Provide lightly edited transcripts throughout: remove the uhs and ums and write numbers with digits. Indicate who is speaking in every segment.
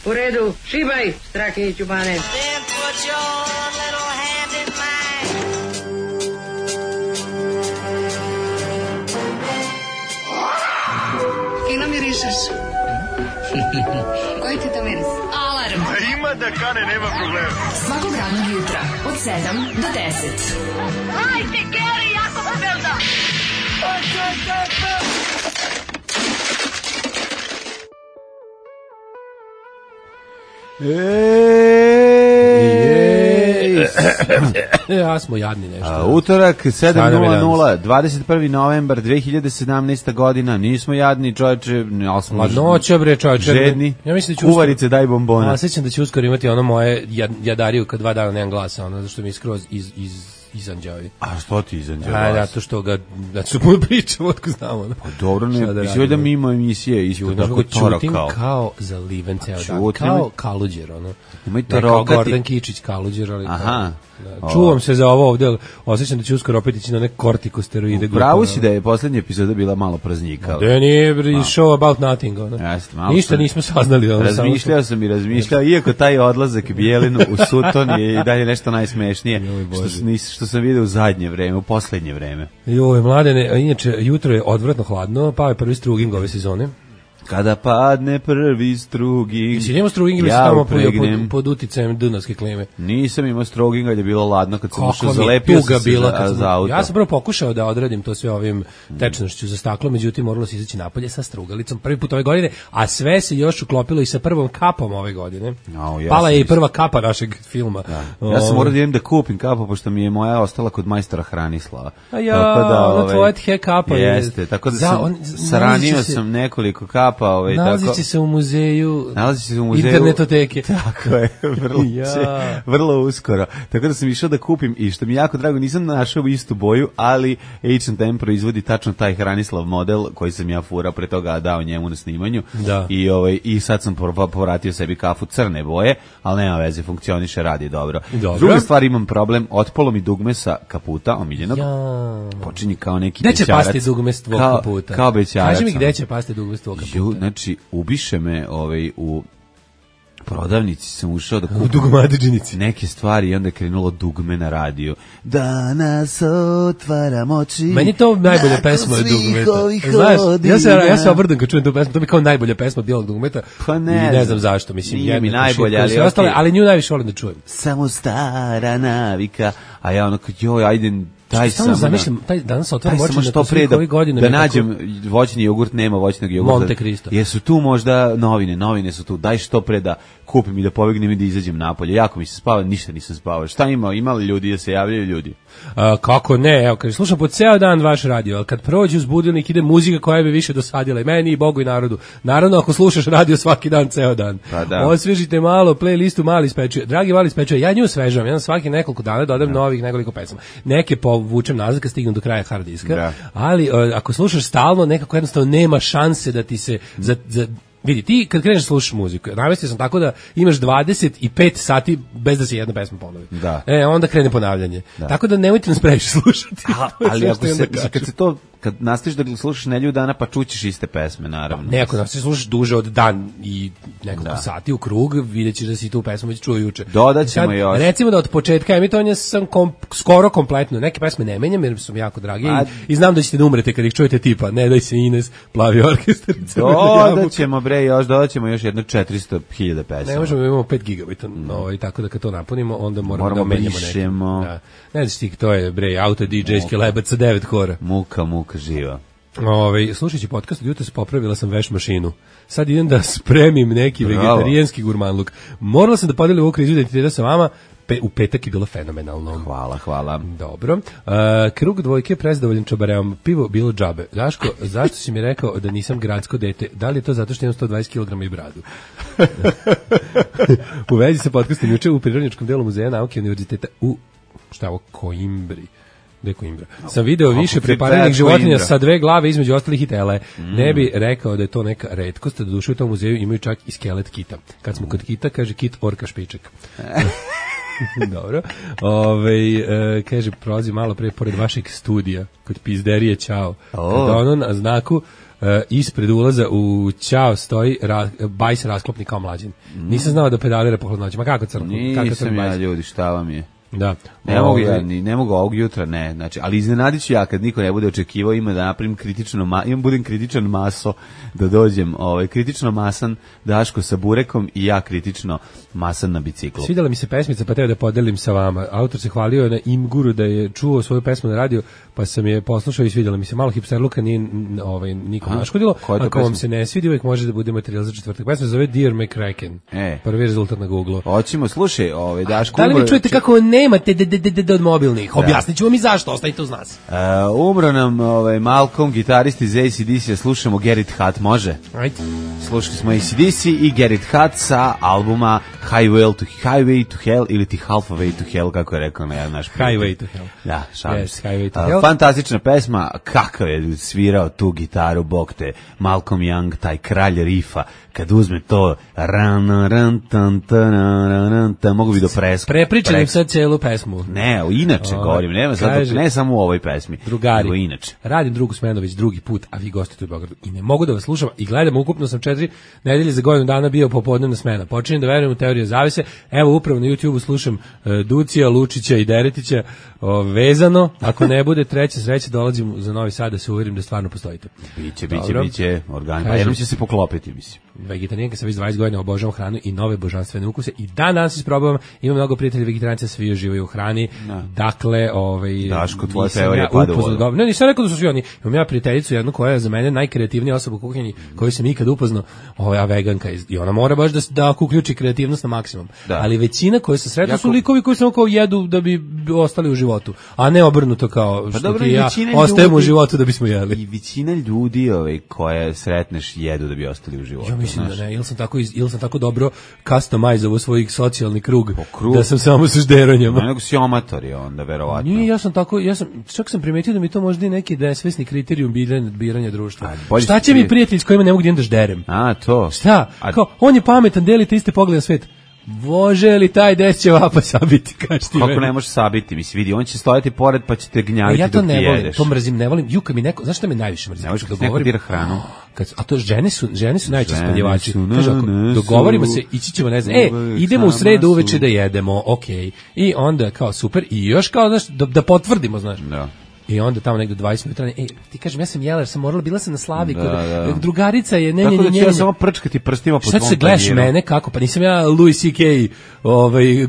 Speaker 1: U redu, šibaj, Strahinjiću Bane.
Speaker 2: Then put your little hand in mine.
Speaker 3: Fino mirišeš. Koji ti to miris? Alarm.
Speaker 4: Ima da kane, nema problema.
Speaker 3: Svakog radnog jutra, od 7 do 10.
Speaker 2: Hajde, Geri, jako se velda.
Speaker 5: Ja smo jadni nešto.
Speaker 6: Utorak 7:00, 21. novembar 2017. godina. Nismo jadni, čovječe, ali smo
Speaker 5: Ladnoća, bre, čovječe.
Speaker 6: žedni.
Speaker 5: Ja mislim da ću
Speaker 6: Kuvarice, daj bombona.
Speaker 5: Ja sećam da će uskoro imati ono moje jadariju kad 2 dana nemam glasa, ono, zašto mi je skroz izanđavi.
Speaker 6: A što ti izanđa
Speaker 5: A,
Speaker 6: glas?
Speaker 5: zato što ga, zato što puno pričamo, otko znamo. Ono.
Speaker 6: Pa dobro, ne, mislim da mimo emisije isto tako
Speaker 5: Čutim
Speaker 6: torakao.
Speaker 5: kao zaliven ceo dan,
Speaker 6: čutim.
Speaker 5: kao Kaluđer, ono.
Speaker 6: Ima i
Speaker 5: Ne kao
Speaker 6: torokati.
Speaker 5: Gordon Kičić Kaluđer, ali
Speaker 6: Aha.
Speaker 5: da, čuvam se za ovo ovde, ali osjećam da će uskoro opet ići na neke kortikosteroide.
Speaker 6: Pravo si da je poslednja epizoda bila malo praznika.
Speaker 5: Da nije show about nothing, ono.
Speaker 6: Jeste, malo
Speaker 5: Ništa
Speaker 6: sam-
Speaker 5: nismo saznali. Ono,
Speaker 6: Razmišljao sam i razmišljao, iako taj odlazak Bijelinu u Sutton je i dalje nešto najsmešnije, što sam vidio u zadnje vreme, u poslednje vreme.
Speaker 5: Joj, mladene, inače, jutro je odvratno hladno, pao je prvi struging ove sezone.
Speaker 6: Kada padne prvi struging,
Speaker 5: Si imao struging ili si
Speaker 6: ja
Speaker 5: tamo
Speaker 6: upregnem.
Speaker 5: pod uticajem dunavske klime?
Speaker 6: Nisam imao struging, ali je bilo ladno kad sam ušao,
Speaker 5: Kako mi je
Speaker 6: zalepio
Speaker 5: tuga
Speaker 6: sam se
Speaker 5: bila kad
Speaker 6: za auto.
Speaker 5: Ja sam prvo pokušao da odradim to sve ovim tečnošću za staklo, međutim moralo se izaći napolje sa strugalicom prvi put ove godine, a sve se još uklopilo i sa prvom kapom ove godine.
Speaker 6: Ja
Speaker 5: Pala
Speaker 6: sam
Speaker 5: je i
Speaker 6: isto.
Speaker 5: prva kapa našeg filma.
Speaker 6: Ja sam morao da idem da kupim kapu, pošto mi je moja ostala kod majstora Hranislava.
Speaker 5: A ja, ona tvoja tje kapa je.
Speaker 6: Jeste, tako da sam saranio sam nekoliko kapa,
Speaker 5: nalazi se u muzeju.
Speaker 6: Nalazi se u muzeju
Speaker 5: internetoteke.
Speaker 6: Tako je, vrlo uskoro. Tako da sam išao da kupim i što mi je jako drago, nisam našao istu boju, ali H&M proizvodi tačno taj Hranislav model koji sam ja furao pre toga dao njemu na snimanju.
Speaker 5: Da.
Speaker 6: I sad sam povratio sebi kafu crne boje, ali nema veze, funkcioniše, radi dobro.
Speaker 5: Dobro.
Speaker 6: Druga stvar, imam problem, otpalo mi dugme sa kaputa omiljenog. Počinje kao neki
Speaker 5: bećarac. Gde će
Speaker 6: bećarac.
Speaker 5: pasti dugme s tvog kaputa?
Speaker 6: Kao bećarac.
Speaker 5: Kaži mi gde će pasti dugme s tvog kaputa?
Speaker 6: Znači, ubiše me u prodavnici sam ušao da kupim
Speaker 5: u dugmadžinici
Speaker 6: neke stvari i onda je krenulo dugme na radiju. Danas otvaram oči.
Speaker 5: Meni to najbolja pesma od dugmeta. Znaš, ja se obrdım kad čujem tu pesmu, to mi kao najbolja pesma od bijelog dugmeta.
Speaker 6: Pa
Speaker 5: ne znam zašto, mislim.
Speaker 6: Nije mi najbolja, ali
Speaker 5: ostale, ali nju najviše volim da čujem.
Speaker 6: Samo stara navika, a ja ono joj, ajde, daj samo.
Speaker 5: Zamišljam, taj danas otvaram oči
Speaker 6: što pre da nađem voćni jogurt, nema voćnog jogurta.
Speaker 5: Monte Cristo.
Speaker 6: Jesu tu možda novine su tu, daj što pre da kupim i da pobegnem i da izađem napolje. Jako mi se spava, ništa nisam spavao. Šta imali ljudi da se javljaju ljudi?
Speaker 5: Kako ne, evo, kad slušam po ceo dan vaš radio, ali kad prođe uz budilnik ide muzika koja bi više dosadila i meni i Bogu i narodu. Naravno, ako slušaš radio svaki dan, ceo dan.
Speaker 6: Pa da.
Speaker 5: Osvežite malo playlistu Mali Spečuje. Dragi Mali Spečuje, ja nju osvežavam, ja svaki nekoliko dana dodam novih nekoliko pesama. Neke povučem nazad kad stignem do kraja hard diska, ali ako slušaš stalno, nekako jednostavno nema šanse da ti se vidi, ti kad kreneš slušaš muziku, namestio sam tako da imaš 25 sati bez da se jedna pesma ponovi.
Speaker 6: Da.
Speaker 5: Onda krene ponavljanje. Da. Tako da nemojte nas previše slušati.
Speaker 6: Ali kad nastaviš da slušaš nedelju dana, pa čućeš iste pesme, naravno.
Speaker 5: Ne, ako nastaviš slušaš duže od dan i nekoliko sati u krug, vidjet ćeš da si tu pesmu već čuo juče.
Speaker 6: Dodat ćemo još.
Speaker 5: Recimo da od početka emitovanja sam skoro kompletno. Neke pesme ne menjam jer su mi jako drage i znam da ćete da umrete kad ih čujete tipa Ne daj se Ines, Plavi orkestar.
Speaker 6: Dodat ćemo još jedno 400.000 pesama.
Speaker 5: Ne možemo, imamo 5 gigabita, tako da kad to napunimo, onda moramo da menjamo neke. Ne znaš ti, to je auto DJ-ski lebac sa 9 kora.
Speaker 6: Muka živa.
Speaker 5: Slušajući podcast od jutra popravila sam veš mašinu. Sad idem da spremim neki vegetarijanski gurmanluk. Morala sam da podelim ovu krizu identiteta sa vama. U petak je bilo fenomenalno.
Speaker 6: Hvala.
Speaker 5: Dobro. Krug dvojke prezadovoljen čabareom. Pivo bilo džabe. Daško, zašto si mi rekao da nisam gradsko dete? Da li je to zato što imam 120 kg i bradu? U vezi sa podcastom juče u Prirodnjačkom delu Muzeja nauke univerziteta u Koimbri. Sam video više prepariranih životinja sa 2 glave između ostalih i tele. Ne bi rekao da je to neka retkost, da duše u tom muzeju imaju čak i skelet kita. Kad smo kod kita, kaže kit orka špiček. Dobro. Kaže, prolazi malo pre pored vašeg studija, kod pizderije Ćao. Kada ono na znaku ispred ulaza u Ćao stoji bajs rasklopni kao mlađin. Nisam znao da pedalira po hladnoći. Ma kako crno?
Speaker 6: Nisam ja, ljudi, šta vam je?
Speaker 5: Da.
Speaker 6: Ne mogu ovog jutra, ne. Znači, ali iznenadit ću ja kad niko ne bude očekivao, ima da napravim budem kritičan maso, da dođem, kritično masan Daško sa burekom i ja kritično masan na biciklu.
Speaker 5: Svidjela mi se pesmica, pa teo da podelim sa vama. Autor se hvalio na Imguru da je čuo svoju pesmu na radiju, pa sam je poslušao i svidjela mi se. Malo hipsterluka nije nikom naškodilo. Ako vam se ne svidi, uvijek može da bude materijal za četvrtak. Pesma se zove Dear McCracken. Prvi rezultat na Google.
Speaker 6: Hoćemo, slušaj, Daško.
Speaker 5: Da li vi čujete kako nemate od mobilnih? Objasnit ću vam i zašto, ostanite uz nas.
Speaker 6: Umro nam Malcolm, gitarist iz AC/DC, slušamo Get It Hot, može?
Speaker 5: Ajde.
Speaker 6: Slušali smo AC/DC i Get It Hot sa albuma Highway to Hell ili ti Halfway to Hell, kako je rekao na naš prijatelj.
Speaker 5: Highway to Hell.
Speaker 6: Da, šalim se.
Speaker 5: Highway to Hell.
Speaker 6: Fantastična pesma, kakav je svirao tu gitaru, bog te, Malcolm Young, taj kralj rifa, kad uzme to mogu bi do
Speaker 5: prepričanim sad celu pesmu.
Speaker 6: Ne, inače govorim, ne samo u ovoj pesmi.
Speaker 5: Drugari,
Speaker 6: nego inače.
Speaker 5: Radim drugu smenu već drugi put, a vi gostujete u Beogradu i ne mogu da vas slušam i gledam, ukupno sam 4 nedelje za godinu dana bio popodnevna smena. Počinjem da verujem u teoriju zavese. Evo upravo na YouTubeu slušam Ducija, Lučića i Deretića vezano. Ako ne bude treća sreća, dolazim za Novi Sad da se uverim da stvarno postojite.
Speaker 6: Biće organ. Pa jednom će se poklopiti, mislim.
Speaker 5: Vegetarijanka sam već 20 godina, obožavam hranu i nove božanstvene ukuse i danas isprobavam. Imam mnogo prijatelja vegetarijanca, svi uživaju u hrani. Dakle,
Speaker 6: Daško, tvoja teorija pada u vodu.
Speaker 5: Ne, nisam rekao da su svi oni. Imam ja prijateljicu jednu koja je za mene najkreativnija osoba u kuhinji koju sam ikad upoznao, veganka i ona mora baš da uključi kreativnost na maksimum. Ali većina koje se sretnu su likovi koji samo kao jedu da bi ostali u životu, a ne obrnuto kao što ti ja ostajemo u životu da bismo jeli.
Speaker 6: I većina ljudi koje sretneš jedu da bi ostali u životu.
Speaker 5: Ja mislim da ne, ili sam tako dobro customizovao svoj socijalni krug da sam samo sa žderonjama.
Speaker 6: Nego si amator je onda, verovatno.
Speaker 5: Nije, čak sam primetio da mi to možda i neki nesvesni kriterijum biranja društva. Šta će mi prijatelj s kojima ne mogu da idem da žderem?
Speaker 6: To.
Speaker 5: Šta? Kao, on je pametan, delite iste poglede na svet. Može li taj des će vapa sabiti, kaži ti meni?
Speaker 6: Kako ne može sabiti, misli, vidi, on će stojati pored pa će te gnjaviti dok ti jedeš.
Speaker 5: Ja to ne volim, to mrzim, ne volim, juka mi neko, znaš šta me najviše mrzim?
Speaker 6: Ne možeš kad neko dira hranu.
Speaker 5: A to žene su najčešće spaljivači. Kaže, dogovorimo se, ići ćemo, ne znam, idemo u sredu uveče da jedemo, okej. I onda kao super, i još kao, znaš, da potvrdimo, znaš.
Speaker 6: Da.
Speaker 5: I onda tamo negde 20 minuta, ti kažem, ja sam jela, jer sam morala, bila sam na slavi, kod drugarica je,
Speaker 6: tako da ću ja samo prčkati prstima po tvom
Speaker 5: tanjiru. Šta se gledaš mene, kako? Pa nisam ja Louis C.K.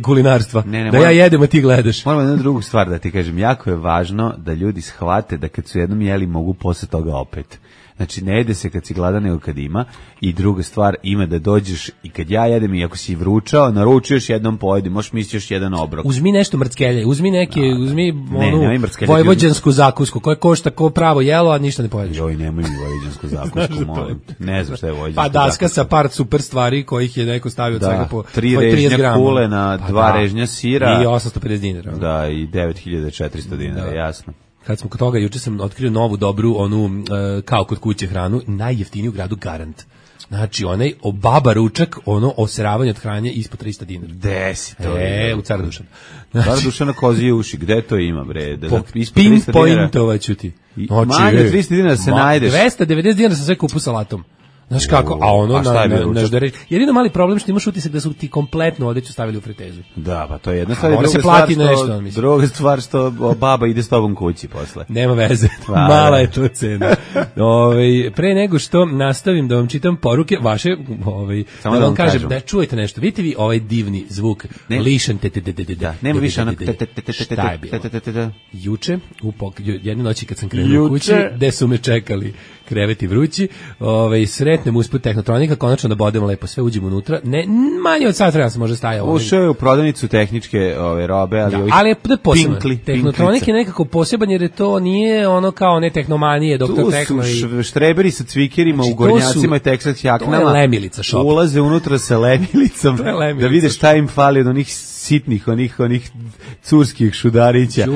Speaker 5: Kulinarstva, da ja jedem, a ti gledaš.
Speaker 6: Moram jednu drugu stvar da ti kažem, jako je važno da ljudi shvate da kad su jednom jeli, mogu posle toga opet. Znači, ne jede se kad si gladan, nego kad ima. I druga stvar, ima da dođeš i kad ja jedem i ako si vručao, naručuješ jednom pojedi, možeš misliti još jedan obrok.
Speaker 5: Uzmi nešto mrckelje, uzmi onu vojvođansku zakusku koja košta ko pravo jelo, a ništa ne pojedeš.
Speaker 6: Joj, nemoj mi vojvođansku zakusku, molim. Ne znam šta je vojvođanska
Speaker 5: zakuska. Pa daska sa par super stvari kojih je neko stavio od svega po
Speaker 6: 3 režnja kule na 2 režnja sira.
Speaker 5: I 850 dinara.
Speaker 6: Da, i 9400 dinara, jasno.
Speaker 5: Kad smo kod toga, juče sam otkrio novu dobru, onu kao kod kuće hranu, najjeftiniju u gradu Garant. Znači, onaj baba ručak, oseravanje od hranje ispod 300 dinara.
Speaker 6: Gde si to?
Speaker 5: U Car Dušan.
Speaker 6: Car Dušana kozije uši, gde to ima, bre?
Speaker 5: Pinpointovaću ti.
Speaker 6: Manje 300 dinara se najdeš.
Speaker 5: 290 dinara sam sve kupu salatom. Znaš kako, a ono na ždere. Jedino mali problem što imaš utisak da su ti kompletnu odeću stavili u fritezu.
Speaker 6: Da, pa to je jedna stvar. Druga stvar što baba ide s tobom kući posle.
Speaker 5: Nema veze, mala je to cena. Pre nego što nastavim da vam čitam poruke vaše, da vam kažem, da čujete nešto. Vidite vi ovaj divni zvuk, lišan
Speaker 6: nema više onak.
Speaker 5: Šta je bilo? Juče, jedne noći kad sam krenuo u kući, gde su me čekali kreveti vrući, sretnem usput Tehnotronika, konačno da bodemo lepo sve, uđemo unutra, ne, manje od sat vremena se može stajao.
Speaker 6: Ušao je u prodavnicu tehničke robe, ali
Speaker 5: ali je posebno. Tehnotronik je nekako poseban jer je to nije ono kao ne tehnomanije, doktor Tehno.
Speaker 6: Tu su štreberi sa cvikerima u gornjacima i Texas jaknama.
Speaker 5: To je lemilica šop.
Speaker 6: Ulaze unutra sa lemilicom da vide šta im fali od onih sitnih, onih curskih šudarića.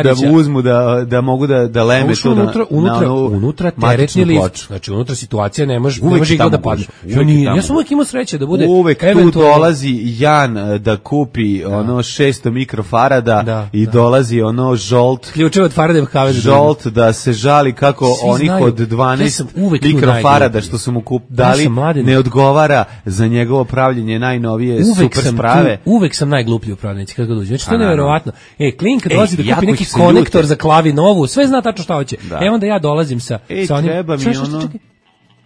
Speaker 6: Da uzmu, da mogu da leme to
Speaker 5: unutra teretni lift.
Speaker 6: ploču.
Speaker 5: Znači unutra situacija ne može
Speaker 6: Uvek
Speaker 5: igla da
Speaker 6: tamo
Speaker 5: padne.
Speaker 6: gužva,
Speaker 5: Ja sam uvek imao sreće da bude
Speaker 6: uvek tu
Speaker 5: eventualno
Speaker 6: dolazi Jan da kupi ono 600 mikrofarada i dolazi ono žolt
Speaker 5: ključeve od Faradayevog kaveza.
Speaker 6: Žolt da se žali kako
Speaker 5: Svi
Speaker 6: onih
Speaker 5: znaju.
Speaker 6: od 12 mikrofarada što su mu dali ne odgovara za njegovo pravljenje najnovije super sprave.
Speaker 5: Uvek sam najgluplji u prodavnici kad ga dođe. Znači to je neverovatno. Klinka dolazi da kupi neki konektor za klavi novu, sve zna tačno šta hoće. Onda ja dolazim sa onim.
Speaker 6: Treba mi ono.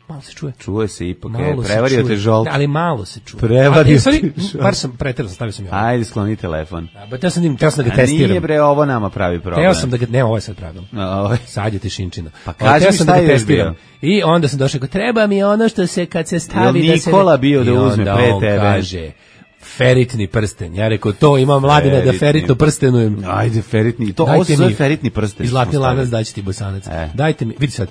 Speaker 5: Malo se čuje.
Speaker 6: Čuje se ipak, prevario te žolt.
Speaker 5: Ali malo se čuje.
Speaker 6: Prevario te žolt.
Speaker 5: Bar sam preterao, stavio sam ja.
Speaker 6: Ajde, skloni telefon.
Speaker 5: Teo sam da ga testiram.
Speaker 6: Nije bre, ovo nama pravi problem.
Speaker 5: Teo sam da ga, ne, ovo je sad pravilno. Sad je tišinčina.
Speaker 6: Pa kaži mi šta je bio.
Speaker 5: I onda sam došao, treba mi ono što se kad se stavi
Speaker 6: da se... Nikola bio da uzme pre tebe.
Speaker 5: I onda on kaže, feritni prsten. Ja rekao, to ima Mladine da feritno prstenujem.
Speaker 6: Ajde, feritni. Ovo se zove feritni prsten.
Speaker 5: I zlatni lanac daći ti bosanac. Dajte mi, vidi sad.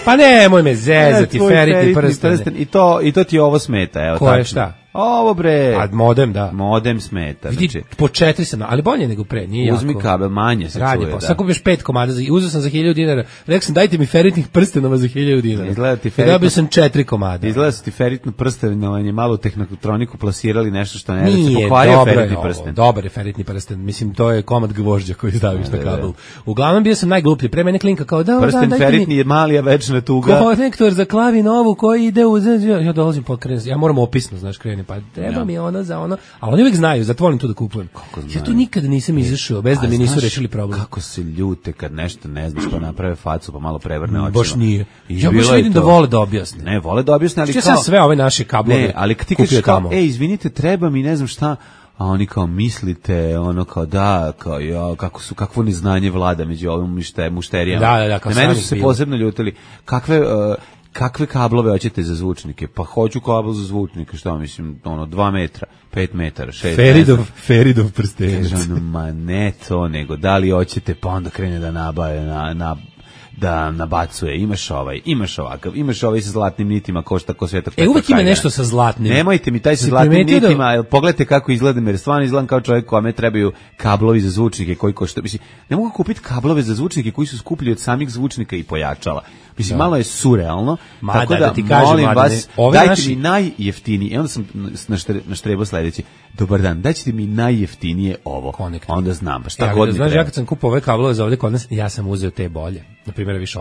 Speaker 5: Pa nemoj me zezati, feritni prsten.
Speaker 6: I to ti ovo smeta, evo.
Speaker 5: Ko je šta?
Speaker 6: Ovo bre.
Speaker 5: A modem, da.
Speaker 6: Modem smeta.
Speaker 5: Vidi, po 4 sam, ali bolje nego pre, nije jako.
Speaker 6: Uzmi kabel, manje se čuje, da.
Speaker 5: Sad kupiš 5 komada, uzeo sam za 1000 dinara, rekao sam dajte mi feritnih prstenova za 1000 dinara.
Speaker 6: Izgleda ti feritno.
Speaker 5: Dobio sam 4 komada.
Speaker 6: Izgleda ti feritno prstenovanje, malo tehnotroniku plasirali nešto što ne da se pokvario feritni prsten.
Speaker 5: Dobar je feritni prsten, mislim to je komad gvožđa koji staviš na kabel. Uglavnom bio sam najgluplji, pre mene klinka kao da
Speaker 6: prsten feritni je mali, a večna tuga.
Speaker 5: Konektor za klavi novu koji ide u ja dolazim po krenem, ja moram opisno, znaš, krenem, pa treba mi ono za ono, ali oni uvijek znaju, zato volim to da kupujem. Ja tu nikada nisam izašao bez da mi nisu rešili problem.
Speaker 6: Kako se ljute kad nešto ne znaš pa naprave facu pa malo prevrne očima.
Speaker 5: Baš nije. Ja baš vidim da vole da objasne.
Speaker 6: Ne, vole da objasne, ali
Speaker 5: kao... sve ove naše kablove.
Speaker 6: Ne, ali ti kažeš kao, izvinite, treba mi ne znam šta, a oni kao mislite, ono kao da, kao ja, kakvo neznanje vlada među ovim mušterijama.
Speaker 5: Da, kao
Speaker 6: meni su se posebno ljutili. Kakve kablove hoćete za zvučnike? Pa hoću kabel za zvučnike, šta mislim, 2 metra, 5 metara, 6
Speaker 5: Feridov prstenac.
Speaker 6: Ma ne to, nego da li hoćete, pa onda krene da nabaje, da nabacuje, imaš ovakav, imaš ovaj sa zlatnim nitima, košta ko Svetog Petra.
Speaker 5: Uvek ima nešto sa zlatnim.
Speaker 6: Nemojte mi taj sa zlatnim nitima, pogledajte kako izgledam, jer stvarno izgledam kao čovjek kome trebaju kablovi za zvučnike koji košta. Mislim, ne mogu kupiti kablove za zvučnike koji su skuplji od samih zvučnika i pojačala. Mislim, malo je surrealno, tako da
Speaker 5: ti kažem,
Speaker 6: molim vas, dajte mi najjeftiniji, i onda sam naštrebao sledeći, dobar dan, dajte mi najjeftinije ovo, onda znam, šta god mi treba.
Speaker 5: Znaš, ja kad sam kupao ove kablove za ovdje kod nas, ja sam uzeo te bolje. Naprimjer, više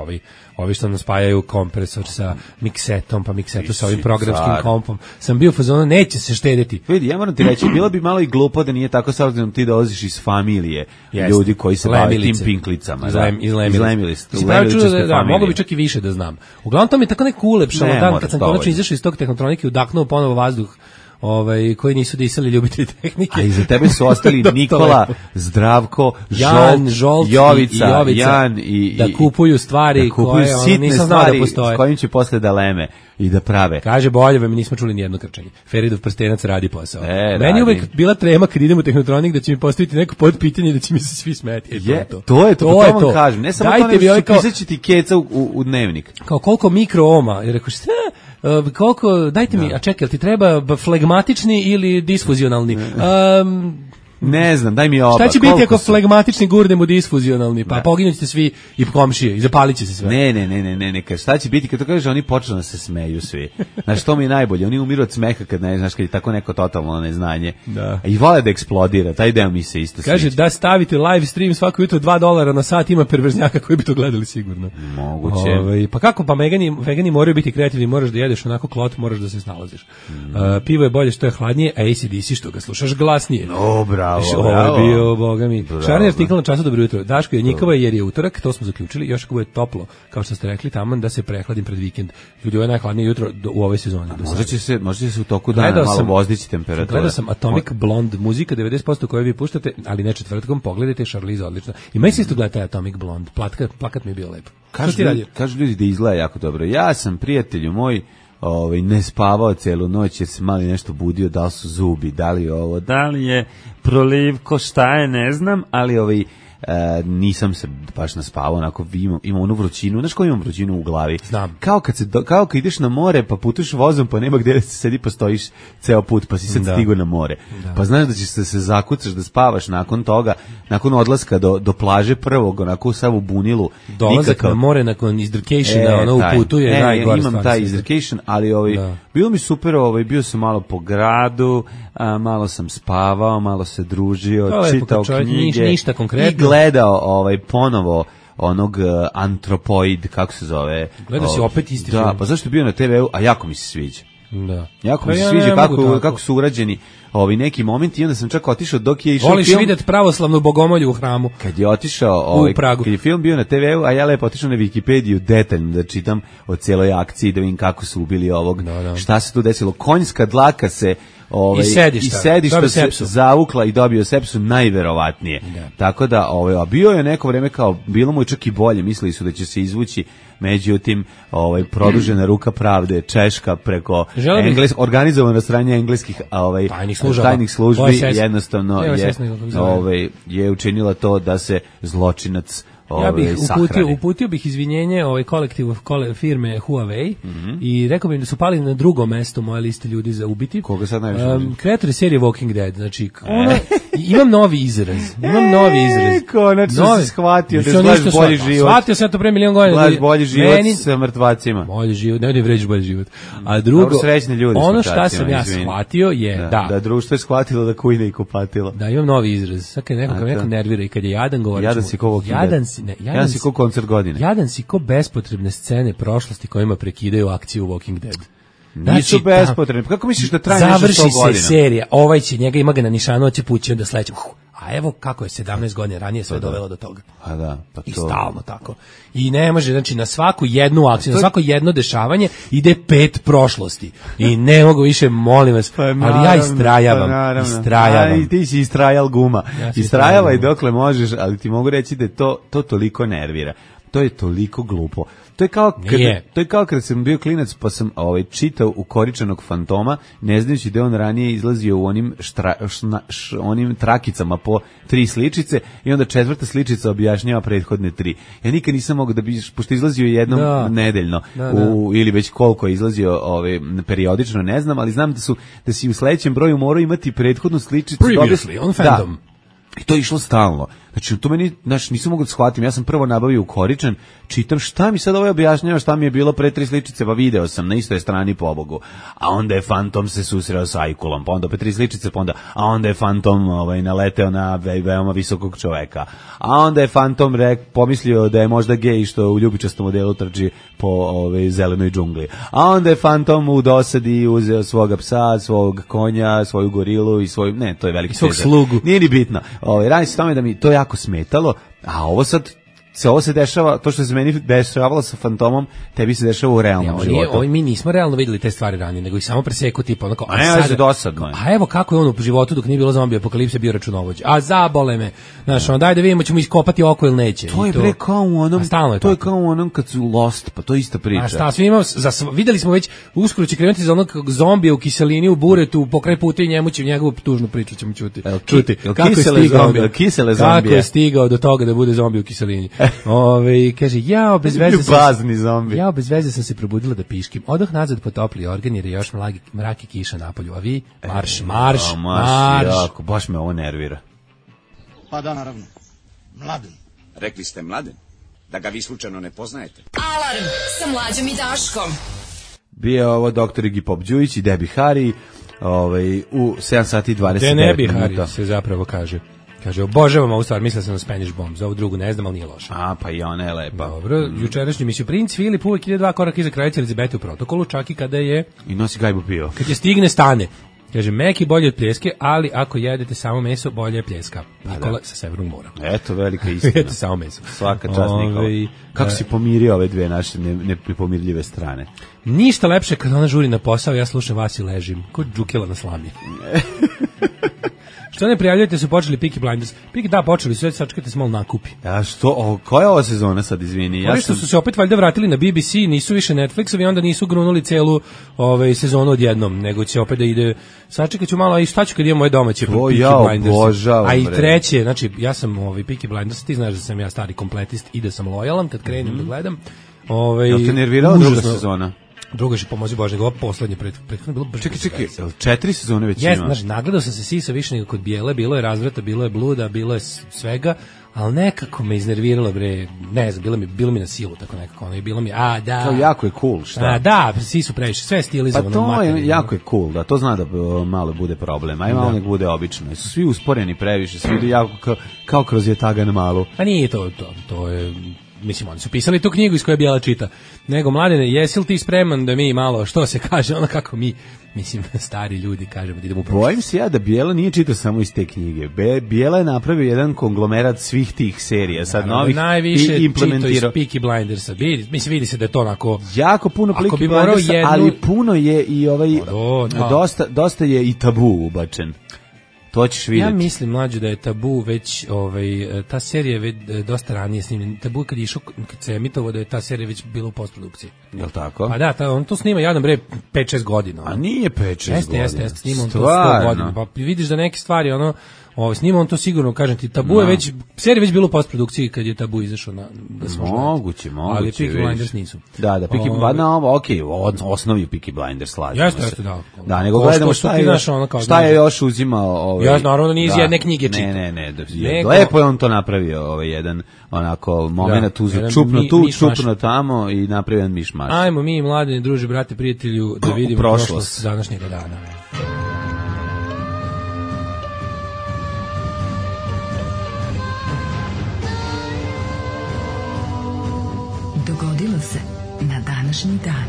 Speaker 5: ovi što nam spajaju kompresor sa miksetom, pa miksetu sa ovim programskim kompom. Sam bio u fazonu, neće se štediti.
Speaker 6: Vidi, ja moram ti reći, bilo bi malo i glupo da nije tako, s obzirom ti dolaziš iz familije ljudi koji se bave tim pinklicama.
Speaker 5: Iz Lemilice. Mogu bi čak i više da znam. Uglavnom to mi je tako neko ulepšalo dan kad sam konačno izašao iz tog tehnotronike i udahnuo ponovo vazduh koji nisu disali ljubitelji tehnike.
Speaker 6: A iza tebe su ostali Nikola, Zdravko, Žolt, Jovica, Jan i
Speaker 5: da kupuju stvari koje nisam znao da postoje.
Speaker 6: S kojim će posle da leme i da prave.
Speaker 5: Kaže Boljeve, mi nismo čuli nijedno krčenje. Feridov prstenac radi posao. Meni je uvek bila trema kad idem u tehnotronik da će mi postaviti neko podpitanje i da će mi se svi smeti.
Speaker 6: To je to vam kažem. Ne samo to, nego pisaći ti keca u dnevnik.
Speaker 5: Kao koliko mikrooma. I rekao, šta? Koliko, dajte mi, a čekaj, ti treba flegmatični ili disfuzionalni?
Speaker 6: Ne znam, daj mi oba.
Speaker 5: Šta će biti ako flegmatični gurnemo disfuzionalni? Pa poginut ćete svi i komšije, i zapalit će se sve.
Speaker 6: Ne, šta će biti kad to kažeš, oni počnu da se smeju svi. Znaš, to mi je najbolje, oni umiru od smeha kad ne znaš, kad je tako neko totalno neznanje. I vole da eksplodira, taj deo mi se isto sviđa.
Speaker 5: Kaže, da stavite live stream svako jutro $2 na sat, ima perverznjaka koji bi to gledali sigurno.
Speaker 6: Moguće.
Speaker 5: Pa kako, pa vegani moraju biti kreativni, moraš da jedeš onako klot, moraš da se snalaziš. Pivo je bolje što je hladnije, a AC/DC što ga slušaš glasnije. Ovo je bio, boga mi. Šarni artikl na Času, dobro jutro. Daško je njikova jer je utorak, to smo zaključili, još ako bude toplo, kao što ste rekli, taman da se prehladim pred vikend. Ljudi, ovo je najhladnije jutro u ovoj sezoni.
Speaker 6: Možda će se u toku dana malo vozdići temperatura.
Speaker 5: Gledao sam Atomic Blonde, muzika 90% koju vi puštate, ali ne četvrtkom, pogledajte, Charlize odlično. I meni se isto gleda taj Atomic Blonde, plakat mi je bio lepo.
Speaker 6: Kažu ljudi da izgleda jako dobro. Ja sam, prijatelju moj, ne spavao celu noć jer se mali nešto budio, da li su zubi, da li ovo, da li je prolivko, šta je, ne znam, ali nisam se baš naspavao, onako imam onu vrućinu, znaš ko imam vrućinu u glavi?
Speaker 5: Znam.
Speaker 6: Kao kad ideš na more, pa putuješ vozom, pa nema gde da se sedi, pa stojiš ceo put, pa si sad stigao na more. Da. Pa znaš da ćeš se zakucaš da spavaš nakon toga, nakon odlaska do plaže prvog, onako sav u bunilu.
Speaker 5: Dolazak na more nakon izdrkationa, u putu je najgore.
Speaker 6: Imam taj izdrkation, ali bilo mi super, bio sam malo po gradu, malo sam spavao, malo se družio, čitao knjige
Speaker 5: ništa konkretno.
Speaker 6: I gledao ponovo onog Antropoid, kako se zove.
Speaker 5: Gledao si opet isti film.
Speaker 6: Da, pa zašto je bio na TV-u, a jako mi se sviđa.
Speaker 5: Da.
Speaker 6: Jako mi se sviđa kako su urađeni neki momenti i onda sam čak otišao dok je išao
Speaker 5: film.
Speaker 6: Voliš
Speaker 5: vidjeti pravoslavnu bogomolju u hramu.
Speaker 6: Kad je otišao, kad je film bio na TV-u, a ja lepo otišao na Wikipediju detaljno da čitam o cijeloj akciji, da vidim kako su ubili ovog, šta se tu desilo. Konjska dlaka se i sedišta se zavukla i dobio sepsu najverovatnije. Tako da, a bio je neko vreme kao, bilo mu je čak i bolje, mislili su da će se izvući, međutim, produžena ruka pravde, Češka preko organizovano stranje engleskih tajnih službi jednostavno je učinila to da se zločinac
Speaker 5: uputio bih izvinjenje kolektivu firme Huawei i rekao bih da su pali na drugo mesto moje liste ljudi za ubiti.
Speaker 6: Koga sad najviše?
Speaker 5: Kreatori serije Walking Dead. Znači, imam novi izraz.
Speaker 6: Konačno si shvatio da glaš bolji život.
Speaker 5: Shvatio sam to pre milion godina.
Speaker 6: Glaš bolji život sa mrtvacima.
Speaker 5: Bolji život, ne vređiš bolji život. A drugo, ono što sam ja shvatio je
Speaker 6: da društvo je shvatilo da kujne i kupatilo.
Speaker 5: Da, imam novi izraz. Sad kad neko nervira i kad je jadan govori.
Speaker 6: Jadan si ko Walking Dead. Jadan si ko koncert godine.
Speaker 5: Jadan si ko bespotrebne scene prošlosti kojima prekidaju akciju Walking Dead.
Speaker 6: Nisu bespotrebne. Kako misliš da traje nešto 100 godina?
Speaker 5: Završi se serija, ima ga na nišanu, će pući, onda sledeće. A evo kako je 17 godina ranije sve dovelo do toga.
Speaker 6: A da, pa to.
Speaker 5: I stalno tako. I ne može, znači na svaku jednu akciju, na svako jedno dešavanje ide 5 prošlosti. I ne mogu više, molim vas, ali ja istrajavam.
Speaker 6: I ti si istrajal guma. Istrajavaj dokle možeš, ali ti mogu reći da to toliko nervira. To je toliko glupo. To je kao kad sam bio klinac pa sam čitao u Koričanog fantoma, ne znajući da on ranije izlazio u onim trakicama po 3 sličice i onda 4. sličica objašnjava prethodne 3. Ja nikad nisam mogao da bi, pošto izlazio jednom nedeljno ili već koliko je izlazio periodično, ne znam, ali znam da si u sledećem broju morao imati prethodnu sličicu.
Speaker 5: Previously on Fandom.
Speaker 6: I to je išlo stalno. Znači, to meni, nisam mogao da shvatim. Ja sam prvo nabavio u Koričan, čitam šta mi sad objašnjava, šta mi je bilo pre 3 sličice, pa video sam na istoj strani, pobogu. A onda je Fantom se susreo sa Ajkulom, pa onda opet 3 sličice, a onda je Fantom naleteo na veoma visokog čoveka. A onda je Fantom pomislio da je možda gej što u ljubičastom modelu trči po zelenoj džungli. A onda je Fantom u dosadi uzeo svoga psa, svog konja, svoju gorilu i svoju, ne, to je veliki
Speaker 5: svog slugu.
Speaker 6: Nije ni bitno. Radi se tome da mi to jako smetalo, a ovo se dešava, to što se meni dešavalo sa Fantomom, tebi se dešava u realnom životu.
Speaker 5: Mi nismo realno videli te stvari ranije, nego ih samo preseku tipa onako.
Speaker 6: A ne, je dosadno.
Speaker 5: A evo kako je on u životu dok nije bilo zombi apokalipse bio računovođa. A zabole me. Znaš, daj da vidimo ćemo iskopati oko ili neće.
Speaker 6: To je bre kao u onom. To je kao u onom kad su Lost, pa to je ista priča.
Speaker 5: A šta, svi imamo, videli smo već uskoro će krenuti za onog zombija u kiselini u buretu, pokraj puta i njegovu tužnu priču ćemo čuti. Kako je stigao do toga da bude zombi u kiselini. Kaže, ja bez veze sam se probudila da piškim. Odoh nazad po topli organ jer je još mrak i kiša napolju. A vi, marš.
Speaker 6: Jako, baš me ovo nervira.
Speaker 7: Pa da, naravno. Mladen.
Speaker 8: Rekli ste Mladen? Da ga vi slučajno ne poznajete?
Speaker 3: Alarm sa Mlađom i Daškom.
Speaker 6: Bio ovo doktor Iggy Pop Đujić i Debbie Harry u 7 sati i 29 minuta.
Speaker 5: Debbie Harry se zapravo kaže. Kaže, obožavam ovu stvar, mislila sam na Spanish Bomb, za ovu drugu ne znam, ali nije loša.
Speaker 6: A, pa i ona je lepa.
Speaker 5: Dobro, jučerašnji misiju Princ Filip uvek ide 2 koraka iza kraljice Elizabete u protokolu, čak i kada je...
Speaker 6: I nosi gajbu pivo.
Speaker 5: Kad je stigne, stane. Kaže, meki bolje od pljeske, ali ako jedete samo meso, bolje je pljeska. Nikola sa Severnog mora.
Speaker 6: Eto, velika istina.
Speaker 5: Jedete samo meso.
Speaker 6: Svaka čast Nikola. Kako si pomirio ove dve naše nepomirljive strane?
Speaker 5: Ništa lepše kad ona žuri na posao, ja slušam vas i ležim. Ko džukila na slami. Što ne prijavljujete su počeli Peaky Blinders. Da, počeli su, sačekajte se malo nakupi.
Speaker 6: A što, koja je ova sezona sad, izvini?
Speaker 5: Oni što su se opet valjda vratili na BBC, nisu više Netflixovi, onda nisu grunuli celu sezonu odjednom, nego će opet da ide, sačekat ću malo, a i šta ću kad imam moje domaće Peaky Blinders. A i treće, znači, ja sam Peaky Blinders, ti znaš da sam ja stari kompletist i da sam lojalan kad krenem da gledam.
Speaker 6: Jel te nervirala druga sezona?
Speaker 5: Druga je pomozi Bože, nego poslednje prethodno bilo baš.
Speaker 6: Čekaj, 4 sezone već ima.
Speaker 5: Znači, nagledao sam se sisa više nego kod Bijele, bilo je razvrata, bilo je bluda, bilo je svega, ali nekako me iznerviralo, bre, ne znam, bilo mi na silu, tako nekako, ono, i bilo mi, da.
Speaker 6: Kao jako je cool, šta?
Speaker 5: Da, svi su previše, sve je stilizovano.
Speaker 6: Pa to je, jako je cool, da, to zna da malo bude problem, aj malo nek bude obično, su svi usporeni previše, svi idu jako kao kroz jetaga na malu.
Speaker 5: Pa nije to je... Mislim, oni su pisali tu knjigu iz koje Bijela čita. Nego, Mladene, jesi li ti spreman da mi malo, što se kaže, ono kako mi, mislim, stari ljudi kažemo da idemo u prošlost.
Speaker 6: Bojim se ja da Bijela nije čitao samo iz te knjige. Bijela je napravio jedan konglomerat svih tih serija, sad novih, i implementirao.
Speaker 5: Najviše Peaky Blindersa. Mislim, vidi se da je to onako...
Speaker 6: Jako puno Peaky Blindersa, ali puno je i dosta je i tabu ubačen. To ćeš vidjeti.
Speaker 5: Ja mislim, mlađe, da je Tabu već, ta serija je već dosta ranije snimljena. Tabu kad se emitovo da je ta serija već bila u postprodukciji.
Speaker 6: Jel tako?
Speaker 5: Pa da, on to snima jadan bre 5-6 godina.
Speaker 6: A nije 5-6 godina.
Speaker 5: Jeste, snima on to 100 godina. Pa vidiš da neke stvari, snima on to sigurno, kažem ti, Tabu je već, serija već bila u postprodukciji kad je Tabu izašao da smo
Speaker 6: moguće,
Speaker 5: ali Peaky Blinders nisu.
Speaker 6: Da, osnovi Peaky Blinders slažemo se.
Speaker 5: Jeste, da.
Speaker 6: Da, nego gledamo šta je još uzimao.
Speaker 5: Ja naravno da nije iz jedne knjige čita.
Speaker 6: Ne, lepo je on to napravio, jedan onako moment uzeo čupno tu, čupno tamo i napravio jedan mišmaš.
Speaker 5: Ajmo mi, Mladeni, druže, brate, prijatelju, da vidimo prošlost današnjega dana.
Speaker 3: Dogodilo se na današnji dan.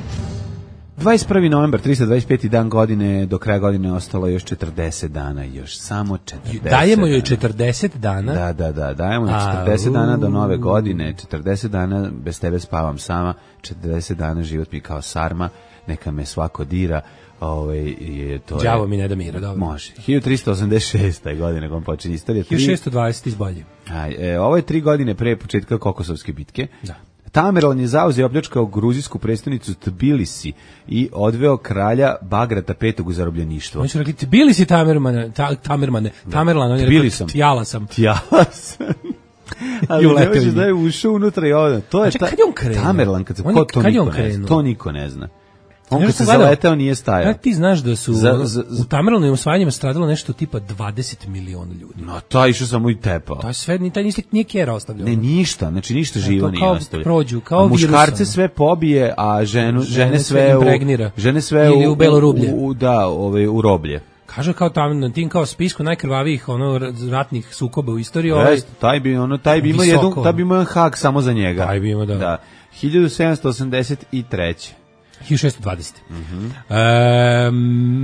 Speaker 6: 21. novembar, 325. dan godine, do kraja godine ostalo još 40 dana, još samo 40
Speaker 5: Dajemo joj 40 dana?
Speaker 6: Da, dajemo joj 40 dana do nove godine, 40 dana bez tebe spavam sama, 40 dana život mi kao sarma, neka me svako dira.
Speaker 5: Đavo mi ne da mira, dobro.
Speaker 6: Može. 1386. godine kom počinje istorija.
Speaker 5: 1620 izbolje.
Speaker 6: Ovo je 3 godine pre početka Kokosovske bitke.
Speaker 5: Da.
Speaker 6: Tamerlan je zauzeo i opljačkao gruzijsku prestonicu Tbilisi i odveo kralja Bagrata V u zarobljeništvo.
Speaker 5: Oni su rekli, Tbilisi Tamermane. Tamerlan, on je rekao, Tjala sam.
Speaker 6: Ali ne možeš da je ušao unutra i ovdje. To je
Speaker 5: kad je on krenuo?
Speaker 6: Tamerlan, to niko ne zna. On kad se zaleteo nije stajao.
Speaker 5: Kako ti znaš da su u Tamerlanovim osvajanjima stradalo nešto tipa 20 miliona ljudi?
Speaker 6: No, taj išao samo i tepao.
Speaker 5: To je sve, taj nije kjera ostavljeno.
Speaker 6: Ne, ništa, znači ništa živo nije ostavljeno.
Speaker 5: Prođu, kao virusom.
Speaker 6: Muškarce sve pobije, a žene sve
Speaker 5: ili u belo rublje.
Speaker 6: U roblje.
Speaker 5: Kaže kao tamo na tim kao spisku najkrvavijih ratnih sukoba u istoriji.
Speaker 6: Taj bi imao jedan hak samo za njega.
Speaker 5: Taj bi imao, da.
Speaker 6: 1783.
Speaker 5: 1620.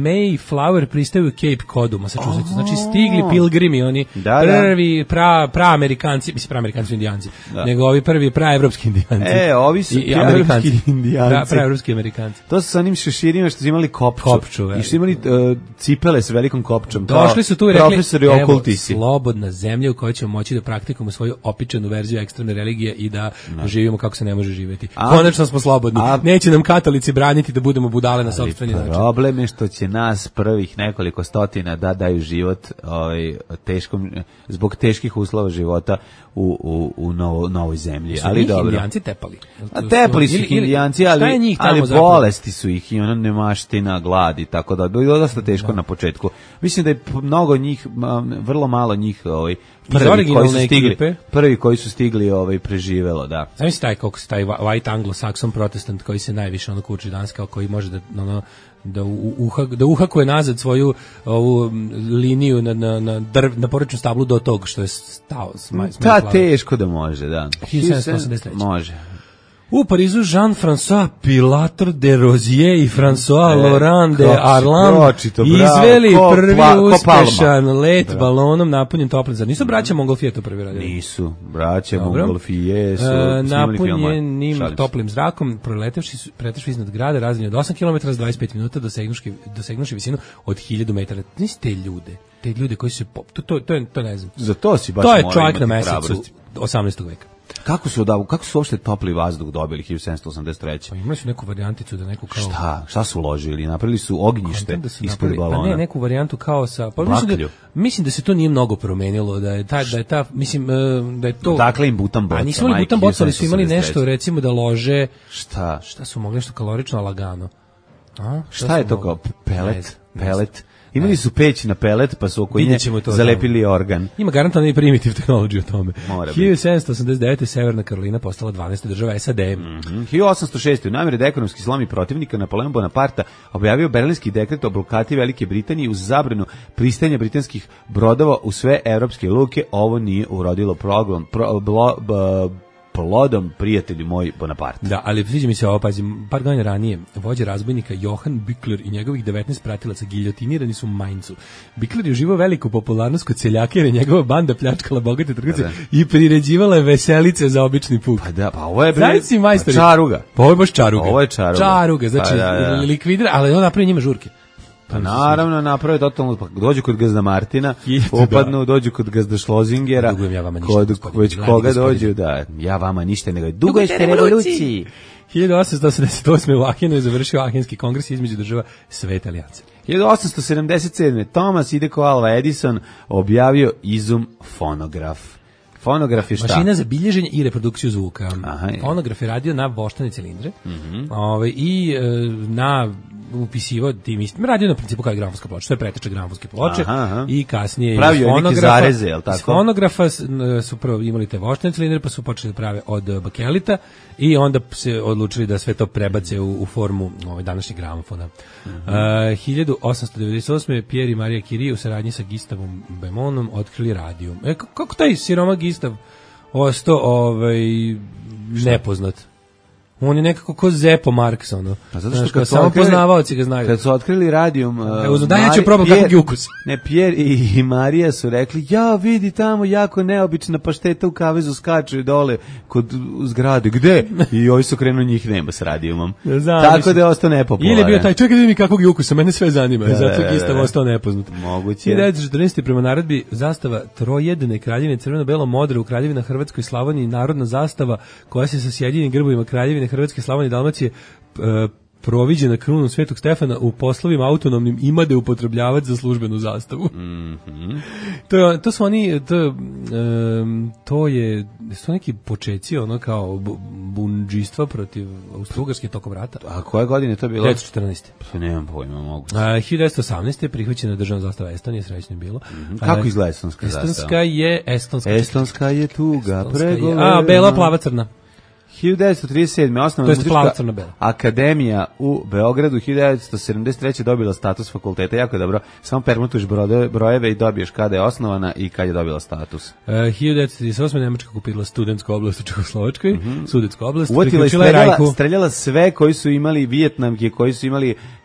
Speaker 5: Mayflower pristaju u Cape Codu, Massachusetts. Znači stigli pilgrimi, oni prvi pra-amerikanci, mislim pra-amerikanci su indijanci, nego ovi prvi pra-evropski indijanci.
Speaker 6: Ovi su pra-evropski indijanci.
Speaker 5: Pra-evropski amerikanci.
Speaker 6: To su sa onim šeširima što su imali kopču. I što su imali cipele s velikom kopčom.
Speaker 5: Došli su tu i rekli,
Speaker 6: profesori okultisi.
Speaker 5: Slobodna zemlja u kojoj ćemo moći da praktikujemo svoju opičanu verziju ekstremne religije i da živimo kako se ne može živjeti. Konačno smo slobodni. Neće nam katolici braniti da budemo budale na sopstveni način.
Speaker 6: Problem je što će nas prvih nekoliko stotina da daju život zbog teških uslova života u novoj zemlji. Ali dobro.
Speaker 5: Indijanci tepali.
Speaker 6: Tepali su ih Indijanci, ali bolesti su ih i ona nemaština, glad i tako da. Bilo dosta teško na početku. Mislim da je mnogo njih, vrlo malo njih prvi koji su stigli preživelo, da.
Speaker 5: Zamisli taj white anglo-saxon protestant koji se najviše kuči danas, kao koji može da uhakuje nazad svoju ovu liniju na porečnu stablu do tog što je stao.
Speaker 6: Teško da može, da.
Speaker 5: 1783.
Speaker 6: Može.
Speaker 5: U Parizu Jean-François Pilator de Rozier i François Laurent de Arlan izveli prvi uspešan let balonom napunjen toplim zrakom. Nisu braća Montgolfier to prvi radili?
Speaker 6: Nisu, braća Montgolfier su
Speaker 5: napunjenim toplim zrakom, pretešli iznad grada, razdaljeni od 8 km s 25 minuta, dosegnuši visinu od 1000 metara. Niste ljude. te ljude koji su to ne znam.
Speaker 6: Za to si baš
Speaker 5: to je
Speaker 6: morao
Speaker 5: čovjek na
Speaker 6: imati
Speaker 5: mesecu
Speaker 6: hrabrosti.
Speaker 5: 18. veka.
Speaker 6: Kako su uopšte topli vazduh dobili 1783?
Speaker 5: Pa imali su neku varijanticu da neku kao...
Speaker 6: Šta su uložili? Napravili su ognjište ispod balona.
Speaker 5: Pa ne, neku varijantu kao sa... Pa mislim da se to nije mnogo promenilo, da je to...
Speaker 6: Dakle im butan boca.
Speaker 5: A nisu imali butan boca, ali su imali nešto, recimo da lože... Šta su mogli, nešto kalorično, lagano?
Speaker 6: Šta je to kao pelet? Imali su peć na pelet, pa su oko nje zalepili organ.
Speaker 5: Ima garantovano i primitive tehnologiju o tome.
Speaker 6: 1789.
Speaker 5: Severna Karolina postala 12. država SAD.
Speaker 6: 1806. u namjeri da ekonomski slomi protivnika, Napoleon Bonaparte objavio Berlinski dekret o blokadi Velike Britanije uz zabranu pristajanja britanskih brodova u sve evropske luke. Ovo nije urodilo plodom, prijatelji moji, Bonaparte.
Speaker 5: Da, ali sviđa mi se ovo, pazi, par godina ranije vođa razbojnika Johann Bickler i njegovih 19 pratilaca giljotinirani su u Mainzu. Bickler je uživao veliku popularnost kod seljaka jer je njegova banda pljačkala bogate trgovce i priređivala je veselice za obični puk.
Speaker 6: Pa ovo je
Speaker 5: čaruga. Pa ovo je baš čaruga.
Speaker 6: Ovo je čaruga.
Speaker 5: Čaruga, znači likvidira, ali on napravi njima žurke.
Speaker 6: Pa naravno, naprave totalno, pa dođu kod gazda Martina, upadnu, dođu kod gazda Šlozingera, već koga dođu, da, ja vama ništa, nego dugo ste revoluciji.
Speaker 5: 1888. u Ahenu je završio Ahenski kongres između država Svete alijanse.
Speaker 6: 1877. Thomas Ideko Alva Edison objavio izum fonograf. Fonograf je šta?
Speaker 5: Mašina za bilježenje i reprodukciju zvuka. Fonograf je radio na voštane cilindre i na upisivao tim istim, radio na principu kao gramofonska ploča, to je preteča gramofonske ploče i kasnije
Speaker 6: pravio neke zareze, je li tako?
Speaker 5: Iz fonografa su prvo imali te voštane cilindre, pa su počeli da prave od bakelita i onda se odlučili da sve to prebace u formu današnjeg gramofona. 1898. Pierre i Maria Curie u saradnji sa Gustavom Bemonom otkrili radio. Kako taj siroma Gustav ostao nepoznat? On je nekako ko Zepo Marks,
Speaker 6: Pa zato što
Speaker 5: samo poznavaoci ga znaju.
Speaker 6: Kad su otkrili radijum...
Speaker 5: ja ću probati kakvog je ukus.
Speaker 6: Pierre i Marija su rekli, vidi tamo jako neobična pašteta u kavezu skače dole kod zgrade. Gde? I ovi su krenuli, njih nema s radijumom. Tako da je ostao nepopularan.
Speaker 5: Ili je bio taj, čekaj da mi kakvog je ukusa, mene sve zanima. Zato je Gustav ostao nepoznat.
Speaker 6: Moguće.
Speaker 5: 1914. prema naredbi zastava trojedne kraljevine crveno-belo modre u Kraljevina Hrvatskoj, Slavoniji, narodna zastava koja se sa sjedinjenim grbovima Kraljevine Hrvatske, Slavonije i Dalmacije proviđena krunom Svetog Stefana u poslovima autonomnim imade upotrebljavati za službenu zastavu. To su oni, to su neki počeci, kao bundžistva protiv Austro-Ugarske tokom rata.
Speaker 6: A koje godine je to bilo?
Speaker 5: 1914.
Speaker 6: Pa nemam pojma, mogu.
Speaker 5: 1918. je prihvaćena državna zastava Estonije, srećno je bilo.
Speaker 6: Kako izgleda estonska zastava? Estonska je tuga, pregovor.
Speaker 5: Bela, plava, crna.
Speaker 6: 1937. osnovna muzička akademija u Beogradu, 1973. dobila status fakulteta, jako je dobro, samo permutuješ brojeve i dobiješ kada je osnovana i kad je dobila status.
Speaker 5: 1938. Nemačka okupirala studentsku oblast u Čehoslovačkoj, Sudetsku oblast,
Speaker 6: uvatila i streljala sve koji su imali Vijetnamke, koji su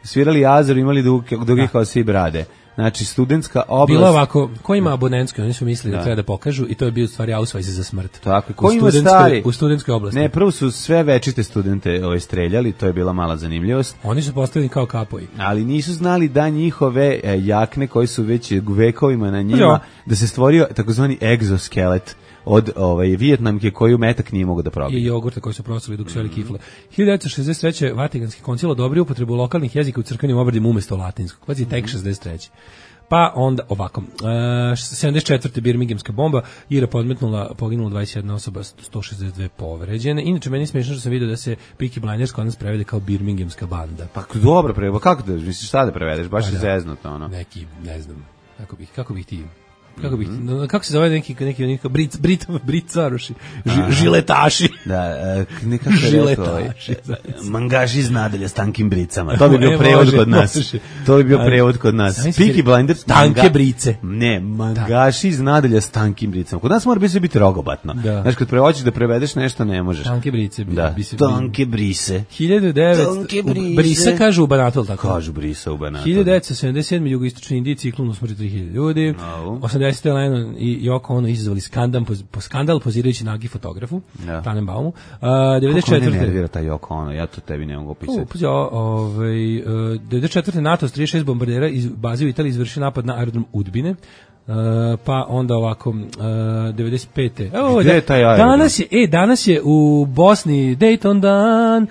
Speaker 6: svirali Azoru, imali duge kao svi brade. Znači, studentska oblast...
Speaker 5: Bilo ovako, ko ima abonentski, oni su mislili da treba da pokažu i to je bio u stvari ausvajz za smrt.
Speaker 6: Tako, ko ima stari...
Speaker 5: U studentskoj oblasti.
Speaker 6: Ne, prvo su sve večite studente streljali, to je bila mala zanimljivost.
Speaker 5: Oni su postavljeni kao kapoji.
Speaker 6: Ali nisu znali da njihove jakne koji su već vekovima na njima, da se stvorio takozvani egzoskelet od Vijetnamke koju metak nije mogo da probije.
Speaker 5: I jogurta koji su prosili dok su jeli kifle. 1963. Vatikanski koncil odobrio upotrebu lokalnih jezika u crkvenim obredima umjesto latinskog. Pazi, tek 63. Pa onda ovako, 74. Birminghamska bomba, Ira podmetnula, poginula 21 osoba, 162 povređene. Inače, meni smiješno što sam vidio da se Peaky Blinders kod nas prevede kao Birminghamska banda.
Speaker 6: Pa dobro prevede, kako da, misliš šta da prevedeš, baš je zeznuto ono.
Speaker 5: Neki, ne znam, kako bih ti... Kako se zove neki bricaroši, žiletaši.
Speaker 6: Da, nekako je rekao, mangaši iz nadalja s tankim bricama. To bi bio prevod kod nas. To bi bio prevod kod nas. Peaky Blinders,
Speaker 5: tanke brice.
Speaker 6: Ne, mangaši iz nadalja s tankim bricama. Kod nas mora biti rogobatno. Znaš, kad prevođiš da prevedeš nešto, ne možeš.
Speaker 5: Tanke brice.
Speaker 6: Da, tanke brise.
Speaker 5: 1900, brisa kažu u Banatu, ali tako?
Speaker 6: Kažu brisa u Banatu.
Speaker 5: 1977. jugoistočni Indiji ciklon usmrti 3000 ljudi. 80. Lennon i Yoko Ono izazvali skandal pozirajući nagi fotografu, Tanem Tenenbaumu.
Speaker 6: Kako ne
Speaker 5: 94.
Speaker 6: nervira taj Yoko Ono, ja to tebi ne mogu opisati.
Speaker 5: 94. NATO s 36 bombardera iz baze u Italiji izvršio napad na aerodrom Udbine. Pa onda ovako 95.
Speaker 6: Gde je taj aerodrom?
Speaker 5: Danas je u Bosni Dayton dan.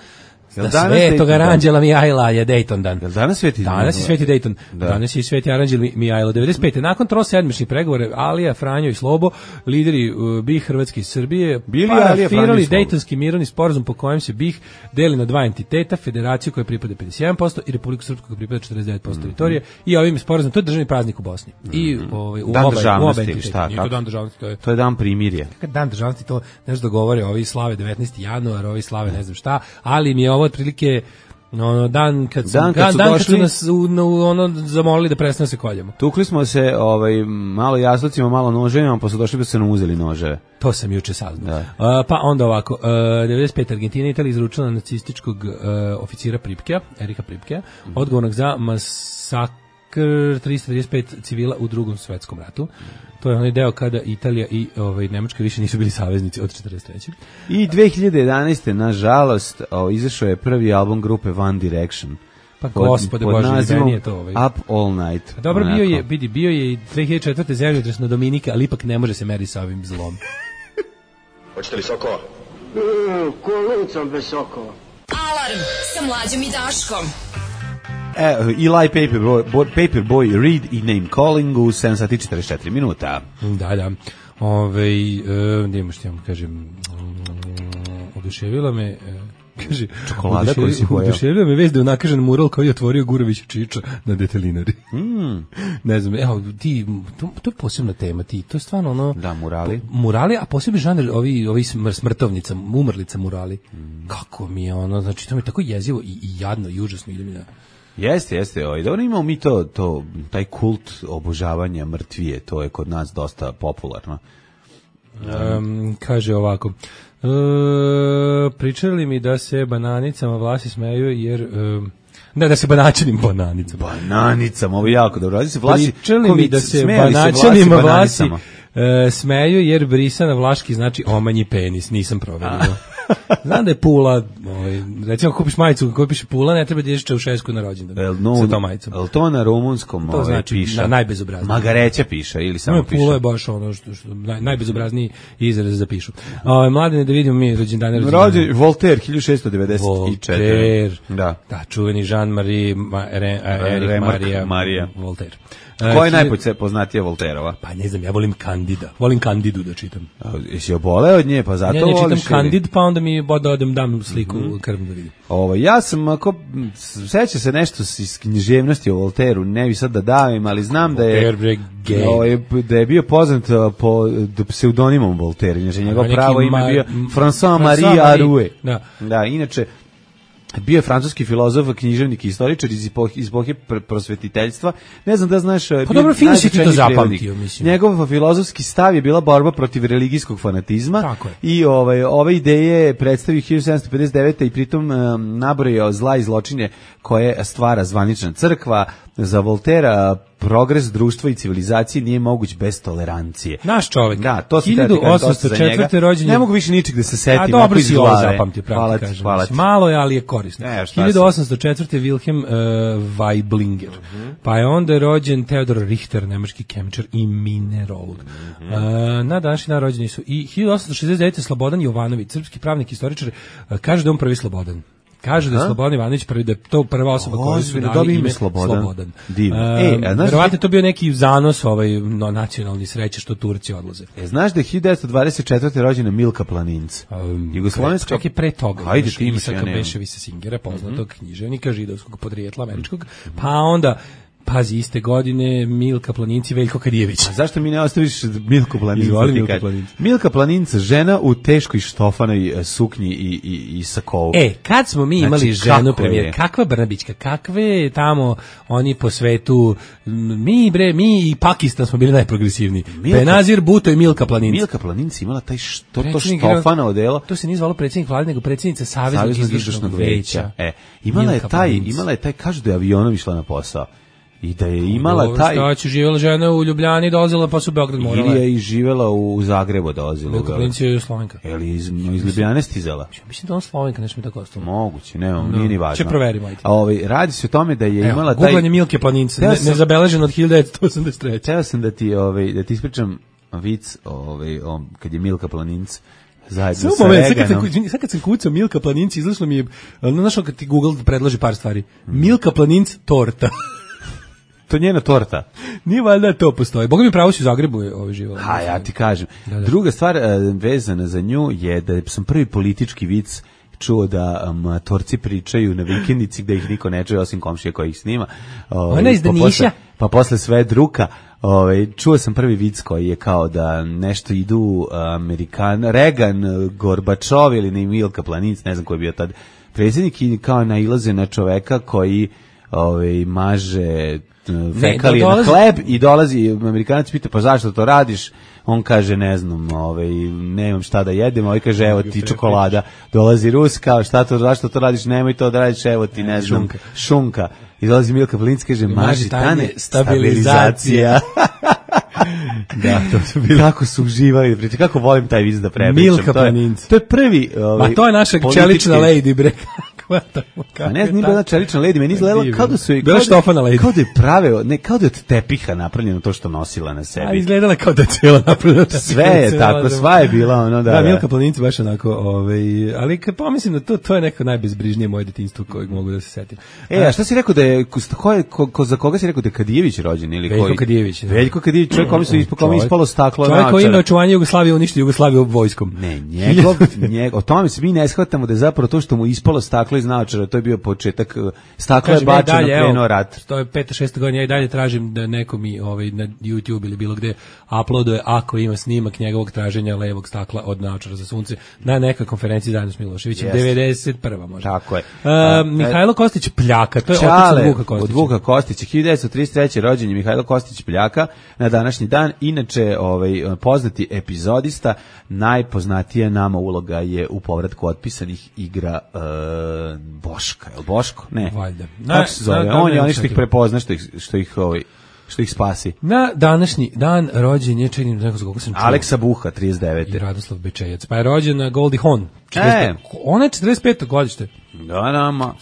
Speaker 6: Jel
Speaker 5: Svetog Aranđela Mihajla je Dayton dan.
Speaker 6: Jel danas sveti?
Speaker 5: Danas je Sveti Dayton.
Speaker 6: Da.
Speaker 5: Danas je i Sveti Aranđel Mihajlo. 95. Nakon trosedmičnih pregovora Alija, Franjo i Slobo, lideri BiH, Hrvatske i Srbije, parafirali Dejtonski mirovni sporazum po kojem se BiH deli na dva entiteta, federaciju koja pripada 51% i Republiku Srpsku koja pripada 49% teritorije i ovim sporazumom, to je državni praznik u Bosni. I u
Speaker 6: dan
Speaker 5: oba
Speaker 6: državnosti,
Speaker 5: entiteta.
Speaker 6: šta?
Speaker 5: Nije to dan državnosti,
Speaker 6: to je dan primirja.
Speaker 5: Dan državnosti, to nešto govore, ovi slave 19. januar, ovi slave ne znam šta, ali mi je ovo otprilike dan kad su nas zamolili da prestane se koljemo.
Speaker 6: Tukli smo se malo jaslicima, malo noževima, pa su došli da se nam uzeli noževe.
Speaker 5: To sam juče saznao. Pa onda ovako, 95. Argentina i Italija izručila nacističkog oficira Pripkea, Erika Pripkea, odgovornog za masakr 335 civila u Drugom svetskom ratu. To je onaj deo kada Italija i Nemačka više nisu bili saveznici od 43.
Speaker 6: I 2011. nažalost izašao je prvi album grupe One Direction.
Speaker 5: Pa gospode Bože, meni je to
Speaker 6: Up All Night.
Speaker 5: Dobro, bio je i 2004. zemljotres na Dominike, ali ipak ne može se meriti sa ovim zlom.
Speaker 4: Hoćete li sokova?
Speaker 1: Kolicom bez sokova.
Speaker 3: Alarm sa Mlađom i Daškom.
Speaker 6: Eli Paperboy Reed i Name Calling u 7 sati 44 minuta.
Speaker 5: Da. Nemo što ja vam kažem, oduševila me... Kaže,
Speaker 6: čokolada koju si pojao.
Speaker 5: Oduševio me vez da je unakažen mural koji je otvorio Gurović Čiča na Detelinari. Ne znam, to je posebna tema, to je stvarno ono...
Speaker 6: Da, murali.
Speaker 5: Murali, a posebno žanr, ovi smrtovnica, umrlica murali. Kako mi je ono, znači to mi je tako jezivo i jadno i užasno ide mi na...
Speaker 6: Jeste. Dobro, imamo mi taj kult obožavanja mrtvije, to je kod nas dosta popularno.
Speaker 5: Kaže ovako... pričali mi da se bananicama Vlasi smeju jer da se banaćanim
Speaker 6: bananicama, ovo je jako dobro.
Speaker 5: Pričali mi da se banaćanima Vlasi smeju jer brisana vlaški znači omanji penis, nisam proverio. Znam da je Pula, recimo kupiš majicu koja piše Pula, ne treba da ideš Čaušesku na rođendan sa tom majicom.
Speaker 6: Je to na rumunskom
Speaker 5: to znači
Speaker 6: piše?
Speaker 5: Najbezobrazniji.
Speaker 6: Magareća piše ili samo piše?
Speaker 5: Pula je baš ono što najbezobrazniji izraz za pišu. Mladene, da vidimo mi rođendane.
Speaker 6: Voltaire, 1694.
Speaker 5: Voltaire,
Speaker 6: da,
Speaker 5: čuveni Jean-Marie Maria Voltaire.
Speaker 6: Ko je najpoznatija Voltairova?
Speaker 5: Pa ne znam, ja volim Kandidu da čitam.
Speaker 6: Jesi obole od nje, pa zato voliš?
Speaker 5: Ja ne čitam Kandid, pa onda mi dam sliku krvnu da vidim.
Speaker 6: Ja sam, seća se nešto iz književnosti o Voltairu, ne bi sad da davim, ali znam da je bio poznat po pseudonimom Voltaire, inače njegov pravo ime je bio François Marie Arouet. Da, inače bio je francuski filozof, književnik i istoričar iz epohe prosvetiteljstva. Ne znam da znaš...
Speaker 5: Pa dobro, fino si ti to zapamtio, mislim.
Speaker 6: Njegov filozofski stav je bila borba protiv religijskog fanatizma.
Speaker 5: Tako je.
Speaker 6: I ove ideje predstavio 1759. i pritom nabrojao zla i zločine koje stvara zvanična crkva. Za Voltera progres društva i civilizacije nije moguć bez tolerancije.
Speaker 5: Naš čovjek.
Speaker 6: Da, to
Speaker 5: 1804. rođen.
Speaker 6: Ne mogu više ničeg da se setim.
Speaker 5: A dobro si ovo zapamtio, pravo ti kažem. Malo je, ali je korisno. 1804. Wilhelm Weiblinger. Pa je onda rođen Theodor Richter, nemački kemičar i minerolog. Na današnji dan rođeni su i 1869. Slobodan Jovanović, srpski pravnik i istoričar, kaže da on prvi Slobodan. Kažu da je Slobodan Ivanović prvi, da je to prva osoba koja su dali ime Slobodan.
Speaker 6: Divno.
Speaker 5: Verovatno to bio neki zanos nacionalni sreće što Turci odlaze.
Speaker 6: Znaš da je 1924. rođena Milka Planinc? Jugoslovenska.
Speaker 5: Čak i pre toga.
Speaker 6: Ajde, ti imaš,
Speaker 5: Isaka Beševića Singera, poznatog književnika židovskog podrijetla američkog. Pa onda pazi, iste godine Milka Planinci, Veljko Kadijević.
Speaker 6: A zašto mi ne ostaviš Milku Planinca? Milka Planinca, žena u teškoj štofanoj suknji i sakovu.
Speaker 5: Kad smo mi imali ženu premijer, kakva Brnabićka, kakve tamo oni po svetu, mi i Pakistan smo bili najprogresivniji. Benazir Bhutto i Milka Planinca.
Speaker 6: Milka Planinca imala taj štofano odelo.
Speaker 5: To se nije zvalo predsjednik vlade, nego predsjednica Saveznog izvršnog veća.
Speaker 6: Imala je taj, kažu da je avionom išla na posao. I da je imala
Speaker 5: dobro,
Speaker 6: taj...
Speaker 5: Šta će, živjela žena u Ljubljani, dolazila pa su u Beograd morala.
Speaker 6: Ili je i živjela u Zagrebu, dolazila.
Speaker 5: Milka Planinc je Slovenka.
Speaker 6: Ili iz Ljubljane stizala?
Speaker 5: Mislim da on Slovenka, nešto mi tako ostalo.
Speaker 6: Moguće, nije ni važno.
Speaker 5: Če proverimo, ajde.
Speaker 6: A radi se o tome da je imala taj...
Speaker 5: Googlanje Milke Planince, nezabeleženo od 1983.
Speaker 6: Teo sam da ti ispričam vic kad je Milka Planinc zajedno sa Reganom.
Speaker 5: Sad kad sam kucao Milka Planinc, izašlo mi je, znaš kad ti Google predloži par stvari. Milka Planinc torta.
Speaker 6: To njena torta.
Speaker 5: Nije valjda to postoji. Boga mi pravo si u Zagrebu živala.
Speaker 6: A ja ti kažem. Da. Druga stvar vezana za nju je da sam prvi politički vic čuo da matorci pričaju na vikendici gde ih niko ne čuje osim komšije koji ih snima.
Speaker 5: Ona iz Daniša.
Speaker 6: Pa posle sve druka. Čuo sam prvi vic koji je kao da nešto idu Reagan, Gorbačov ili ne Milka Planinc, ne znam ko je bio tad predsjednik, i kao nailaze na čoveka koji maže fekalije na hleb i dolazi Amerikanac, pita pa zašto to radiš, on kaže ne znam, nemam šta da jedem, ovaj kaže evo ti čokolada, dolazi Rus, kao zašto to radiš, nemoj to da radiš, evo ti ne znam, šunka. I dolazi Milka Planinc, kaže maži tane, stabilizacija. Da, to su bili. Kako su uživali, kako volim taj vic da prepričam.
Speaker 5: Milka Planinc.
Speaker 6: To je prvi
Speaker 5: ma to je naša čelična lady, bre.
Speaker 6: Ne znam, nije bila čelična lady, meni izgledala kao da su
Speaker 5: bila štofana lady.
Speaker 6: Kao da je praveo, ne, kao da je od tepiha napravljeno to što nosila na sebi.
Speaker 5: A izgledala kao da je cijela napravljena.
Speaker 6: Sve je tako, sva je bila ono, da.
Speaker 5: Milka Planinc baš onako, ali kad pomislim da to je neko najbezbrižnije moje detinjstvo kojeg mogu da se setim.
Speaker 6: A šta si rekao da je, za koga si rekao da je Kadijević rođen ili koji?
Speaker 5: Veljko Kadijević.
Speaker 6: Veljko Kadijević, čovjek kome ispalo staklo
Speaker 5: naočara. Čovjek koji ima očuvanje Jugoslavije, uništi Jugoslaviju vojskom.
Speaker 6: Ne, o tome se mi ne shvatamo da je zapravo to što mu ispalo staklo iz naočara, to je bio početak, staklo je bačeno, krenuo rat.
Speaker 5: To je 5-6 godina, ja i dalje tražim da neko mi na YouTube ili bilo gde uploaduje, ako ima snimak njegovog traženja levog stakla od naočara za sunce na nekoj konferenciji zajedno s Miloševićem, 91. možda.
Speaker 6: Tako je.
Speaker 5: Mihajlo Kostić Pljaka, to je otac od Vuka Kostića.
Speaker 6: Od Vuka Kostića, 1933. rođen je Mihajlo Kostić Pljaka na današnji dan, inače poznati epizodista, najpoznatija nama uloga je u povratku otpisanih igra Boška, je li Boško? Ne.
Speaker 5: Valjda.
Speaker 6: Kako se zove? On je oni što ih prepozna, što ih spasi.
Speaker 5: Na današnji dan rođen je, čekaj, nekako za koga sam čuo.
Speaker 6: Aleksa Buha, 39.
Speaker 5: I Radoslav Bečejac. Pa je rođen Goldie Hawn. Ona je 45. godište.
Speaker 6: Da,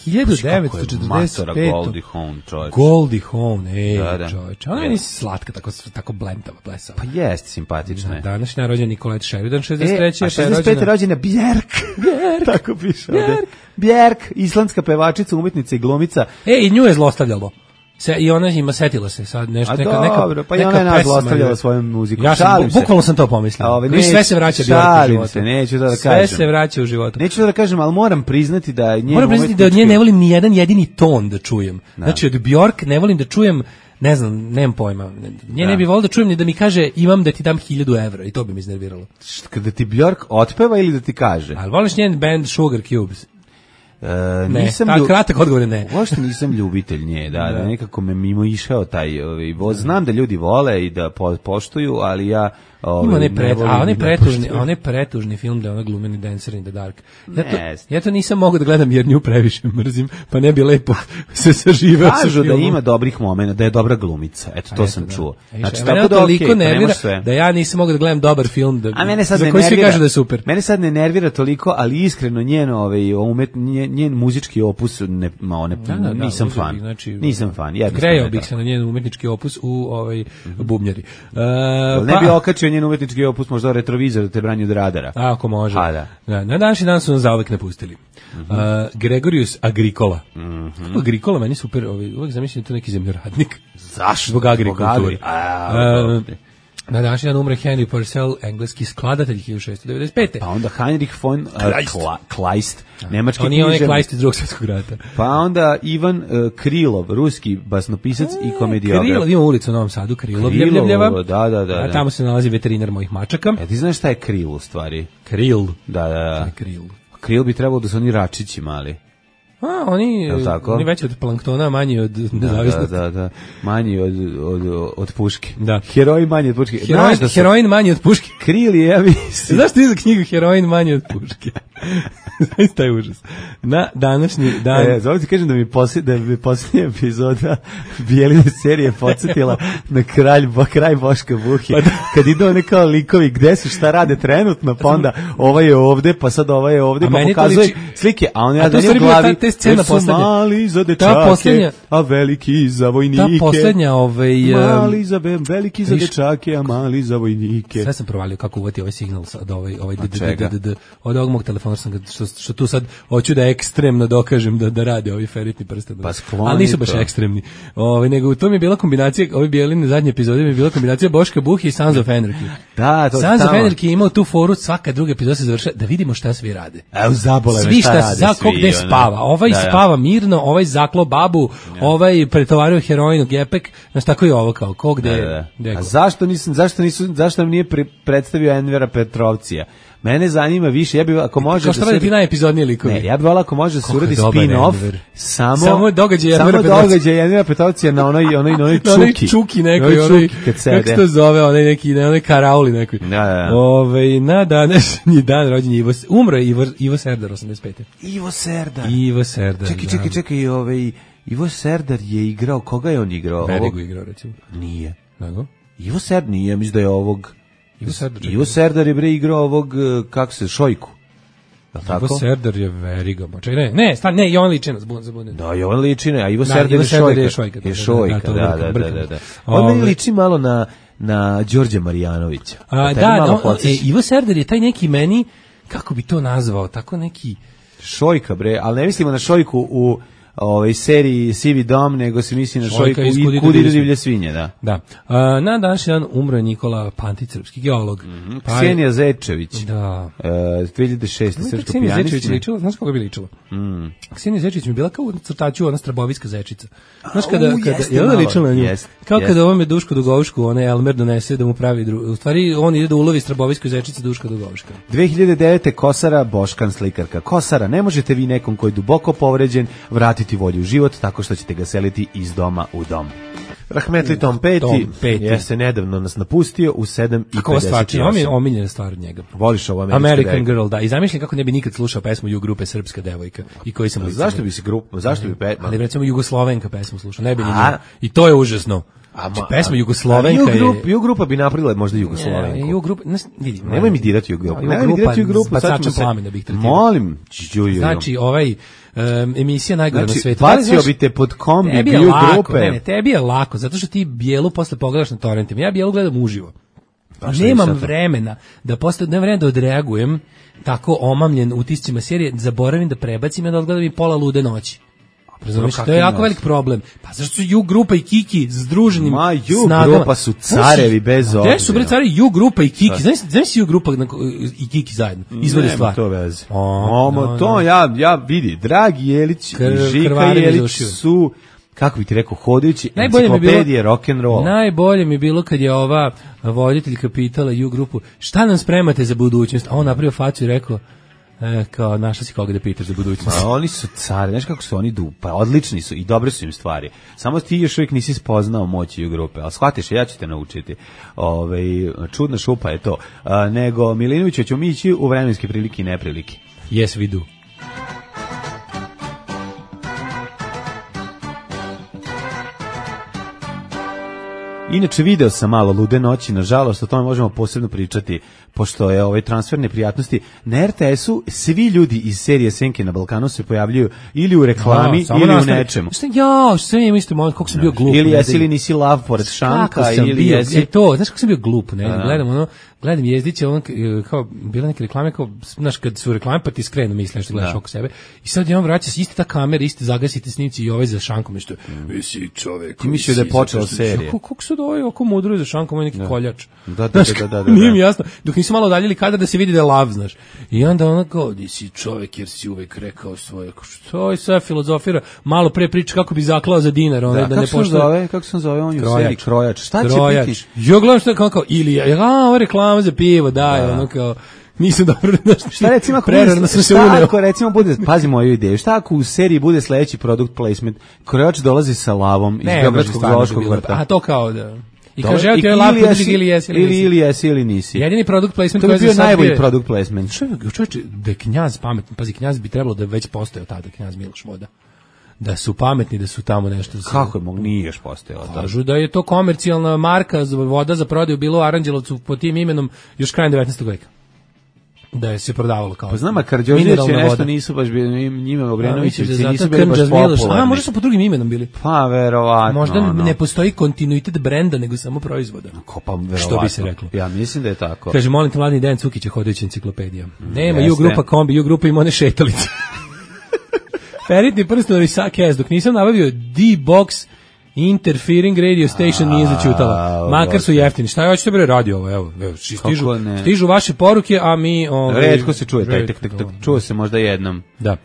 Speaker 5: 1945.
Speaker 6: Goldie Hawn, čovječ.
Speaker 5: Goldie Hawn, čovječ. Ona je slatka, tako blentava, blesava.
Speaker 6: Pa jest, simpatična je.
Speaker 5: Današnji rođen Nicolette Sheridan, 63.
Speaker 6: A 65. rođena Björk. Tako piše ovdje. Björk, islandska pevačica, umetnica i glumica.
Speaker 5: I nju je zlostavljalo. I ona ima, setila se sad nešto,
Speaker 6: dobro, pa i ona je nas zlostavljala svojom muzikom.
Speaker 5: Bukvalno sam to pomislio. Sve se vraća u životu.
Speaker 6: Neću da kažem.
Speaker 5: Sve se vraća u životu.
Speaker 6: Neću da kažem, ali moram priznati da
Speaker 5: od nje ne volim ni jedan jedini ton da čujem. Znači, od Bjork ne volim da čujem, ne znam, nemam pojma. Nje ne bi volio da čujem ni da mi kaže imam da ti dam 1000 evra i to bi mi iznerviralo.
Speaker 6: Kada ti Bjork otpeva ili da ti kaže?
Speaker 5: Ali voliš njen band Sugar Cubes?
Speaker 6: Nisam
Speaker 5: kratak odgovor je ne.
Speaker 6: Uopšte nisam ljubitelj nje, da nekako me mimo išao taj znam da ljudi vole i da poštuju, ali ja
Speaker 5: onaj pretužni film da ona glumeni Dancer in the Dark. Ja to nisam mogao da gledam jer nju previše mrzim, pa ne bi lepo se saživao.
Speaker 6: Kažu da ima dobrih momenta, da je dobra glumica. Eto, to sam čuo.
Speaker 5: Znači, tako da toliko nervira da ja nisam mogao da gledam dobar film za koji svi kažu da je super.
Speaker 6: Mene sad ne nervira toliko, ali iskreno njen muzički opus nisam fan. Nisam fan.
Speaker 5: Grejao bih se na njen umetnički opus u bubnjari.
Speaker 6: Ne bi okačio njen umetnički opus, možda retrovizor da te brani od radara.
Speaker 5: Ako može. Na današnji dan su nas zauvek napustili. Gregorius Agricola. Agricola meni super, uvek zamišljam to neki zemljoradnik.
Speaker 6: Zašto?
Speaker 5: Zbog agrikulture. Na današnji dan umre Henry Purcell, engleski skladatelj 1695.
Speaker 6: Pa onda Heinrich von Kleist, nemački književnik.
Speaker 5: On je Kleist iz Drugog svjetskog rata.
Speaker 6: Pa onda Ivan Krilov, ruski basnopisac i komediograf.
Speaker 5: Krilov, ima ulicu u Novom Sadu, Krilov.
Speaker 6: Da.
Speaker 5: A tamo se nalazi veterinar mojih mačaka.
Speaker 6: Ti znaš šta je Kril u stvari?
Speaker 5: Kril?
Speaker 6: Da. Kril bi trebalo da su oni račići mali.
Speaker 5: Oni veći od planktona, manji od nezavisnosti.
Speaker 6: Da. Manji od puške.
Speaker 5: Da.
Speaker 6: Heroj manji od puške.
Speaker 5: Heroin manji od puške.
Speaker 6: Kril je, ja mislim.
Speaker 5: Znaš ti za knjigu Heroin manji od puške? Zaista je užas. Na današnji dan...
Speaker 6: Zovem ti kažem da mi posljednja epizoda Bijeline serije podsjetila na kraj Boška Buhe. Kad idu one kao likovi, gde su, šta rade trenutno, pa onda ovaj je ovde, pa sad ovaj je ovde, pa pokazuje slike, a on je u glavi,
Speaker 5: scena
Speaker 6: su mali za dečake, a veliki za vojnike.
Speaker 5: Ta poslednja...
Speaker 6: Mali za veliki za dečake, a mali za vojnike.
Speaker 5: Sve sam provalio kako uvati ovaj signal od od ovog mog telefona što tu sad hoću da ekstremno dokažem da rade ovi feritni prsten. Ali nisu baš ekstremni. Nego to mi je bila kombinacija, ovi Bijeline zadnje epizode mi je bila kombinacija Boška Buhe i Sons of Anarchy.
Speaker 6: Da, to
Speaker 5: Sons of Anarchy je imao tu foru, svaka druga epizoda se završava da vidimo šta svi rade.
Speaker 6: Evo zabole
Speaker 5: me šta rade. Svi šta gde spava. Ovaj spava mirno, ovaj zaklo babu, ovaj pretovario heroin u gepek, znaš tako i ovo kao ko gde.
Speaker 6: A zašto nam nije predstavio Envera Petrovcija? Mene zanima više, ja bih ako može
Speaker 5: kao što radi ti najepizodnije likovi.
Speaker 6: Ne, ja bih volao ako može da se uradi spin-off samo
Speaker 5: događaj
Speaker 6: Envera Petrovcija na onoj
Speaker 5: čuki nekoj, kako se to zove, onaj karauli nekoj. Na današnji dan rođenja umro je Ivo Serdar 85.
Speaker 6: Ivo Serdar. Čekaj, Ivo Serdar je igrao, koga je on igrao?
Speaker 5: Verigu igrao, recimo.
Speaker 6: Nije.
Speaker 5: Nego?
Speaker 6: Ivo Serdar nije, mislim da je ovog... Ivo Serdar je bre igrao ovog, kako se, Šojku.
Speaker 5: Ivo Serdar je Veriga. Ne, Jovan Ličina, zabudim.
Speaker 6: Da, Jovan Ličina, a Ivo Serdar je Šojka. Je Šojka, da. On meni liči malo na Đorđe Marijanovića.
Speaker 5: Ivo Serdar je taj neki meni, kako bi to nazvao, tako neki...
Speaker 6: Šojka, bre, ali ne mislimo na Šojku u seriji Sivi dom, nego se misli na Šojku i Kud idu divlje svinje, da.
Speaker 5: Da. Na današnji dan umro je Nikola Pantić, srpski geolog.
Speaker 6: Ksenija Zečević.
Speaker 5: Da.
Speaker 6: 2006. srpsko pijanistkinja.
Speaker 5: Znaš koga bi ličila? Ksenija Zečević mi bila kao u crtaču ona strabovijska zečica. Znaš kada je ona ličila na nju? Kao kada ovome Duško Dugovšku, onaj Elmer donese da mu pravi u stvari on ide da ulovi strabovijsku zečicu Duška Dugovška.
Speaker 6: 2009. Kosara, Boškan slikarka. Kosara, ne možete vi nekom koji je duboko povređen vratiti volju u život tako što ćete ga seliti iz doma u dom. Rahmetli Tom Petty je se nedavno nas napustio u 7:58.
Speaker 5: Kako stvar, ovo mi je omiljena stvar od njega.
Speaker 6: Voliš ovo
Speaker 5: American Girl, da. I zamišljam kako ne bi nikad slušao pesmu U grupe Srpska devojka i koji sam...
Speaker 6: Zašto bi se
Speaker 5: ali recimo Jugoslovenka pesmu slušao, ne bi ni nju. I to je užasno. Pesma Jugoslovenka je...
Speaker 6: U grupa bi napravila možda Jugoslovenku.
Speaker 5: U grupa...
Speaker 6: Nemoj mi dirati U grupu. Nemoj mi dirati U grupu.
Speaker 5: Bacačem plamena bih tretirao.
Speaker 6: Molim.
Speaker 5: Znači, emisija najgore na svetu.
Speaker 6: Bacio bi te pod kombi bio grupe.
Speaker 5: Ne, tebi je lako, zato što ti Bijelu posle pogledaš na torrentima. Ja Bijelu gledam uživo. Nemam vremena da odreagujem tako omamljen utiscima serije, zaboravim da prebacim i da odgledam i pola lude noći. To je jako velik problem. Pa zašto su U grupa i Kiki združenim snagama?
Speaker 6: U grupa su carevi bez obzira.
Speaker 5: Gde su bre carevi U grupa i Kiki? Znaš si U grupa i Kiki zajedno? Izvode stvar.
Speaker 6: Nema to veze. To ja vidi. Dragi Jelić i Žika Jelić su, kako bi ti rekao, hodajući enciklopedije rock'n'roll.
Speaker 5: Najbolje mi je bilo kad je ova voditeljka pitala U grupu šta nam spremate za budućnost? A on napravio facu i rekao kao našla si koga da pitaš za budućnost.
Speaker 6: A oni su cari, znaš kako su oni pa odlični su i dobre su im stvari. Samo ti još uvijek nisi spoznao moći U grupe, ali shvatiš, ja ću te naučiti. Čudna šupa je to. Nego Milinović ćemo mi ići u vremenske prilike i neprilike.
Speaker 5: Yes, we do.
Speaker 6: Inače, video sam malo Lude noći, nažalost, o tome možemo posebno pričati, pošto je transfer neprijatnosti. Na RTS-u svi ljudi iz serije Senke na Balkanu se pojavljuju ili u reklami, ili u nečemu.
Speaker 5: Što je isto moment, kako sam bio glup.
Speaker 6: Ili jesi ili nisi lav pored šanka, ili jesi...
Speaker 5: Znaš kako sam bio glup, ne? Gledam Jezdića, kao, bila neke reklame, kao, znaš, kad su reklame, pa ti skrenu misliš što gledaš oko sebe. I sad je on vraća se, isti ta kamera, isti zagasite snimci i ovaj za šankom, nešto, si čovek.
Speaker 6: Ti mislio da je počela serija.
Speaker 5: Kako su da ovaj oko mudruju za šankom, ovaj neki koljač.
Speaker 6: Da.
Speaker 5: Nije mi jasno. Dok nisu malo udaljili kadar da se vidi da je lav, znaš. I onda ona kao, di si čovek jer si uvek rekao svoje, što je sve filozofira, malo pre priča kako bi zaklao za dinar, da ne pošto.
Speaker 6: Kako se zove on u seriji Krojač? Šta će biti?
Speaker 5: Ja gledam što kao ili ova reklama za pivo, daj, ono kao nisam dobro
Speaker 6: šta recimo ako recimo bude, pazi moju ideju, šta ako u seriji bude sledeći product placement, Krojač dolazi sa lavom iz Beogradskog zoološkog vrta.
Speaker 5: A to kao da I kaže, evo ti je lap podršak ili jesi
Speaker 6: ili nisi.
Speaker 5: Jedini product placement
Speaker 6: koji je bio najbolji product placement.
Speaker 5: Čovječe, da je Knjaz pametan, pazi, Knjaz bi trebalo da je već postojao tada, Knjaz Miloš Voda. Da su pametni, da su tamo nešto...
Speaker 6: Kako je mogu, nije još postojao?
Speaker 5: Kažu da je to komercijalna marka voda za prodaju bilo u Aranđelovcu pod tim imenom još krajem 19. veka. Da je se prodavalo kao...
Speaker 6: Pa znam, a Karđorđević je nešto nisu baš bili, njima Obrenovićevci nisu bili baš popularni.
Speaker 5: Možda su po drugim imenom bili.
Speaker 6: Pa, verovatno.
Speaker 5: Možda ne postoji kontinuitet brenda, nego samo proizvoda.
Speaker 6: Pa, verovatno.
Speaker 5: Što bi se reklo.
Speaker 6: Ja mislim da je tako.
Speaker 5: Kaže, molim te, mladni Dejan Cukić je hodajuća enciklopedija. Nema U-grupa kombi, U-grupa ima one šetalice. Feritni prstenovi Sakez, dok nisam nabavio D-Box Interfering Radio Station nije začutala. Makar su jeftini. Šta ja hoćete bre radi ovo? Evo, stižu vaše poruke, a mi
Speaker 6: retko se čuje taj čuo se možda jednom.
Speaker 5: Da.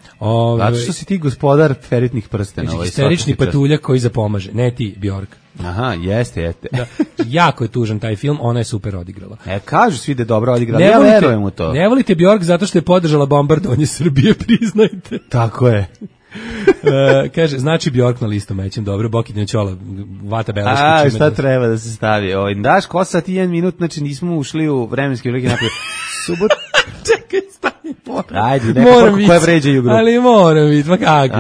Speaker 6: Zato što si ti gospodar feritnih prstenova.
Speaker 5: Isterični patuljak koji zapomaže. Ne ti, Bjork.
Speaker 6: Aha, jeste.
Speaker 5: Da. Jako je tužan taj film, ona je super odigrala.
Speaker 6: Kažu svi da je dobro odigrala, ja verujem u to.
Speaker 5: Ne volite Bjork zato što je podržala bombardovanje Srbije, priznajte.
Speaker 6: Tako je.
Speaker 5: Kaže, znači Bjork na listu mećem, dobro, Bokidnja Ćola, Vata Belaška.
Speaker 6: Šta treba da se stavi? Daš kosa ti 1 minut, znači nismo ušli u vremenski veliki napred. Subot...
Speaker 5: Čekaj, stani,
Speaker 6: ajde, neka porka koja vređa u grupu.
Speaker 5: Ali moram biti, pa kako?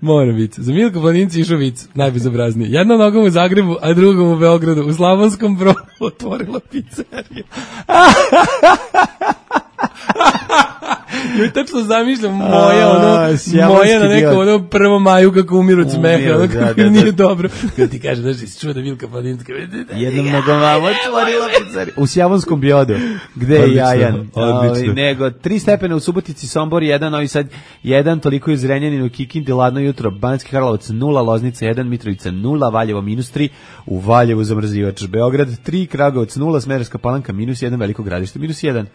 Speaker 5: Moram biti. Za Milko Planinci išao vic, najbezobraznije. Jedna nogom u Zagrebu, a drugom u Beogradu. U Slavonskom Brodu otvorila pizzeriju. Ja tačno zamišljam moja na neko 1. maju kako umiru od smeha, kako nije dobro. Kada ti kaže, znaš, si čuo da Milka Planinska
Speaker 6: jednom nogom vam otvorila pizzeriju. U Sjavonskom Bjodu, gde je jajan. Nego 3 stepena u Subotici, Sombor 1, Novi Sad 1, toliko je u Zrenjaninu, Kikindi, ladno jutro, Banjski Karlovac 0, Loznica 1, Mitrovica 0, Valjevo -3, u Valjevu zamrzivač, Beograd 3, Kragovac 0, Smederevska Palanka -1, Veliko Gradište -1.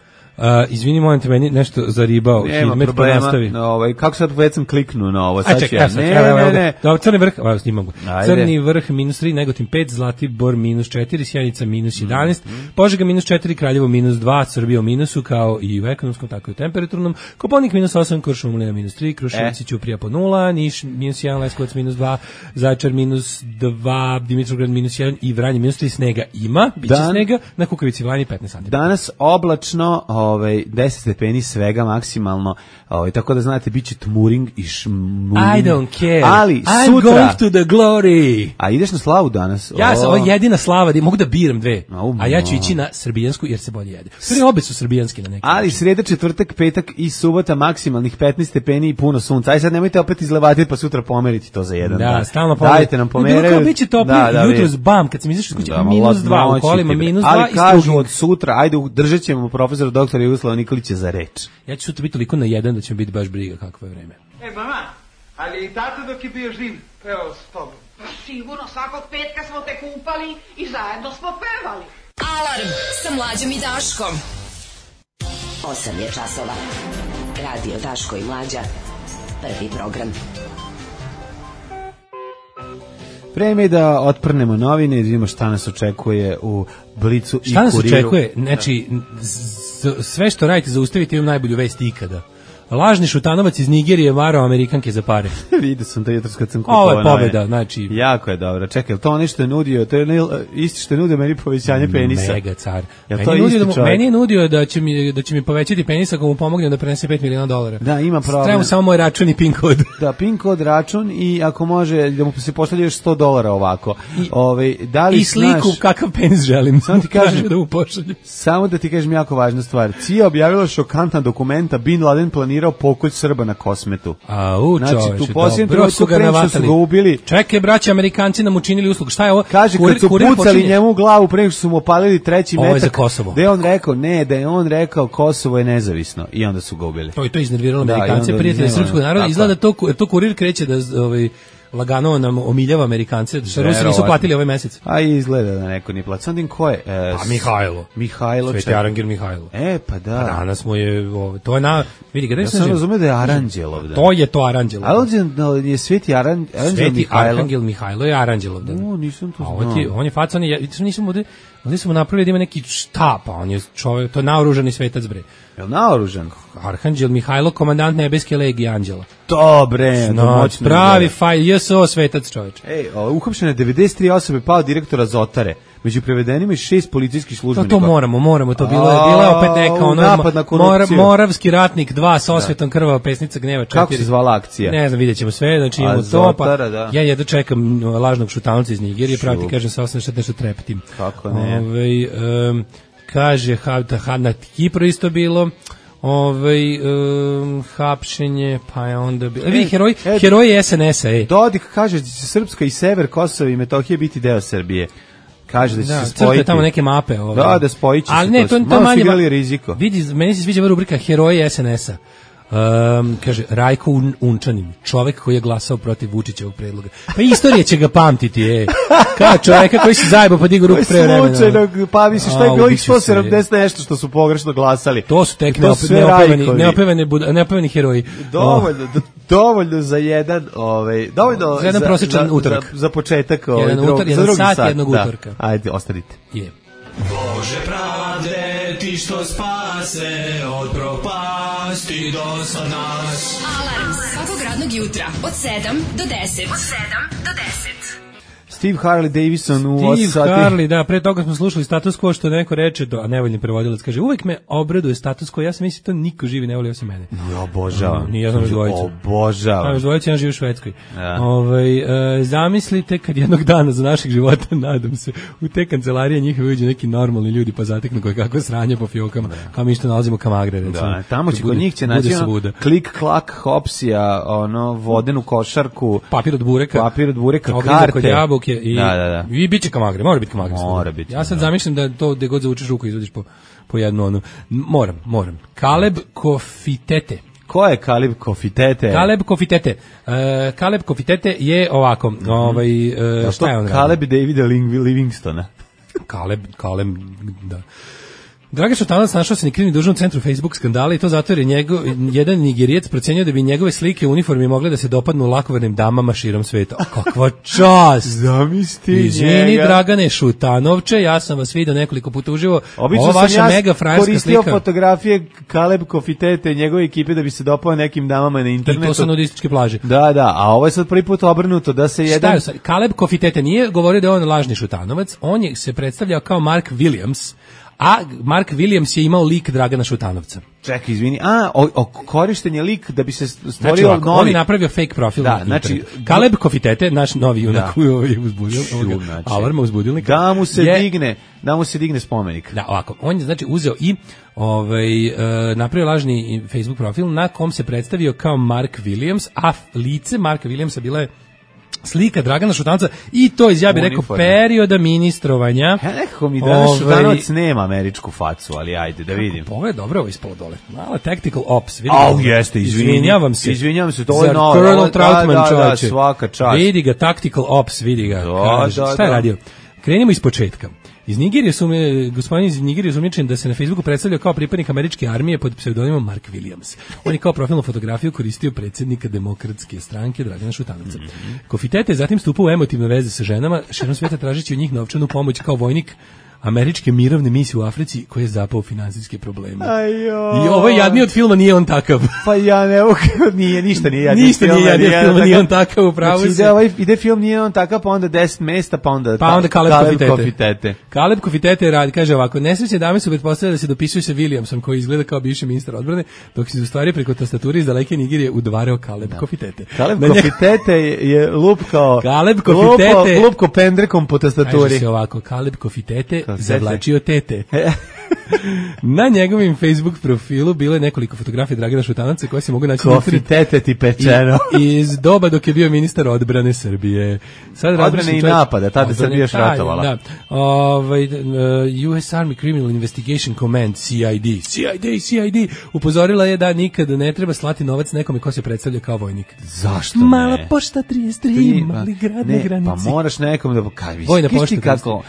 Speaker 5: Izvini, molim te, meni nešto zaribao.
Speaker 6: Nema problema. Kako sad već sam kliknuo na ovo?
Speaker 5: Ne. Crni vrh, snimam. Crni vrh -3, Negotin 5, Zlatibor -4, Sjenica -11, Požega -4, Kraljevo -2, Srbija u minusu, kao i u ekonomskom, tako i u temperaturnom, Koponik -8, Kuršumlija -3, Kruševac i Ćuprija po 0, Niš -1, Leskovac -2, Zaječar -2, Dimitrovgrad -1 i Vranje -3, snega ima, biće snega, na Kukavici Vranje 15 sati.
Speaker 6: Danas oblačno, 10 stepeni svega maksimalno, tako da znate, bit će tmuring i šmuring.
Speaker 5: I don't care.
Speaker 6: Ali
Speaker 5: I'm
Speaker 6: sutra...
Speaker 5: going to the glory.
Speaker 6: A ideš na slavu danas?
Speaker 5: Ja sam, ovo je jedina slava, mogu da biram 2. A ja ću ići na srbijansku jer se bolje jede. Sve obe su srbijanski na neki
Speaker 6: ali način. Sreda, četvrtak, petak i subota maksimalnih 15 stepeni i puno sunca. Aj sad nemojte opet izlevati pa sutra pomeriti to za jedan dan.
Speaker 5: Da, stalno pomeriti.
Speaker 6: Dajte nam pomeraju.
Speaker 5: Drugo, biće toplije, jutros bam, kad sam izašao iz kuće, -2 u kolima, -2
Speaker 6: ali kažu od sutra, ajde, držat ćemo profesora doktora Jugoslava Nikolića za reč.
Speaker 5: Ja ću sutra biti toliko na jedan da će mi biti baš briga kakvo je vreme.
Speaker 9: Mama, ali i tata dok je bio živ, pevao s tobom?
Speaker 2: Pa sigurno, svakog petka smo te kupali i zajedno smo pevali.
Speaker 3: Alarm sa Mlađom i Daškom.
Speaker 10: 8 je časova. Radio Daško i Mlađa. Prvi program.
Speaker 6: Vreme je da otprnemo novine i vidimo šta nas očekuje u Blicu i Kuriru.
Speaker 5: Šta nas očekuje? Znači, sve što radite zaustavite, imam najbolju vest ikada. Lažni šutanovac iz Nigerije varao Amerikanke za pare.
Speaker 6: Vidio sam to jutros kad sam kupovao.
Speaker 5: Ovo je pobeda, znači.
Speaker 6: Jako je dobro. Čekaj, to nešto je nudio, to je isti što je nudio meni povećanje penisa.
Speaker 5: Mega car.
Speaker 6: Meni
Speaker 5: je nudio da će mi povećati penis ako mu pomognem da prenese $5 miliona.
Speaker 6: Da, ima problem.
Speaker 5: Trebamo samo moj račun i PIN kod.
Speaker 6: Da, PIN kod, račun i ako može da mu se pošalje još $100 ovako.
Speaker 5: I sliku kakav penis želim.
Speaker 6: Samo ti kažem
Speaker 5: da mu pošaljem.
Speaker 6: Samo da ti kažem jako važna stvar. CIA objavila šokantna dokumenta, Bin Laden planirao pokolj Srba na Kosmetu.
Speaker 5: Znači,
Speaker 6: tu posljednju trenutku pre što su ga ubili.
Speaker 5: Čekaj, braći, Amerikanci nam učinili uslugu. Šta je ovo?
Speaker 6: Kaže, kad su pucali njemu u glavu pre što su mu opalili 3. metak.
Speaker 5: Ovo je za Kosovo.
Speaker 6: Da je on rekao Kosovo je nezavisno. I onda su ga ubili.
Speaker 5: To je iznerviralo Amerikance, prijatelji srpskog naroda. Izgleda to Kurir kreće da lagano nam omiljava Amerikance, što Rusi nisu platili ovaj mesec.
Speaker 6: A izgleda da neko nije platio. Sandim ko je? Mihajlo.
Speaker 5: Sveti Arangel Mihajlo.
Speaker 6: Pa da.
Speaker 5: A danas mu je, to je na, vidi ga da
Speaker 6: ja sam razumio da je Aranđelov dan.
Speaker 5: To je to Aranđelov dan.
Speaker 6: Ali je Sveti Arangel
Speaker 5: Sveti Arangel Mihajlo je Aranđelov dan.
Speaker 6: Nisam to znao.
Speaker 5: On je facan, ovdje smo napravili da ima neki štap, on je čovjek, to je naoružani svetac, bre.
Speaker 6: Je li naoružan?
Speaker 5: Arhanđel Mihajlo, komandant nebeske legije anđela.
Speaker 6: Dobre,
Speaker 5: pravi fajl, JSO svetac, čovječ.
Speaker 6: Uhapšene 93 osobe, pao direktora Zotare. među prevedenima i 6 policijskih službenika.
Speaker 5: To moramo, to bilo je opet neka ono Moravski ratnik 2 sa osvetom krvava pesnica gneva 4.
Speaker 6: Kako se zvala akcija?
Speaker 5: Ne znam, vidjet ćemo sve, znači imamo to, pa ja jedno čekam lažnog Šutanovca iz Nigerije, pravo ti kažem sa osam nešto treptim.
Speaker 6: Kako ne?
Speaker 5: Kaže, na Kipru isto bilo, hapšenje, pa je onda bilo. Vi heroji SNS-a,
Speaker 6: Dodik kaže da će Srpska i sever Kosova i Metohije biti deo Srbije. Kaže da će se spojiti.
Speaker 5: Crte tamo neke mape.
Speaker 6: Da spojit će se.
Speaker 5: Ali ne, to
Speaker 6: malo igrali riziko.
Speaker 5: Vidi, meni se sviđa rubrika heroji SNS-a. Kaže, Rajko Unčanin, čovek koji je glasao protiv Vučićevog predloga. Pa istorija će ga pamtiti, kao čoveka koji se zajebao pa digao ruku pre vremena.
Speaker 6: Slučajno, pa misliš, što je bilo ih 170 nešto što su pogrešno glasali.
Speaker 5: To su tek neopevani heroji.
Speaker 6: Dovoljno za jedan,
Speaker 5: za jedan prosječan utorak.
Speaker 6: Za početak,
Speaker 5: za drugi sat jednog utorka.
Speaker 6: Ajde, ostanite.
Speaker 11: Bože pravde, ti što spase od propasti do sad nas.
Speaker 3: Alarm svakog radnog jutra od 7 do 10.
Speaker 6: Steve Harley Davison u 8 sati.
Speaker 5: Steve Harley, da, pre toga smo slušali Status Quo, što neko reče, a nevoljni prevodilac kaže, uvek me obraduje Status Quo, ja sam mislim to niko živi ne voli osim mene.
Speaker 6: Ja obožavam.
Speaker 5: Nije znam dvojicu.
Speaker 6: Obožavam.
Speaker 5: Dvojicu, ja živi u Švedskoj. Zamislite kad jednog dana za naših života, nadam se, u te kancelarije njihove uđe neki normalni ljudi pa zateknu koje kako sranje po fiokama, kao mi što nalazimo kamagre, recimo.
Speaker 6: Da, tamo će kod njih će naći klik, klak, hopsija, vodenu košarku, papir od bureka, karte.
Speaker 5: I biće kamagre, mora biti kamagre.
Speaker 6: Mora biti.
Speaker 5: Ja sad zamišljam da to gde god zavučeš ruku izvodiš po jednu onu. Moram. Kaleb Kofitete.
Speaker 6: Ko je Kaleb Kofitete?
Speaker 5: Kaleb Kofitete je ovako, šta je on?
Speaker 6: Kaleb Davida Livingstona.
Speaker 5: Kaleb, da. Dragan Šutanovac našao se nekrivni dužan u centru Facebook skandala i to zato jer je jedan Nigerijac procenio da bi njegove slike u uniformi mogle da se dopadnu lakovernim damama širom sveta. Kakva čast! Izvini, Dragane Šutanovče, ja sam vas vidio nekoliko puta uživo.
Speaker 6: Ovo vaša mega frajerska slika. Koristio fotografije Kaleb Kofitete i njegove ekipe da bi se dopao nekim damama na internetu.
Speaker 5: I to su nudističke plaže.
Speaker 6: Da, a ovo je sad prvi put obrnuto da se jedan...
Speaker 5: Šta je, Kaleb Kofitete nije govorio da je on lažni Šutanovac, on je se predstavljao kao Mark Williams, a Mark Williams je imao lik Dragana Šutanovca.
Speaker 6: Čekaj, izvini. Korišten je lik da bi se stvorio novi...
Speaker 5: On je napravio fake profil. Da, znači... Kaleb Kofitete, naš novi junak koji je uzbudio. Alarma uzbudilnika.
Speaker 6: Da mu se digne spomenik.
Speaker 5: Da, ovako. On je, znači, uzeo i napravio lažni Facebook profil na kom se predstavio kao Mark Williams, a lice Marka Williamsa bila je slika Dragana Šutanovca i to iz, ja bih rekao, perioda ministrovanja.
Speaker 6: Nekako mi Dragan Šutanovac nema američku facu, ali ajde da vidim.
Speaker 5: Ovo je dobro, ovo ispod dole. Mala tactical ops.
Speaker 6: Jeste,
Speaker 5: izvinjavam se.
Speaker 6: Izvinjavam se, to je novo.
Speaker 5: Colonel Troutman, čovječe.
Speaker 6: Svaka čast.
Speaker 5: Vidi ga, tactical ops, vidi ga. Šta je radio? Krenimo iz početka. Gospodin iz Nigerije je sumnjičen da se na Facebooku predstavlja kao pripadnik američke armije pod pseudonimom Mark Williams. On je kao profilnu fotografiju koristio predsjednika Demokratske stranke Dragana Šutanovca. Kofitete je zatim stupao u emotivne veze sa ženama, širom sveta tražeći od njih novčanu pomoć kao vojnik američke mirovne misije u Africi koji je zapao finansijske probleme. I ovo je jadniji od filma Nije on takav.
Speaker 6: Pa ja ne ništa nije jadniji od
Speaker 5: filma Nije on takav, upravo se.
Speaker 6: Ide film Nije on takav, pa onda 10 mesta, pa onda
Speaker 5: Kaleb Kofitete. Kaleb Kofitete radi, kaže ovako, nesrećne dame su pretpostavljale da se dopisuju sa Williamsom koji izgleda kao bivši ministar odbrane, dok se u stvari preko tastature iz daleke Nigerije udvarao Kaleb Kofitete.
Speaker 6: Kaleb Kofitete je lupkao pendrekom po tastaturi.
Speaker 5: Kaže se ovako, Kaleb Kofitete zavlačio tete. Na njegovim Facebook profilu bilo je nekoliko fotografija Dragana Šutanovca koje se mogu naći
Speaker 6: Kofitete ti pečeno.
Speaker 5: Iz doba dok je bio ministar odbrane Srbije.
Speaker 6: Odbrane i napada, tada Srbija još ratovala.
Speaker 5: Da. US Army Criminal Investigation Command, CID, upozorila je da nikad ne treba slati novac nekome ko se predstavlja kao vojnik.
Speaker 6: Zašto ne?
Speaker 5: Mala pošta 33, mali grad na granici.
Speaker 6: Pa moraš nekom da kako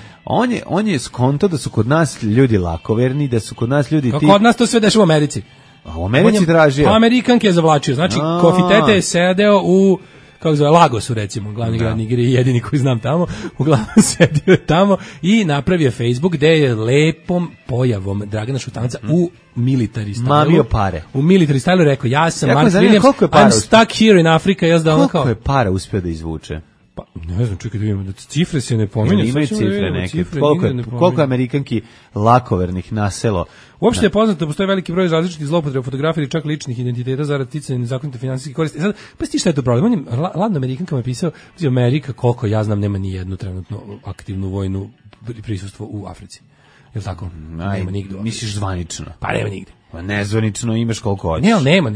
Speaker 6: on je skonto da su kod nas ljudi lakoverni, da su kod nas ljudi
Speaker 5: ti... Kod nas to sve dešava u Americi.
Speaker 6: A u Americi tražio.
Speaker 5: Amerikanke je zavlačio. Znači, Kofitete je sedeo u Lagosu, recimo, glavni grad Nigerije, jedini koji znam tamo, uglavnom sedio je tamo i napravio Facebook gde je lepom pojavom Dragana Šutanovca u military stylu.
Speaker 6: Mamio pare.
Speaker 5: U military stylu rekao, ja sam Mark Williams, I'm stuck here in Africa.
Speaker 6: Koliko je para uspio da izvuče?
Speaker 5: Pa, ne znam, čekaj da vidimo, da cifre se ne pominju.
Speaker 6: Imaju cifre neke. Koliko je Amerikanki lakovernih naselo?
Speaker 5: Uopšte je poznato da postoji veliki broj različitih zloupotreba fotografija ili čak ličnih identiteta zarad sticanja nezakonite finansijske koristi. Sad, pa ti šta je to problem? On je ladno Amerikankama je pisao, Amerika, koliko ja znam, nema ni jednu trenutno aktivnu vojnu prisustvo u Africi. Je li tako? Nema nigde.
Speaker 6: Misliš zvanično?
Speaker 5: Pa nema nigde.
Speaker 6: Pa nezvanično imaš koliko hoćeš.
Speaker 5: Ne, ali nema,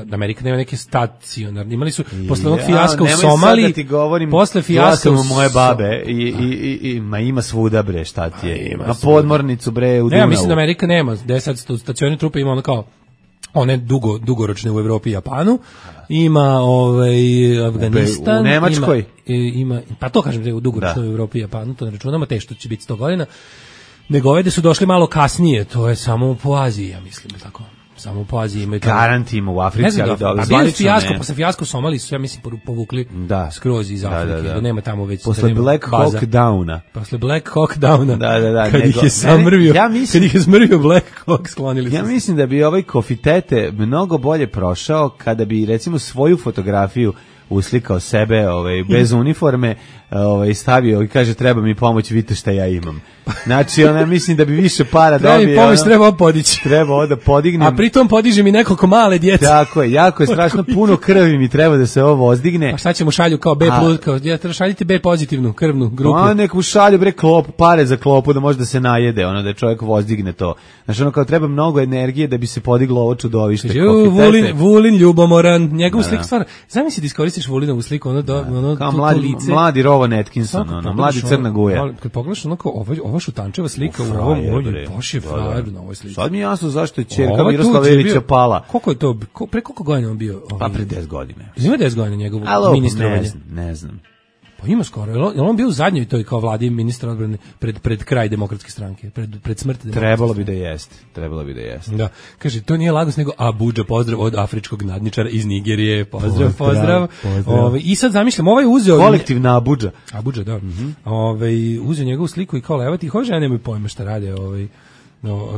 Speaker 5: da Amerika nema neke stacionarne. Imali su posle onog fijaska u Somaliji.
Speaker 6: Da ti govorim,
Speaker 5: posle fijaska
Speaker 6: u moje babe i ima svuda bre, šta ti je? Na podmornicu bre u Dunavu.
Speaker 5: Ne, mislim da Amerika nema. Da je sad stacionarne trupe ima ono kao one dugoročne u Evropi i Japanu. Ima Afganistan.
Speaker 6: U Nemačkoj.
Speaker 5: Ima, pa to kažem, dugoročno u Evropi i Japanu, to ne računamo, teško će biti 100 godina. Nego ove da su došli malo kasnije, to je samo po Aziji, ja mislim, tako. Samo po Aziji imaju to.
Speaker 6: Garantima u Africi, ali da
Speaker 5: zvanično ne. Posle fijasko u Somaliji su, ja mislim, povukli skroz iz Afrike, da nema tamo već.
Speaker 6: Posle Black Hawk Downa.
Speaker 5: Posle Black Hawk Downa, kad ih je smrvio Black Hawk, sklonili
Speaker 6: se. Ja mislim da bi ovaj Kofitete mnogo bolje prošao kada bi, recimo, svoju fotografiju uslikao sebe bez uniforme, stavio i kaže treba mi pomoć, vidite šta ja imam. Znači, mislim da bi više para dobio.
Speaker 5: Treba mi pomoć, treba podići.
Speaker 6: Treba da podignem.
Speaker 5: A pritom podiže mi nekoliko male djece.
Speaker 6: Tako je, jako je strašno puno krvi mi treba da se ovo ozdigne.
Speaker 5: Pa šta ćemo šalju kao B+, kao šaljite B pozitivnu krvnu grupu.
Speaker 6: A nek mu šalju bre klopu, pare za klopu da može da se najede, da čovjek ozdigne to. Znači, kao treba mnogo energije da bi se podiglo ovo čudovište.
Speaker 5: Vulin ljubomoran, njegov slik stvarno. Zamisli da iskoristiš Vulinovu sliku,
Speaker 6: kao mladi Rowan Atkinson, mladi Crna Guja.
Speaker 5: Kad pogledaš ova šutančeva slika u ovom baš je frajer na ovoj slici.
Speaker 6: Sad mi je jasno zašto je ćerka Miroslava Ilića pala.
Speaker 5: Koliko je to, pre koliko godina on bio?
Speaker 6: Pa pre 10 godina.
Speaker 5: Ima 10 godina njegovo ministrovanje?
Speaker 6: Ne znam.
Speaker 5: Pa ima skoro. Je on bio u zadnjoj toj kao vladi ministra odbrane pred kraj demokratske stranke, pred smrt demokratske
Speaker 6: Trebalo bi da jeste.
Speaker 5: Da. Kaže, to nije Lagos nego Abuđa, pozdrav od afričkog nadničara iz Nigerije. Pozdrav. I sad zamišljam, ovaj uzeo
Speaker 6: kolektivna Abuđa.
Speaker 5: Abuđa, da. Uzeo njegovu sliku i kao levati, ove žene nemaju pojma šta rade,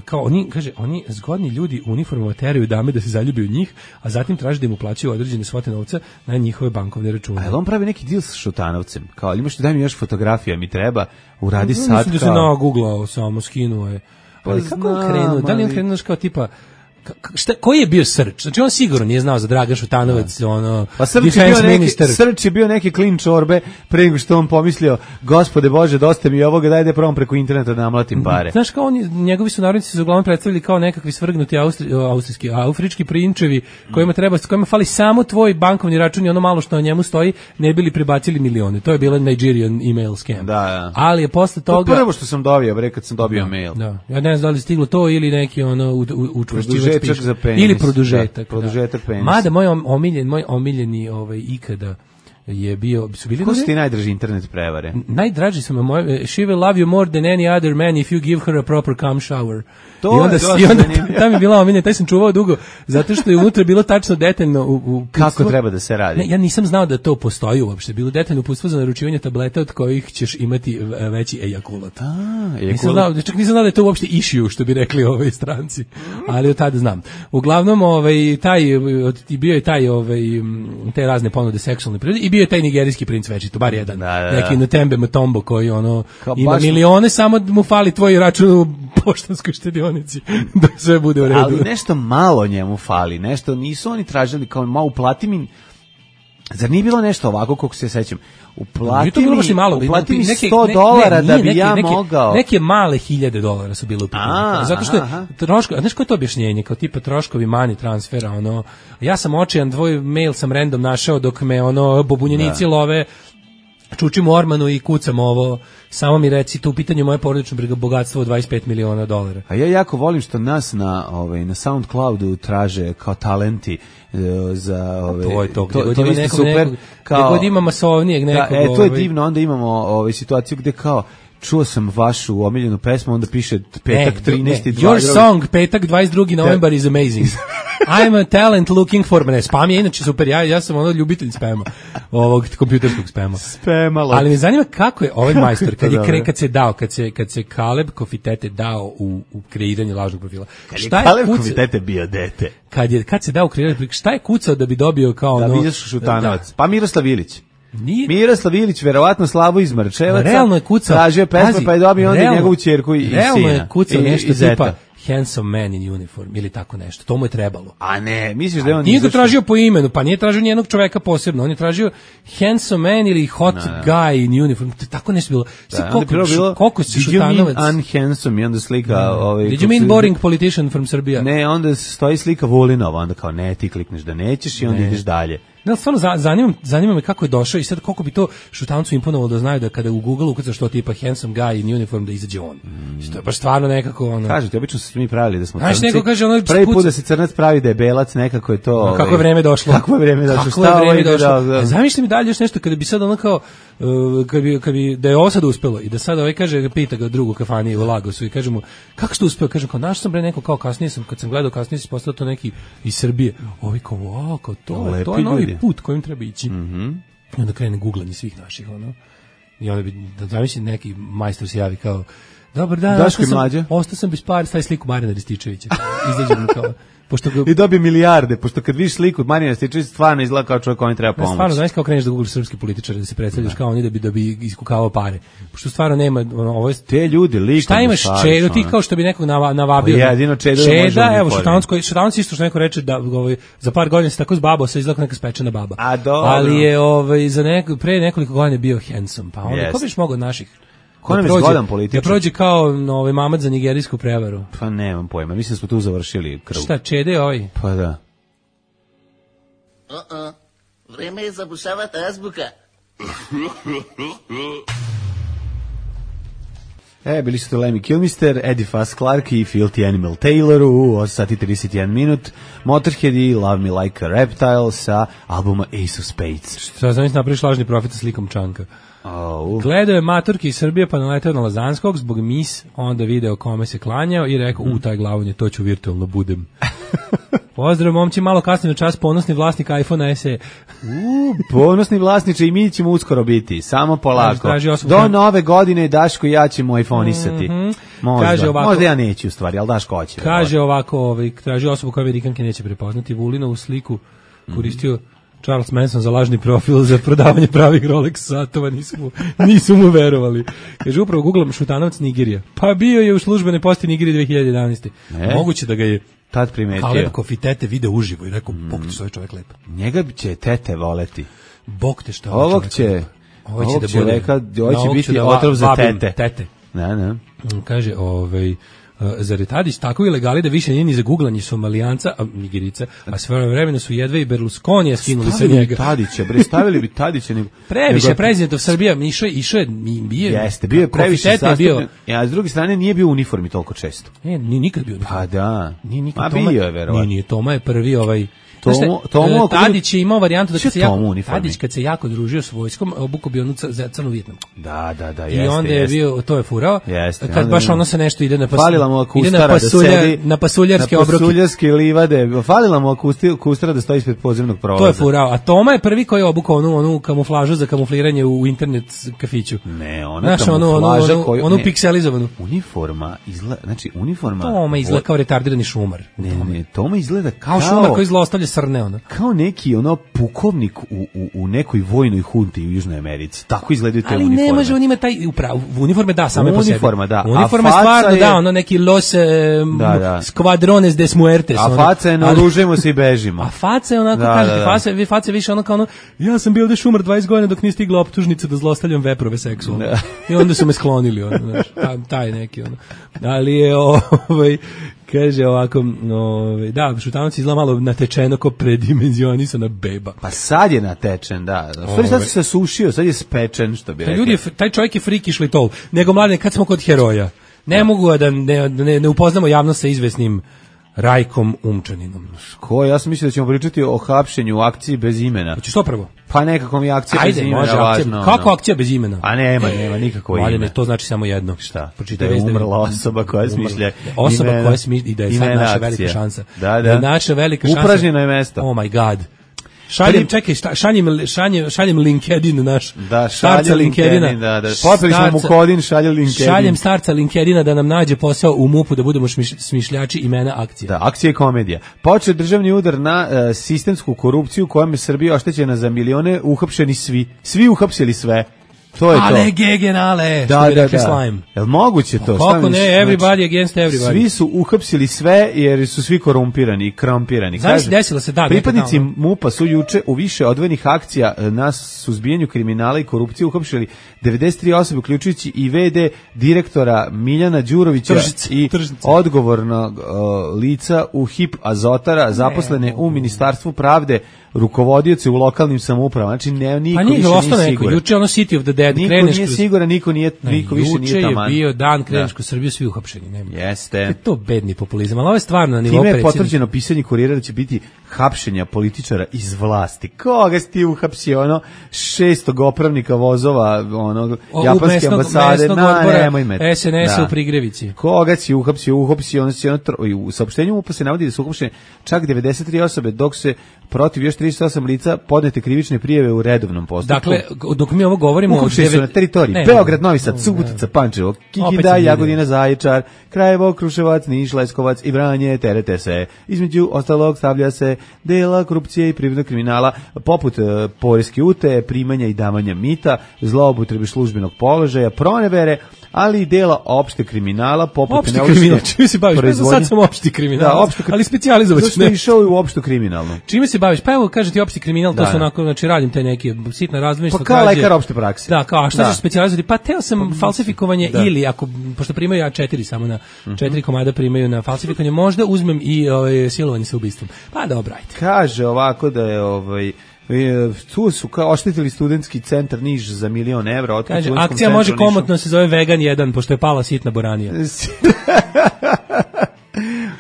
Speaker 5: kao oni zgodni ljudi u uniformama teraju dame da se zaljubi u njih, a zatim traže da im uplaćuju određene svote novca na njihove bankovne račune.
Speaker 6: A on pravi neki deal sa Šutanovcem, kao imaš daj mi još fotografija, mi treba, uradi sad
Speaker 5: kao. Mislim da se nagooglao, samo skinuo je. Ali kako on krenuo? Da li on krenuo kao tipa koji je bio Srč? Znači on sigurno nije znao za Dragan Šutanovac,
Speaker 6: pa Srč je bio neki klin čorbe pre nego što on pomislio, gospode Bože, dosta mi ovoga, daj da probam preko interneta da namlatim pare.
Speaker 5: Znaš, kao njegovi sunarodnici su uglavnom predstavili kao nekakvi svrgnuti afrički prinčevi kojima fali samo tvoj bankovni račun i ono malo što na njemu stoji, ne bili prebacili milione. To je bila Nigerian email scam.
Speaker 6: Da.
Speaker 5: Ali je posle toga...
Speaker 6: To prvo što sam dobio, kad sam dobio mail.
Speaker 5: Da. Ja ne znam da li stiglo to ili neki učvršćivač
Speaker 6: za penis.
Speaker 5: Ili produžetak.
Speaker 6: Produžetak penisa.
Speaker 5: Mada moj omiljeni ikada je bio, su bili...
Speaker 6: Ko su ti najdrži internet prevare?
Speaker 5: Najdraži su me moje, she will love you more than any other man if you give her a proper cum shower. I onda tam je bila omiljena, taj sam čuvao dugo, zato što je unutra bilo tačno detaljno
Speaker 6: kako treba da se radi.
Speaker 5: Ne, ja nisam znao da to postoji uopšte, bilo detaljno uputstvo za naručivanje tableta od kojih ćeš imati veći ejakulat. Nisam znao da je to uopšte issue, što bi rekli ovoj stranci, ali od tada znam. Uglavnom, bio je te razne ponude seksualne prirode i bio je taj nigerijski princ večito, bar jedan, neki Ntembe Mutombo koji ima milione, samo mu fali tvoj račun u poštanskoj štedionici da sve bude u redu.
Speaker 6: Ali nešto malo njemu fali, nešto nisu oni tražili kao malo uplati mi. Zar nije bilo nešto ovako kako se sećam? Uplati mi $100 da bi ja mogao.
Speaker 5: Neke male $1000 su bile u pitanju. Zato što troškovi, znaš koje je to objašnjenje, kao tipa troškovi money transfera, ja sam očajan, tvoj mail sam random našao dok me bobunjenici love, čučim u ormanu i kucam ovo, samo mi reci, tu u pitanju moje porodično bogatstvo od $25 miliona.
Speaker 6: A ja jako volim što nas na SoundCloudu traže kao talenti za
Speaker 5: to je isto super. Gdje god ima masovnijeg nekog.
Speaker 6: To je divno, onda imamo situaciju gde kao čuo sam vašu omiljenu pesmu, onda piše petak 13.
Speaker 5: Your song, petak 22. novembar is amazing. I'm a talent looking for... Ne, spam je inače super, ja sam ljubitelj spama, ovog kompjuterskog spama. Ali me zanima kako je ovaj majstor, kad se Kaleb Kofitete dao u kreiranje lažnog profila.
Speaker 6: Kad je Kaleb Kofitete bio dete.
Speaker 5: Kad se dao u kreiranje profila, šta je kucao da bi dobio kao...
Speaker 6: Da vidiš Šutanovac. Pa Miroslav Ilić. Miroslav Ilić, verovatno Slavo iz Marčevaca.
Speaker 5: Realno je kucao.
Speaker 6: Tražio pesma, pa je dobio onda njegovu ćerku i sina.
Speaker 5: Realno je kucao nešto
Speaker 6: zeta.
Speaker 5: tipa Handsome Man in Uniform ili tako nešto. To mu je trebalo.
Speaker 6: A ne, misliš da je on...
Speaker 5: Nije ga tražio po imenu, pa nije tražio nijednog čoveka posebno. On je tražio Handsome Man ili Hot Guy in Uniform. Tako nešto bilo. Koliko si Šutanovac...
Speaker 6: Did you mean unhandsome? I onda slika...
Speaker 5: Did you mean boring politician from Serbia?
Speaker 6: Ne, onda stoji slika Vulinova. Onda kao ne, ti klikneš da nećeš i onda ideš dalje.
Speaker 5: Ne, stvarno zanima me kako je došao i sad koliko bi to Šutanovcu imponovalo da znaju da kada u Google ukucaš što tipa handsome guy in uniform da izađe on. To je baš stvarno nekako ono.
Speaker 6: Kažete, obično se mi pravili da smo
Speaker 5: crnci. Neko kaže ono
Speaker 6: prvi put da se crnac pravi da je belac, nekako je to.
Speaker 5: Kako je vreme došlo.
Speaker 6: Kako je vreme došlo.
Speaker 5: Zamišljam dalje još nešto kada bi sad ono kao kad bi da je ovo sad uspelo i da sad ovaj kaže pita ga drugu kafani u Lagosu i kaže mu kako ste uspeo, kaže kao našao sam bre neko kao kasnije sam kad sam gledao kasnije se postao to neki iz Srbije. Ovi kao wow, kao to je novi put kojim treba ići. I onda krene guglanje svih naših ono. I onda bi da zamisli neki majstor se javi kao dobar dan, ostao sam bez para, stavi sliku Marijana Rističevića. Izađe mu kao
Speaker 6: i dobije milijarde, pošto kad vidiš sliku od Marijana Rističevića stvarno izgleda kao čovjek koji treba pomoći.
Speaker 5: Stvarno, znaš kao kreneš da googlaš srpski političare, da se predstavljaš kao oni da bi iskukavao pare. Pošto stvarno nema ovo
Speaker 6: te ljudi likom.
Speaker 5: Šta imaš Čedo, ti kao što bi nekog navabio.
Speaker 6: Jedino Čedo
Speaker 5: evo Šutanovac isto što neko reče da za par godina se tako zbabao se izgleda neka spečena baba. Ali je pre nekoliko godina bio handsome, pa onda ko biš mogao od naših
Speaker 6: ko nam je zgodan političar?
Speaker 5: Da prođe kao mamad za nigerijsku prevaru.
Speaker 6: Pa nemam pojma, mislim da smo tu završili krv.
Speaker 5: Šta, Čede ovaj?
Speaker 6: Pa da.
Speaker 12: Vreme je zabušavati azbuka.
Speaker 6: Bili su to Lemmy Kilmister, Eddie Fast Clark i Filthy Animal Taylor u 8 sati 31 minut. Motorhead i Love Me Like a Reptile sa albuma Ace of Spades.
Speaker 5: Šta znam, napraviš lažni profit sa slikom Čanka. Gledao je maturki iz Srbije pa naletao na Lazanskog zbog mis, onda video kome se klanjao i rekao taj glavonje, to ću virtualno budem. Pozdrav momci, malo kasnije na čas, ponosni vlasnik iPhone SE.
Speaker 6: Ponosni vlasniče i mi ćemo uskoro biti, samo polako. Do nove godine Daško i ja ćemo iPhone-isati. Možda ja neću u stvari, ali Daško hoće.
Speaker 5: Kaže ovako, traži osobu koja Amerikanke neće prepoznati, Vulinovu sliku koristio Charles Manson za lažni profil za prodavanje pravih Rolex satova, nisu mu verovali. Kaže, upravo googlam Šutanovac Nigerija. Pa bio je u službenoj posti Nigerije 2011. Moguće da ga je
Speaker 6: tad primetio.
Speaker 5: Kaleb Kofitete video uživo i rekao, bog te, što je čovjek lep.
Speaker 6: Njega će tete voleti.
Speaker 5: Bog te što
Speaker 6: ovog će biti otrov za tete. Ne.
Speaker 5: Kaže, zar je Tadić tako ilegali da više nije ni za guglanje Somalijanca, Nigerica, a sve vremena su jedva i Berlusconija skinuli sa njega.
Speaker 6: Stavili bi Tadića.
Speaker 5: Previše prezidentov Srbija, išao je,
Speaker 6: bio je previše sastavljen, a s druge strane nije bio u uniformi toliko često.
Speaker 5: Nije nikad bio u uniformi.
Speaker 6: Pa da,
Speaker 5: a
Speaker 6: bio je verovatno.
Speaker 5: Nije, Toma je prvi Tadić je imao varijantu da Tadić kad se jako družio s vojskom, obukao bi onu crnu Vijetnamku.
Speaker 6: Da,
Speaker 5: i onda je bio, to je furao, kad baš ono se nešto ide na pasuljarske obroke.
Speaker 6: Na pasuljarske livade, falila mu kustara da stoji ispred podzemnog prolaza.
Speaker 5: To je furao, a Toma je prvi koji je obukao onu kamuflažu za kamufliranje u internet kafiću.
Speaker 6: Ne, ona kamuflaža
Speaker 5: onu pikselizovanu.
Speaker 6: Uniforma izgleda,
Speaker 5: Toma izgleda kao retardirani šumar.
Speaker 6: Ne, Toma izgleda
Speaker 5: kao šumar koji zlostavlja srne, ono.
Speaker 6: Kao neki pukovnik u nekoj vojnoj hunti u Južnoj Americi. Tako izgledaju te uniforme.
Speaker 5: Ali ne može, on ima taj uniforme same po sebi.
Speaker 6: Uniforma, da.
Speaker 5: Uniforma stvarno, ono neki los skvadrones des muertes.
Speaker 6: A faca je naoružujemo se i bežimo.
Speaker 5: A faca je onako, kažete, faca više ono kao ono, ja sam bio ovde šumar 20 godina dok nije stigla optužnica da zlostavljam veprove seksualno. I onda su me sklonili, ono, znaš, taj neki, ono. Ali je, kaže ovako, da, Šutanovac izgleda malo natečeno ko predimenzionisana beba.
Speaker 6: Pa sad je natečen, da. Sad se sušio, sad je spečen, što bi rekao.
Speaker 5: Taj čovjek je frikiš li tol. Nego, mladine, kad smo kod heroja, ne mogu da ne upoznamo javnost sa izvesnim Rajkom Umčaninom.
Speaker 6: Ko? Ja sam mislio da ćemo pričati o hapšenju u akciji bez imena.
Speaker 5: Hoćeš to prvo?
Speaker 6: Pa nekako mi akcija bez imena važno.
Speaker 5: Kako akcija bez imena?
Speaker 6: A nema nikako ime.
Speaker 5: Mladine, to znači samo jedno.
Speaker 6: Šta? Da je umrla osoba koja smišlja
Speaker 5: osoba koja smišlja i da je sad naša velika šansa.
Speaker 6: Da.
Speaker 5: Naša velika šansa.
Speaker 6: Upražnjeno je mesto.
Speaker 5: Oh my god. Šaljem LinkedIn naš.
Speaker 6: Da,
Speaker 5: starca LinkedIna.
Speaker 6: Da. Popili smo mu kodin, šalje LinkedIn.
Speaker 5: Šaljem starca LinkedIna da nam nađe posao u MUP-u da budemo smišljači imena akcije.
Speaker 6: Da, akcija i komedija. Počeo državni udar na sistemsku korupciju kojom je Srbija oštećena za milione, uhapšeni svi. Svi uhapsili sve. To je
Speaker 5: ale
Speaker 6: to.
Speaker 5: gegenale,
Speaker 6: što
Speaker 5: bi rekli Slime.
Speaker 6: Jel moguće to?
Speaker 5: Kako ne, everybody against everybody.
Speaker 6: Svi su uhapsili sve jer su svi korumpirani i krampirani.
Speaker 5: Znaš, desilo se
Speaker 6: pripadnici MUP-a su juče u više odvojenih akcija na suzbijanju kriminala i korupcije uhapšili 93 osobe, uključujući i VD direktora Miljana Đurovića i odgovornog lica u HIP Azotara, zaposlene u Ministarstvu pravde, rukovodioci u lokalnim samoupravama. Znači niko više nije siguran.
Speaker 5: Juče ono City of the Dead,
Speaker 6: niko nije siguran, niko više nije taman.
Speaker 5: Juče je bio dan Krenešku Srbiju, svi uhapšeni. Nema.
Speaker 6: Jeste.
Speaker 5: To bedni populizam, ali ovo je stvarno na nivou
Speaker 6: predsjednika. Time je potvrđeno pisanje Kurira da će biti hapšenja političara iz vlasti. Koga si ti uhapsio, 600 opravnika vozova, japanske ambasade, nemoj me.
Speaker 5: SNS-a u Prigrevici.
Speaker 6: Koga si uhapsio, u saopštenju MUP-a se navodi da su uhapšene čak 93 osobe, dok se protiv još 38 lica podnete krivične prijave u redovnom postupku.
Speaker 5: Dakle, dok mi ovo govorimo...
Speaker 6: Uhapšeni su na teritoriji Beograd, Novi Sad, Subotica, Pančevo, Kikinda, Jagodina, Zaječar, Krajevo, Kruševac, Niš, Leskovac i Vranje, terete se. Između ostalog stavlja se dela korupcije i privrednog kriminala, poput poreske utaje, primanja i davanja mita, zloupotrebe službenog položaja, pronevere, ali i dela opšte kriminala, poput
Speaker 5: opšti kriminal, čime se baviš? Sad sam opšti kriminal, ali specijalizovat ću.
Speaker 6: Zašto je išao u opštu kriminalnu?
Speaker 5: Čime se baviš? Pa evo, kaže ti opšti kriminal, to su onako, znači radim te neke sitne razbojništva.
Speaker 6: Pa kao lekar opšte prakse.
Speaker 5: Da, kao, a šta ćeš specijalizovati? Pa teo sam falsifikovanje ili, pošto primaju A4 samo na 4 komada primaju na falsifikovanje, možda uzmem i silovanje sa ubistvom. Pa dobro, ajde.
Speaker 6: Kaže ovako da je tu su kao oštetili studentski centar Niš za 1.000.000 evra.
Speaker 5: Kaže, akcija može komotno se zove Vegan 1, pošto je pala sitna boranija.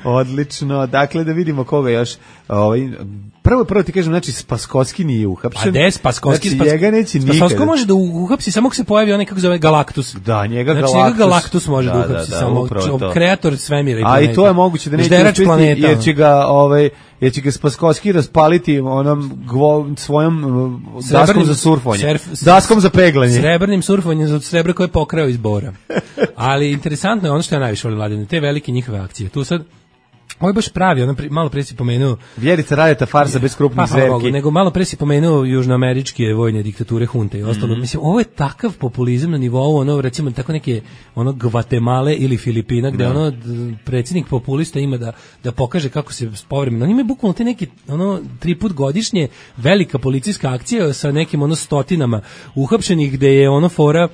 Speaker 6: Odlično, dakle da vidimo koga još. Prvo ti kažem, znači Spaskovski nije uhapšen.
Speaker 5: A des Spaskovski?
Speaker 6: Znači njega neće nikada.
Speaker 5: Spaskovski može da uhapsi samo ako se pojavi onaj kako zove Galaktus.
Speaker 6: Da, njega
Speaker 5: Galaktus može da uhapsi samo kreator svemira i planeta.
Speaker 6: A i to je moguće da neće uspjeti jer će ga Spaskovski raspaliti svojom daskom za surfanje. Daskom za peglanje.
Speaker 5: Srebrnim surfanjem od srebra koje je pokrao iz Bora. Ali interesantno je ono što ja najviše volim, Mladine, te velike njihove akcije. Tu sad ovo je baš pravi, malo pre si pomenuo...
Speaker 6: Vjerica Radeta, farsa bez krupnih zverki.
Speaker 5: Nego malo pre si pomenuo južnoameričke vojne diktature, hunte i ostalo. Mislim, ovo je takav populizam na nivou, recimo, tako neke, Gvatemale ili Filipina, gde predsjednik populista ima da pokaže kako se povremeno. On ima bukvalno te neke, 3 put godišnje velika policijska akcija sa nekim, stotinama uhapšenih, gde je fora...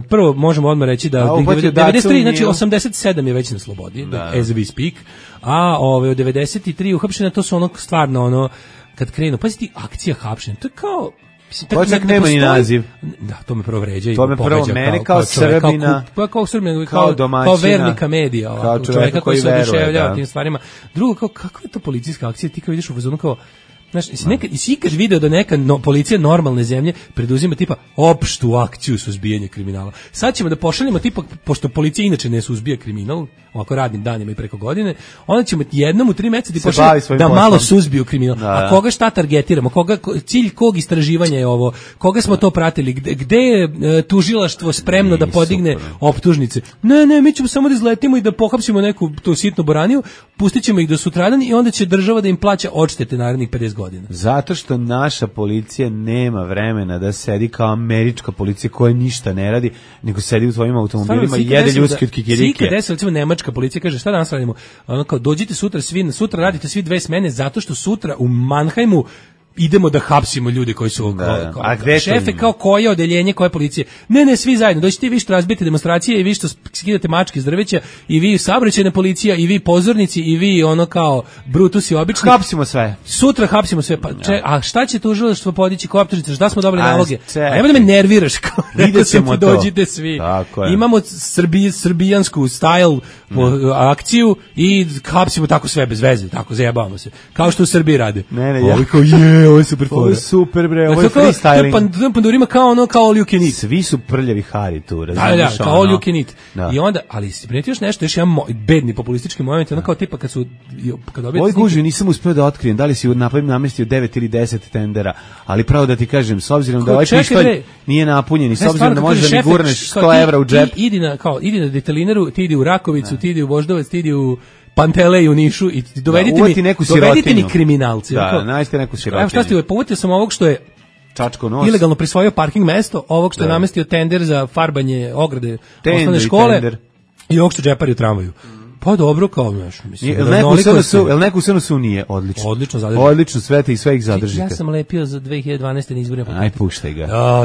Speaker 5: prvo možemo odmah reći da 93, znači 87 je već na slobodi, as we speak, a od 93 uhapšena, to su stvarno kad krenu, pazi ti, akcija hapšenja, to je kao...
Speaker 6: To čak nema ni naziv.
Speaker 5: Da, to me prvo vređa.
Speaker 6: To me prvo mene kao Srbina,
Speaker 5: kao Srbina,
Speaker 6: kao domaćina,
Speaker 5: kao vernika medija,
Speaker 6: kao čovjeka koji se oduševljava
Speaker 5: tim stvarima. Drugo, kakva je to policijska akcija, ti kao vidiš u fazonu kao, znaš, si ikad video da neka policija normalne zemlje preduzima tipa opštu akciju suzbijanja kriminala. Sad ćemo da pošaljemo tipa, pošto policija inače ne suzbija kriminal, ovako radnim danima i preko godine, onda ćemo jednom u 3 meseca ti pošaljemo da malo suzbiju kriminal. A koga šta targetiramo? Cilj kog istraživanja je ovo? Koga smo to pratili? Gde je tužilaštvo spremno da podigne optužnice? Ne, mi ćemo samo da izletimo i da pohapsimo neku tu sitnu boraniju, pustit ćemo ih do sutradan i onda će država da im plaća odštete narednih 50 godina.
Speaker 6: Zato što naša policija nema vremena da sedi kao američka policija koja ništa ne radi, nego sedi u svojim automobilima i jede ljudski od kikirike.
Speaker 5: Sika desila, recimo, nemačka policija kaže, šta danas radimo? Kao, dođite sutra radite svi 2 smene, zato što sutra u Mannheimu idemo da hapsimo ljude koji su šefe, kao koje odeljenje, koje policije. Ne, svi zajedno. Dođite vi što razbijete demonstracije i vi što skidate mačke iz drveća i vi saobraćajna policija i vi pozornici i vi kao brutusi obični.
Speaker 6: Hapsimo sve.
Speaker 5: Sutra hapsimo sve. A šta će tužilaštvo podići kao optužnice? Šta smo dobili naloge? Evo da me nerviraš.
Speaker 6: Vidimo to.
Speaker 5: Dođite svi. Imamo srbijansku style akciju i hapsimo tako sve bez veze. Tako zajebavamo se. Kao što u Srbiji rade.
Speaker 6: Ne,
Speaker 5: ovo je super fora.
Speaker 6: Ovo je super, bre, ovo je freestyling.
Speaker 5: To je pandurima kao all you can eat.
Speaker 6: Svi su prljavi Hari tu, razumiješ?
Speaker 5: Da, kao all you can eat. I onda, ali si primetio još nešto, još jedan bedni populistički moment, ono kao tipa kad
Speaker 6: Ovo guži, nisam uspeo da otkrijem, da li si namestio 9 ili 10 tendera, ali pravo da ti kažem, s obzirom da ovaj pištolj nije napunjen i s obzirom da možeš da mi gurneš 100 evra u džep.
Speaker 5: Idi na detalinaru, ti idi u Rakovicu, ti idi u Voždovac, ti idi u Pantele u Nišu i dovedite mi kriminalci.
Speaker 6: Da, nađite neku sirotinju.
Speaker 5: Evo šta ste, povutio sam ovog što je
Speaker 6: čačko nos.
Speaker 5: Ilegalno prisvojio parking mesto, ovog što je namestio tender za farbanje ograde osnovne škole i ovog što džepari u tramvaju. Pa dobro, kao znaš, mislim.
Speaker 6: Jel neko u SNS-u nije? Odlično. Odlično, sve ih zadržite.
Speaker 5: Ja sam lepio za 2012. na izborima.
Speaker 6: Aj, puštaj ga.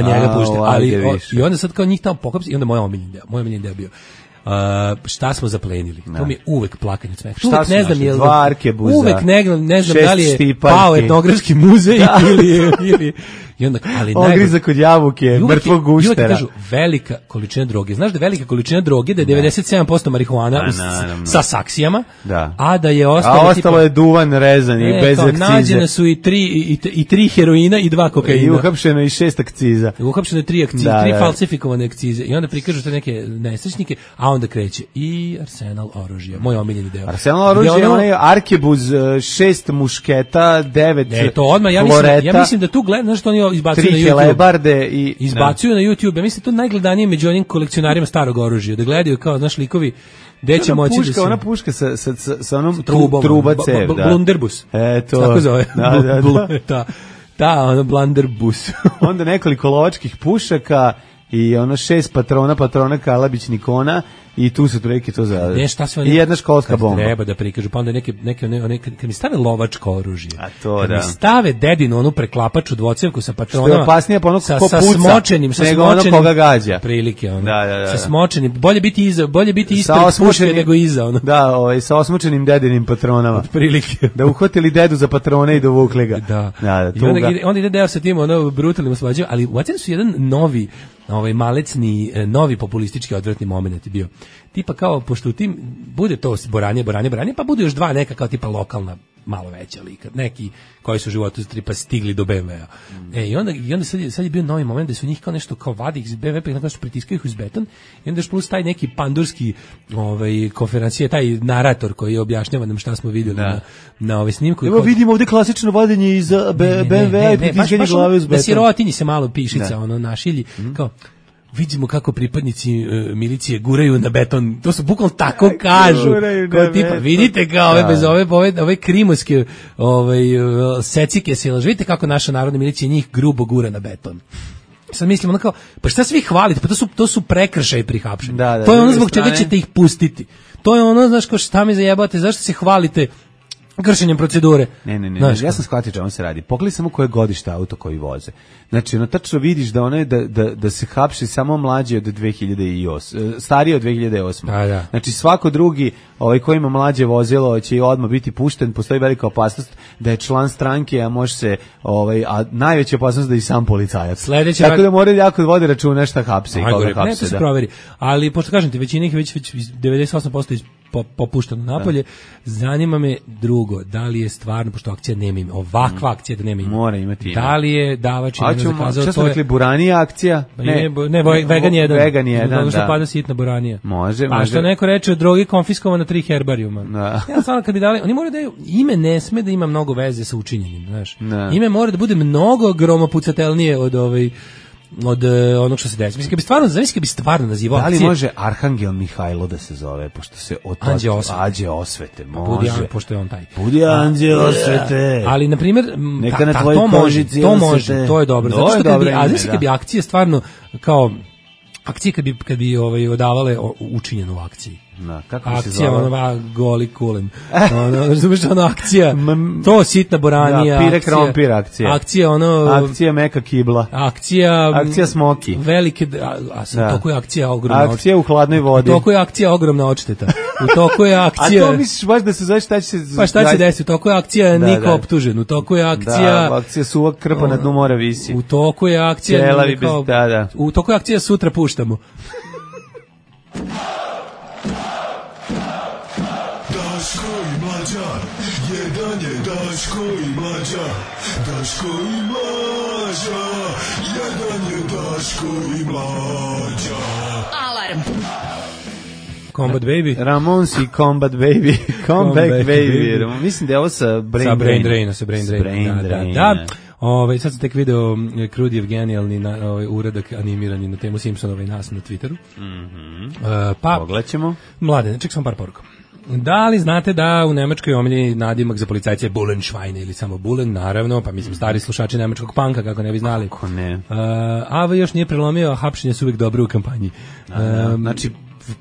Speaker 5: Njega puštaj. Ali, i onda sad kao njih tamo pokopsi, i onda moj omiljeni deo bio. Šta smo zaplenili? To mi je uvek plakanje smeh.
Speaker 6: Uvek ne znam je
Speaker 5: uvek ne znam da li je pao etnografski muzej ili i onda ali
Speaker 6: griza kod jabuke, mrtvog guštera.
Speaker 5: Kažu velika količina droge. Znaš da velika količina droge da je 97% marihuana sa saksijama, a da je ostalo
Speaker 6: je duvan rezan i bez akcize.
Speaker 5: Nađene su i 3 heroina i 2 kokaina.
Speaker 6: I uhapšeno je 6 akciza.
Speaker 5: Uhapšeno je 3 akcize, 3 falsifikovane akcize. I onda prikažu te neke nesrećnike, a onda kreće i arsenal oružja. Moj omiljeni deo.
Speaker 6: Arsenal oružja, onaj arkebuz, 6 mušketa, 9
Speaker 5: to odmah, ja mislim da tu gledam, znaš što oni izbacuju na YouTube. Izbacuju na YouTube. Ja mislim da to najgledanije među onim kolekcionarima starog oružja. Da gledaju kao, znaš, likovi gde će moći da se...
Speaker 6: Ona puška sa onom truba cev.
Speaker 5: Blunderbus. Tako zove. Da, blunderbus.
Speaker 6: Onda nekoliko lovačkih pušaka i 6 patrona Kalabić Nikona i tu su treke to za i jedna školska bomba.
Speaker 5: Treba da prikažu, pa onda neke kad mi stave lovačko oružje.
Speaker 6: A to kad
Speaker 5: mi stave dedinu onu preklapaču dvocevku sa patronama.
Speaker 6: Što je opasnije po onog ko puca,
Speaker 5: smočenim,
Speaker 6: nego ono koga gađa.
Speaker 5: Prilike ono. Sa smočenim, bolje biti ispred puške nego iza ono.
Speaker 6: Da, sa osmočenim dedinim patronama.
Speaker 5: Prilike.
Speaker 6: Da uhvatili dedu za patrone i dovukli ga.
Speaker 5: Da. Onda ide deo sa tim brutalnim osvađanjem, ali u oceni su jedan novi malecni, novi populistički odvratni moment bio. Tipa kao, pošto u tim bude to boranje, pa bude još 2 neka kao tipa lokalna, malo veća lika, neki koji su u životu tipa stigli do BMW-a. I onda sad je bio novi moment da su njih kao nešto kao vadi iz BMW-a, pa ih nešto pritiskaju iz beton, i onda još plus taj neki pandurski konferencije, taj narator koji objašnjava nam šta smo vidjeli na snimku.
Speaker 6: Evo vidimo ovdje klasično vadenje iz BMW-a i pritiskanje glave uz beton.
Speaker 5: Da sirotinji se malo pišica našilji, kao vidimo kako pripadnici milicije guraju na beton. To su bukvalno tako kažu. Kao tipa, vidite kao bez ove krimoske secike sila. Vidite kako naša narodna milicija njih grubo gura na beton. Sad mislim ono kao, pa šta svi hvalite? Pa to su prekršaj pri hapšenju. To je ono zbog čega ćete ih pustiti. To je ono, znaš, kao šta mi zajebate, zašto se hvalite kršenjem procedure.
Speaker 6: Ne, ja sam shvatio čemu se radi. Pogledaj samo koje godište auto koji voze. Znači, tačno vidiš da se hapši samo mlađi od 2008, stariji od 2008. Znači, svako drugi koji ima mlađe vozilo će odmah biti pušten, postoji velika opasnost da je član stranke, a može se, a najveća opasnost da je i sam policajac. Tako da moraju jako vode računa šta hapse i koga hapse.
Speaker 5: Ne, to se proveri. Ali, pošto kažem ti, većina ih već 98% popušteno napolje, zanima me drugo, da li je stvarno, pošto akcija nema ime, ovakva akcija da nema ime.
Speaker 6: Mora imati ime.
Speaker 5: Da li je davać ime zakazao?
Speaker 6: Šta smo rekli, buranija akcija?
Speaker 5: Ne, vegan 1.
Speaker 6: Vegan 1,
Speaker 5: da. Pada sitna buranija.
Speaker 6: Može.
Speaker 5: A što neko reče, drogi konfiskovano 3 herbarijuma. Ja stvarno kad bi dali, oni moraju da ime ne sme da ima mnogo veze sa učinjenim, znaš. Ime mora da bude mnogo gromopucatelnije od onog što se desi. Mislim, kad bi stvarno nazivao
Speaker 6: akcije... Da li može Arhangel Mihajlo da se zove, pošto se Anđe osvete, može.
Speaker 5: Pošto je on taj.
Speaker 6: Budi Anđe osvete.
Speaker 5: Ali, na primjer, to može, to je dobro. Zato što kad bi akcije stvarno, kao, akcije kad bi odavale učinjenu u akciji. Akcija, goli kulen. Razumiješ, akcija, to sitna boranija.
Speaker 6: Pire krompir akcija. Akcija meka kibla. Akcija smoki.
Speaker 5: Velike, u toku je akcija ogromna odšteta.
Speaker 6: Akcija u hladnoj vodi.
Speaker 5: U toku je akcija ogromna odšteta. U toku je akcija...
Speaker 6: A to misliš baš da se zove šta će se...
Speaker 5: Pa šta će desiti? U toku je akcija niko optužen. U toku je akcija...
Speaker 6: Da, akcija suva krpa na dnu mora visi.
Speaker 5: U toku je akcija... U toku je akcija sutra puštamo.
Speaker 11: Daško i Mlađa. Jedan je Daško i Mlađa. Daško i Mlađa. Jedan je Daško i Mlađa.
Speaker 3: Alarm.
Speaker 5: Combat Baby.
Speaker 6: Ramones i Combat Baby. Comeback Baby. Mislim da je ovo sa Brain Drain.
Speaker 5: Sa Brain Drain. Da. Sad sam tek video Krudijev genijalni uradak animirani na temu Simpsonova i nas na Twitteru.
Speaker 6: Pogledaćemo.
Speaker 5: Mlade, ček sam par poruka. Da li znate da u Nemačkoj omiljeni nadimak za policajce je Bullenschweine ili samo Bullen, naravno, pa mislim stari slušači nemačkog panka, kako ne bi znali.
Speaker 6: Kako ne.
Speaker 5: AV još nije prelomio, a hapšenje su uvijek dobre u kampanji.
Speaker 6: Znači,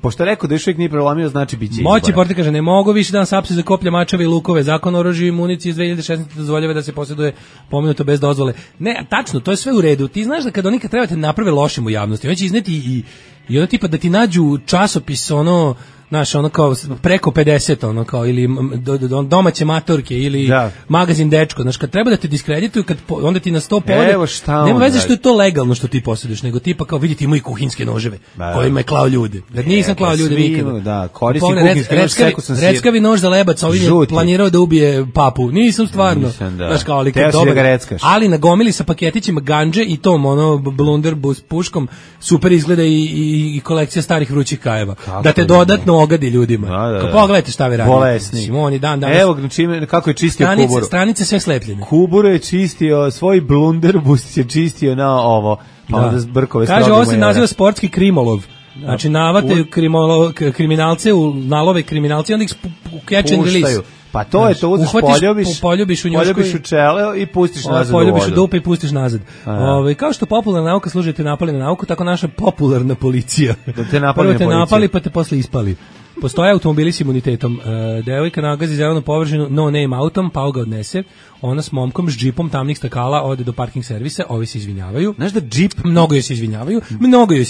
Speaker 6: pošto rekao da još uvijek nije prelomio, znači bit će izbora.
Speaker 5: Moći Porti kaže, ne mogu više da nas hapse za koplje, mačeve i lukove. Zakon o oružju i municiji iz 2016. dozvoljava da se posjeduje pomenuto bez dozvole. Ne, tačno, to je sve u redu. Ti znaš da kad oni kad trebate naprave lošim u javnosti, oni će izneti i ono tipa da ti nađu časopis, ono, znaš, ono kao preko 50, ono kao, ili domaće matorke, ili magazin Dečko, znaš, kad treba da te diskredituju, onda ti na 100 povode, nema veze što je to legalno što ti posjeduješ, nego tipa kao, vidite, imaju kuhinske noževe, kojima je klao ljude. Da nisam klao ljude nikada.
Speaker 6: Da, koristi kuhinske nož,
Speaker 5: reckavi nož za lebac, ovim je planirao da ubije papu. Nisam stvarno. Znaš kao, ali kad dobar, ali nagomili sa paketićima ganđe i tom, ono, blunderbus puškom, super izgleda i kolekcija starih vrućih kajeva. Da te dodatno ogadi ljudima. Pogledajte šta vi radite.
Speaker 6: Bolesni.
Speaker 5: Simoni danas.
Speaker 6: Evo kako je čistio kuburu.
Speaker 5: Stranice sve slepljene.
Speaker 6: Kuburu je čistio, svoj blunderbus je čistio na ovo. Pa onda zbrkove strogo.
Speaker 5: Kaže, ovo se naziva sportski krimolov. Znači, navate kriminalce u nalove kriminalci, onda ih catch and release.
Speaker 6: Pa to je to, uzeš poljubiš u čele i pustiš nazad u vodu.
Speaker 5: Poljubiš u dupe i pustiš nazad. Kao što popularna nauka služi te napali na nauku, tako naša popularna policija.
Speaker 6: Da te napali
Speaker 5: prvo te napali pa te posle ispali. Postoje automobili s imunitetom. Devojka nagazi zelenu površinu no name autom, pa ga odnese. Ona s momkom, s džipom tamnih stakala ode do parking servisa, ovi se izvinjavaju.
Speaker 6: Znaš da džip...
Speaker 5: Mnogo joj se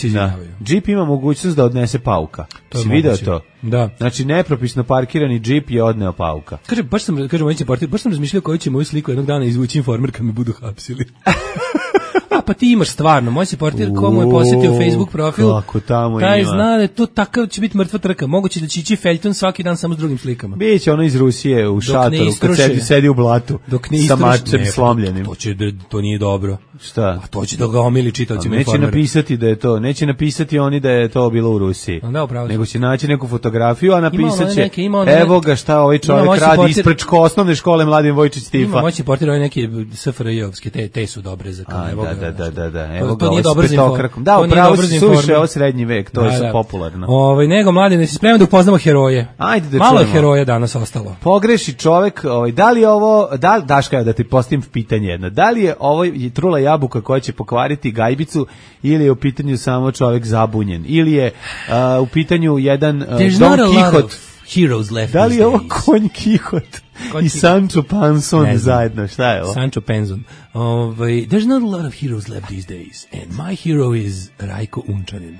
Speaker 5: izvinjavaju.
Speaker 6: Džip ima mogućnost da odnese pauka. Si vidio to?
Speaker 5: Da.
Speaker 6: Znači, nepropisno parkirani džip je odneo pauka.
Speaker 5: Baš sam razmišljao koju će moju sliku jednog dana izvući Informer kad me budu hapsili. Pa ti imaš stvarno, moj si portir komu je posjetio Facebook profil, taj zna da to takav će biti mrtva trka, moguće da će ići feljton svaki dan samo s drugim slikama.
Speaker 6: Biće ono iz Rusije u šatoru, kad sedi u blatu, sa mačem slomljenim.
Speaker 5: To nije dobro.
Speaker 6: Šta?
Speaker 5: A to će da ga omili čitaocima Informera.
Speaker 6: Neće napisati da je to, neće napisati oni da je to bilo u Rusiji, nego će naći neku fotografiju, a napisat će, evo ga šta ovaj čovjek radi ispred osnovne škole Mladen Vojčić Stifa.
Speaker 5: Ima moći portir, oni neki SFRJ-ovske, te su dobre za kao, evo ga.
Speaker 6: Da. Evo ga, ovo s petokrakom. Da, upravo si suše, ovo srednji vek, to je popularno.
Speaker 5: Nego, Mladine, si spreman da upoznamo heroje.
Speaker 6: Ajde da
Speaker 5: malo je heroja danas ostalo.
Speaker 6: Pogreši čovek, da li je ovo, Daška, da ti postavim pitanje jedno, da li je ovo trula jabuka koja će pokvariti gajbicu, ili je u pitanju samo čovek zabunjen, ili je u pitanju jedan Don Quixote. Da li je ovo konj Quixote i Sancho Panson zajedno? Šta je ovo?
Speaker 5: Sancho Panson. There's not a lot of heroes left these days, and my hero is Rajko Unčanin.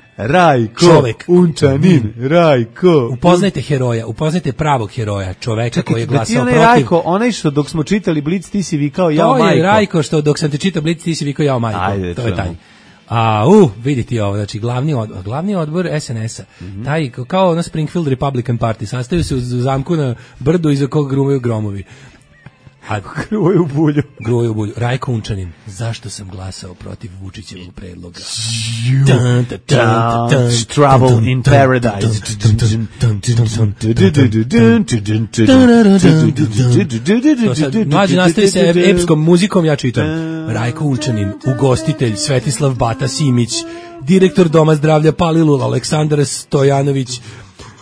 Speaker 6: Rajko.
Speaker 5: Upoznajte heroja, upoznajte pravog heroja, čoveka koji je glasao protiv.
Speaker 6: Rajko, onaj što dok smo čitali Blic ti si vikao jao majko.
Speaker 5: To je Rajko što dok sam te čitao Blic ti si vikao jao majko.
Speaker 6: Ajde,
Speaker 5: to je taj. Vidite ovo, znači glavni odbor SNS-a, taj kao ono Springfield Republican Party, sastavio se u zamku na brdu iza kog grumaju gromovi.
Speaker 6: Gruvaju u bulju.
Speaker 5: Rajko Unčanin, zašto sam glasao protiv Vučićevog predloga?
Speaker 6: Trouble in Paradise.
Speaker 5: Mlađi nastavi se epskom muzikom, ja čitam. Rajko Unčanin, ugostitelj Svetislav Bata Simić, direktor Doma zdravlja Palilula Aleksandar Stojanović,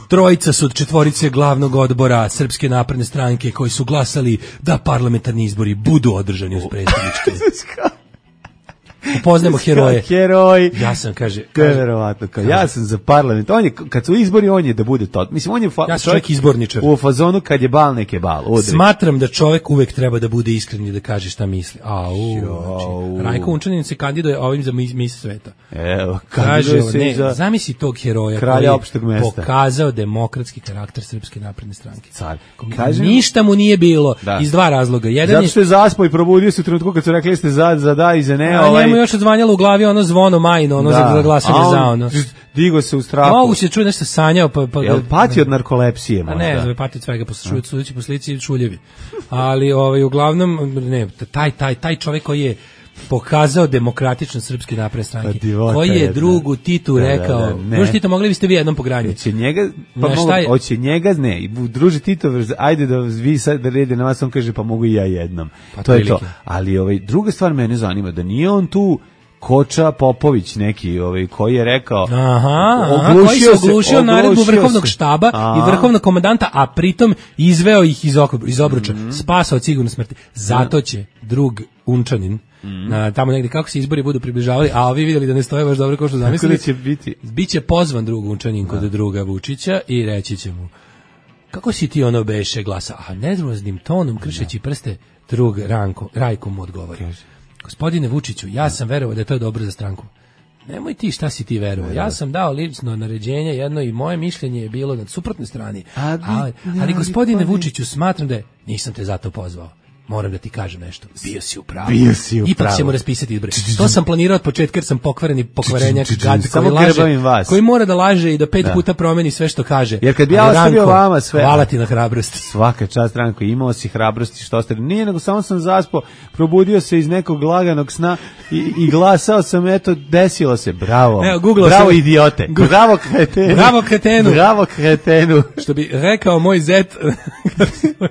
Speaker 5: trojica su od četvorice glavnog odbora Srpske napredne stranke koji su glasali da parlamentarni izbori budu održani uz predsjedničke. Upoznajemo heroje.
Speaker 6: Heroj.
Speaker 5: Ja sam, kaže
Speaker 6: verovatno, ja sam za parlament. On je, kad su izbori, on je da bude to. Mislim, on je
Speaker 5: čovjek izborničar.
Speaker 6: U fazonu kad je bal, neke bal.
Speaker 5: Smatram da čovjek uvek treba da bude iskren i da kaže šta misli. Rajko Unčanin se kandiduje ovim za mis sveta.
Speaker 6: Evo,
Speaker 5: kaže se za zamisli tog heroja
Speaker 6: kralja opšteg mesta.
Speaker 5: Pokazao demokratski karakter Srpske napredne stranke.
Speaker 6: Car.
Speaker 5: Ništa mu nije bilo iz dva razloga. Jedan
Speaker 6: zato što je zaspao i probudio se u trenutku kad su rekli ste za da i za ne,
Speaker 5: mu još odzvanjalo u glavi ono zvono majno, ono za glasanje za ono.
Speaker 6: Digo se u strahu.
Speaker 5: Mogu se čuje nešto sanjao.
Speaker 6: Jel pati od narkolepsije možda?
Speaker 5: A ne, pati od svega, sudeći po slici šuljevi. Ali uglavnom, ne, taj čovjek koji je pokazao demokratičan Srpski napredne stranke, koji je drugu Titu rekao, druži Tito, mogli biste vi jednom pogranju.
Speaker 6: Hoće njega, ne, druži Tito, ajde da vi sad rede na vas, on kaže, pa mogu i ja jednom. To je to. Ali druga stvar mene zanima, da nije on tu Koča Popović neki, koji je rekao,
Speaker 5: koji se oglušio naredbu vrhovnog štaba i vrhovnog komandanta, a pritom izveo ih iz obruča, spasao od sigurne smrti. Zato će drug Unčanin, tamo negdje kako se izbori budu približavali, a ovi vidjeli da ne stoje baš dobro kao što zamislili, biće pozvan drug Unčanin kod druga Vučića i reći će mu, kako si ti ono beše glasa, a nedroznim tonom kršeći prste drug Rajko mu odgovori. Gospodine Vučiću, ja sam verovao da je to dobro za stranku. Nemoj ti, šta si ti verovao. Ja sam dao lično naređenje jedno i moje mišljenje je bilo na suprotnoj strani. Ali gospodine Vučiću, smatram da nisam te zato pozvao. Moram da ti kažem nešto. Bio si u pravu. Ipak ćemo raspisati izbore. To sam planirao od početka jer sam pokvarenjak gad koji laže, koji mora da laže i da 5 puta promeni sve što kaže.
Speaker 6: Jer kad bi ja ostavio vama sve...
Speaker 5: Hvala ti na hrabrosti.
Speaker 6: Svaka čast, Ranko, imao si hrabrosti što ostavio. Nije, nego samo sam zaspao, probudio se iz nekog laganog sna i glasao sam, eto, desilo se. Bravo. Bravo idiote. Bravo kretenu.
Speaker 5: Bravo kretenu.
Speaker 6: Bravo kretenu.
Speaker 5: Što bi rekao moj zet.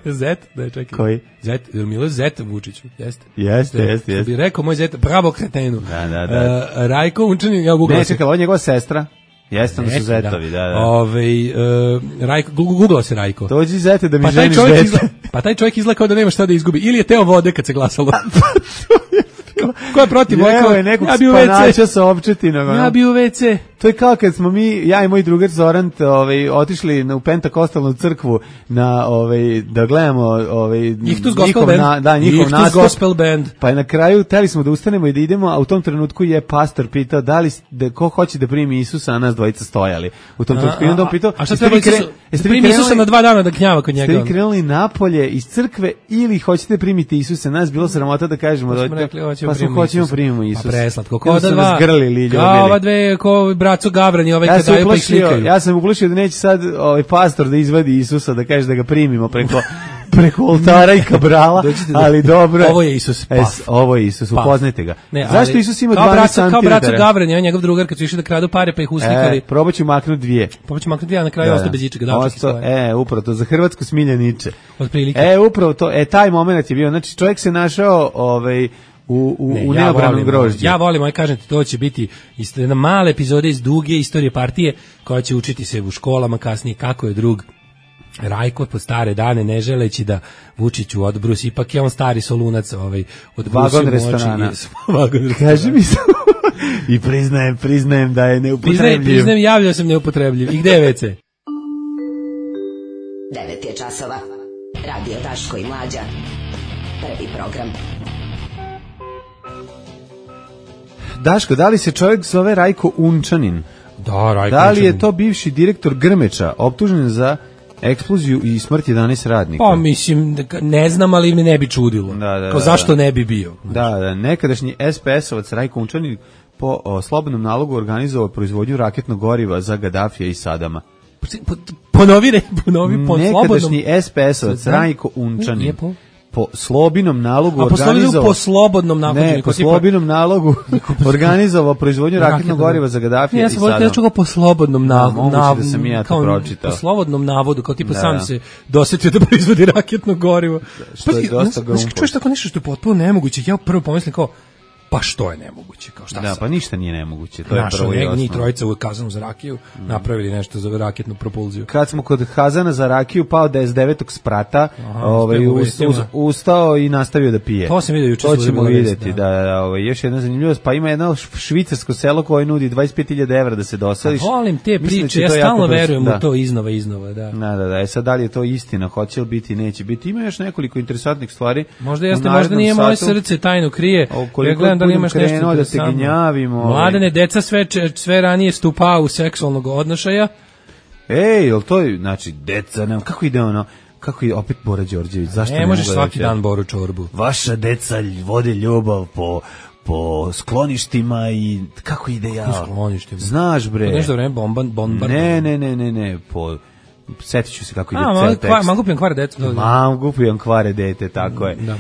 Speaker 5: Zet? Da je čekaj.
Speaker 6: Koji?
Speaker 5: Zet, Milo Zet Vučiću, jeste?
Speaker 6: Jeste.
Speaker 5: Bi rekao moj Zet, bravo kretenu.
Speaker 6: Da.
Speaker 5: Rajko Unčanin, ja googlao.
Speaker 6: Ne, čekaj, ovo je njegova sestra. Jeste, da su Zetovi, da.
Speaker 5: Rajko, googlao se Rajko.
Speaker 6: Dođi Zete da mi ženiš dete.
Speaker 5: Pa taj čovjek izgleda kao da nema šta da izgubi. Ili je teo vode kad se glasalo. Ko je protiv?
Speaker 6: Evo je nekog spanača sa opčetinog.
Speaker 5: Ja bi u WC.
Speaker 6: To je kao kad smo mi, ja i moj drugar Zoran, otišli u Pentakostalnu crkvu da gledamo njihov
Speaker 5: gospel band.
Speaker 6: Pa je na kraju teli smo da ustanemo i da idemo, a u tom trenutku je pastor pitao ko hoće da primi Isusa, a nas dvojica stojali. U tom trenutku je on pitao,
Speaker 5: a šta treba primi Isusa na 2 dana da knjava kod njega?
Speaker 6: Ste vi krenuli napolje iz crkve ili hoćete primiti Isusa? Nas bilo sramota da kažemo pa smo hoćemo primimo Isusa.
Speaker 5: Pa preslatko, ko da dva, kao ova dve, ko braco Gavrani, kad daju pa ih slikaju.
Speaker 6: Ja sam uplašio da neće sad pastor da izvadi Isusa, da kaže da ga primimo preko oltara i kabrala, ali dobro.
Speaker 5: Ovo je Isus,
Speaker 6: ovo je Isus, upoznajte ga. Zašto Isus ima 12 cm?
Speaker 5: Kao braco Gavrani, on njegov drugar, kad su išli da kradu pare, pa ih uslikali.
Speaker 6: Probat ću maknuti 2.
Speaker 5: A na kraju ostao bez ičega.
Speaker 6: Upravo to, za Hrvatsku Smiljaniče.
Speaker 5: Otprilike.
Speaker 6: Upravo to, taj moment je bio, znači čovjek se našao u neobranom grožđu.
Speaker 5: Ja volim, aj kažem ti, to će biti jedna mala epizoda iz duge istorije partije koja će učiti se u školama kasnije kako je drug Rajko pod stare dane, ne želeći da Vučiću odbrusi, ipak je on stari solunac od
Speaker 6: vagon restorana. Kaži mi samo. I priznajem da je neupotrebljiv.
Speaker 5: Priznajem, javljao sam neupotrebljiv. I gde je WC?
Speaker 10: 9 je časova. Radio Daško i Mlađa. Prvi program.
Speaker 6: Daško, da li se čovjek zove Rajko Unčanin?
Speaker 5: Da, Rajko
Speaker 6: Da li je to bivši direktor Grmeča, optužen za eksploziju i smrt 11 radnika?
Speaker 5: Pa mislim, ne znam, ali me ne bi čudilo. Zašto ne bi bio?
Speaker 6: Da, nekadašnji SPS-ovac Rajko Unčanin po slobodnom nalogu organizovao proizvodnju raketnog goriva za Gadafija i Sadama.
Speaker 5: Ponovi po slobodnom.
Speaker 6: Nekadašnji SPS-ovac Rajko Unčanin po slobinom nalogu organizovao...
Speaker 5: po slobodnom nalogu.
Speaker 6: Ne, po slobinom nalogu organizovao proizvodnju raketnog goriva za Gadafija i Sadama.
Speaker 5: Ja sam po slobodnom navodu.
Speaker 6: Moguće da sam ja to pročitao.
Speaker 5: Po slobodnom navodu, kao tipa sam se dosetio da proizvodi raketno gorivo.
Speaker 6: Što je dosta grumpo.
Speaker 5: Čuješ tako nešto što je potpuno nemoguće. Ja prvo pomislim kao, pa što je nemoguće, kao šta
Speaker 6: pa ništa nije nemoguće, to je prvo i osnovno.
Speaker 5: Njih trojica u Kazanu za rakiju napravili nešto za raketnu propulziju.
Speaker 6: Kad smo kod Kazana za rakiju, pao da je s 9. sprata ustao i nastavio da pije.
Speaker 5: To sam vidio juče.
Speaker 6: To ćemo vidjeti, još jedna zanimljivost, pa ima jedno švicarsko selo koje nudi 25.000 evra da se doseliš.
Speaker 5: Volim te priče, ja stalno verujem u to iznova, da.
Speaker 6: Da, sad da li je to istina, hoće li biti, neće biti. Ima još nekoliko interesantnih stvari.
Speaker 5: Možda jeste, možda nije moje srce tajno krije. Da li imaš nešto
Speaker 6: da se gnjavimo.
Speaker 5: Mladene, deca sve ranije stupa u seksualnog odnošaja.
Speaker 6: Jel to je, znači, deca, kako ide ono, kako je opet Bora Đorđević, zašto ne
Speaker 5: možeš svaki dan Boru čorbu?
Speaker 6: Vaša deca vode ljubav po skloništima i kako ide ja?
Speaker 5: Po skloništima.
Speaker 6: Znaš bre.
Speaker 5: To nešto vreme bomba.
Speaker 6: Ne, po setit ću se kako ide ceo tekst.
Speaker 5: Mangupijan kvare dete.
Speaker 6: Mangupijan kvare dete, tako je.
Speaker 5: Da.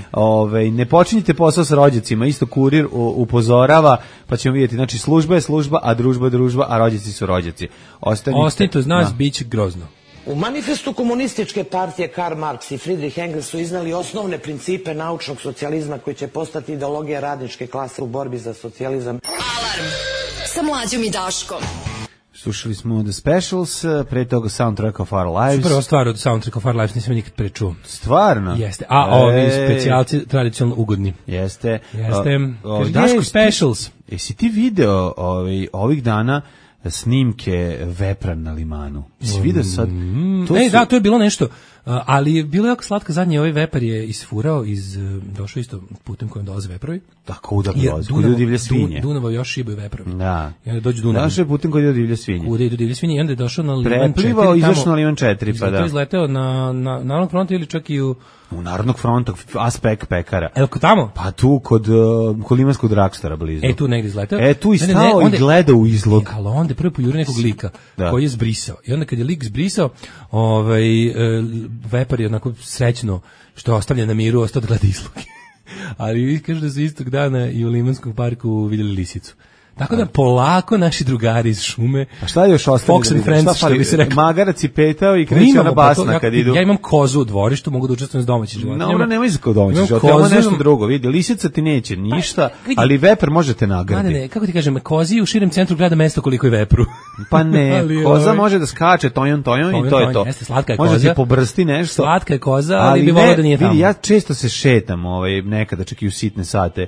Speaker 6: Ne počinjite posao sa rođacima, isto kurir upozorava, pa ćemo vidjeti, znači služba je služba, a družba je družba, a rođaci su rođaci.
Speaker 5: Ostanite uz nas, bit će grozno.
Speaker 13: U manifestu komunističke partije Karl Marx i Friedrich Engels su iznali osnovne principe naučnog socijalizma koji će postati ideologija radničke klase u borbi za socijalizam.
Speaker 3: Alarm sa Mlađom i Daškom.
Speaker 6: Slušali smo The Specials, pre toga Soundtrack of Our Lives.
Speaker 5: Prva stvar od Soundtrack of Our Lives nisam nikad prečuo.
Speaker 6: Stvarno?
Speaker 5: Jeste, a ovi specijalci tradicionalno ugodni.
Speaker 6: Jeste.
Speaker 5: Daško Specials.
Speaker 6: Jesi ti video ovih dana snimke vepra na limanu? Jesi video sad?
Speaker 5: Da, to je bilo nešto, ali je bilo jako slatko. Zadnji ovaj vepar je isfurao došao isto putem kojim dolaze veprovi.
Speaker 6: Tako da dolaze, kuda divlje svinje.
Speaker 5: Dunava još šibaju veprovi.
Speaker 6: Da.
Speaker 5: I onda dođe Dunav.
Speaker 6: Došao je putem kuda divlje svinje.
Speaker 5: Kuda idu divlje svinje i onda je došao na Liman 4.
Speaker 6: Preplivao, izašao na Liman 4, pa da.
Speaker 5: Izleteo na Narodnog fronta ili čak i u
Speaker 6: Narodnog fronta, Aspek pekara.
Speaker 5: Evo kod tamo?
Speaker 6: Pa tu kod limanskog dragstora blizu.
Speaker 5: Tu negdje izleteo.
Speaker 6: Tu i stao i gleda u izlog.
Speaker 5: Ali onda prvo poljuri nekog lika koji je zbrisao. I onda kad je lik zbrisao, vepar je onako srećno što je ostavljen na miru, ostao da gleda izlog. Ali kažu da su istog dana i u Limanskom parku vidjeli lisicu. Tako da polako naši drugari iz šume.
Speaker 6: A šta je još ostalo?
Speaker 5: Fox and Friends, što bi se rekao.
Speaker 6: Magarac i petao i kreće ona basna kad idu.
Speaker 5: Ja imam kozu u dvorištu, mogu da učestvujem s domaćim životinjama.
Speaker 6: No, nemoj za domaćim životinjama, ovo nešto drugo. Vidi, lisica ti neće ništa, ali vepar možete nagraditi.
Speaker 5: Ne, kako ti kažem, kozi u širem centru grada mesto koliko je vepru.
Speaker 6: Pa ne, koza može da skače tojon i to je to.
Speaker 5: Slatka je koza.
Speaker 6: Može ti pobrsti nešto.
Speaker 5: Slatka je koza, ali bi volao da nije tamo.
Speaker 6: Vidi, ja često se šetam nekada čak i u sitne sate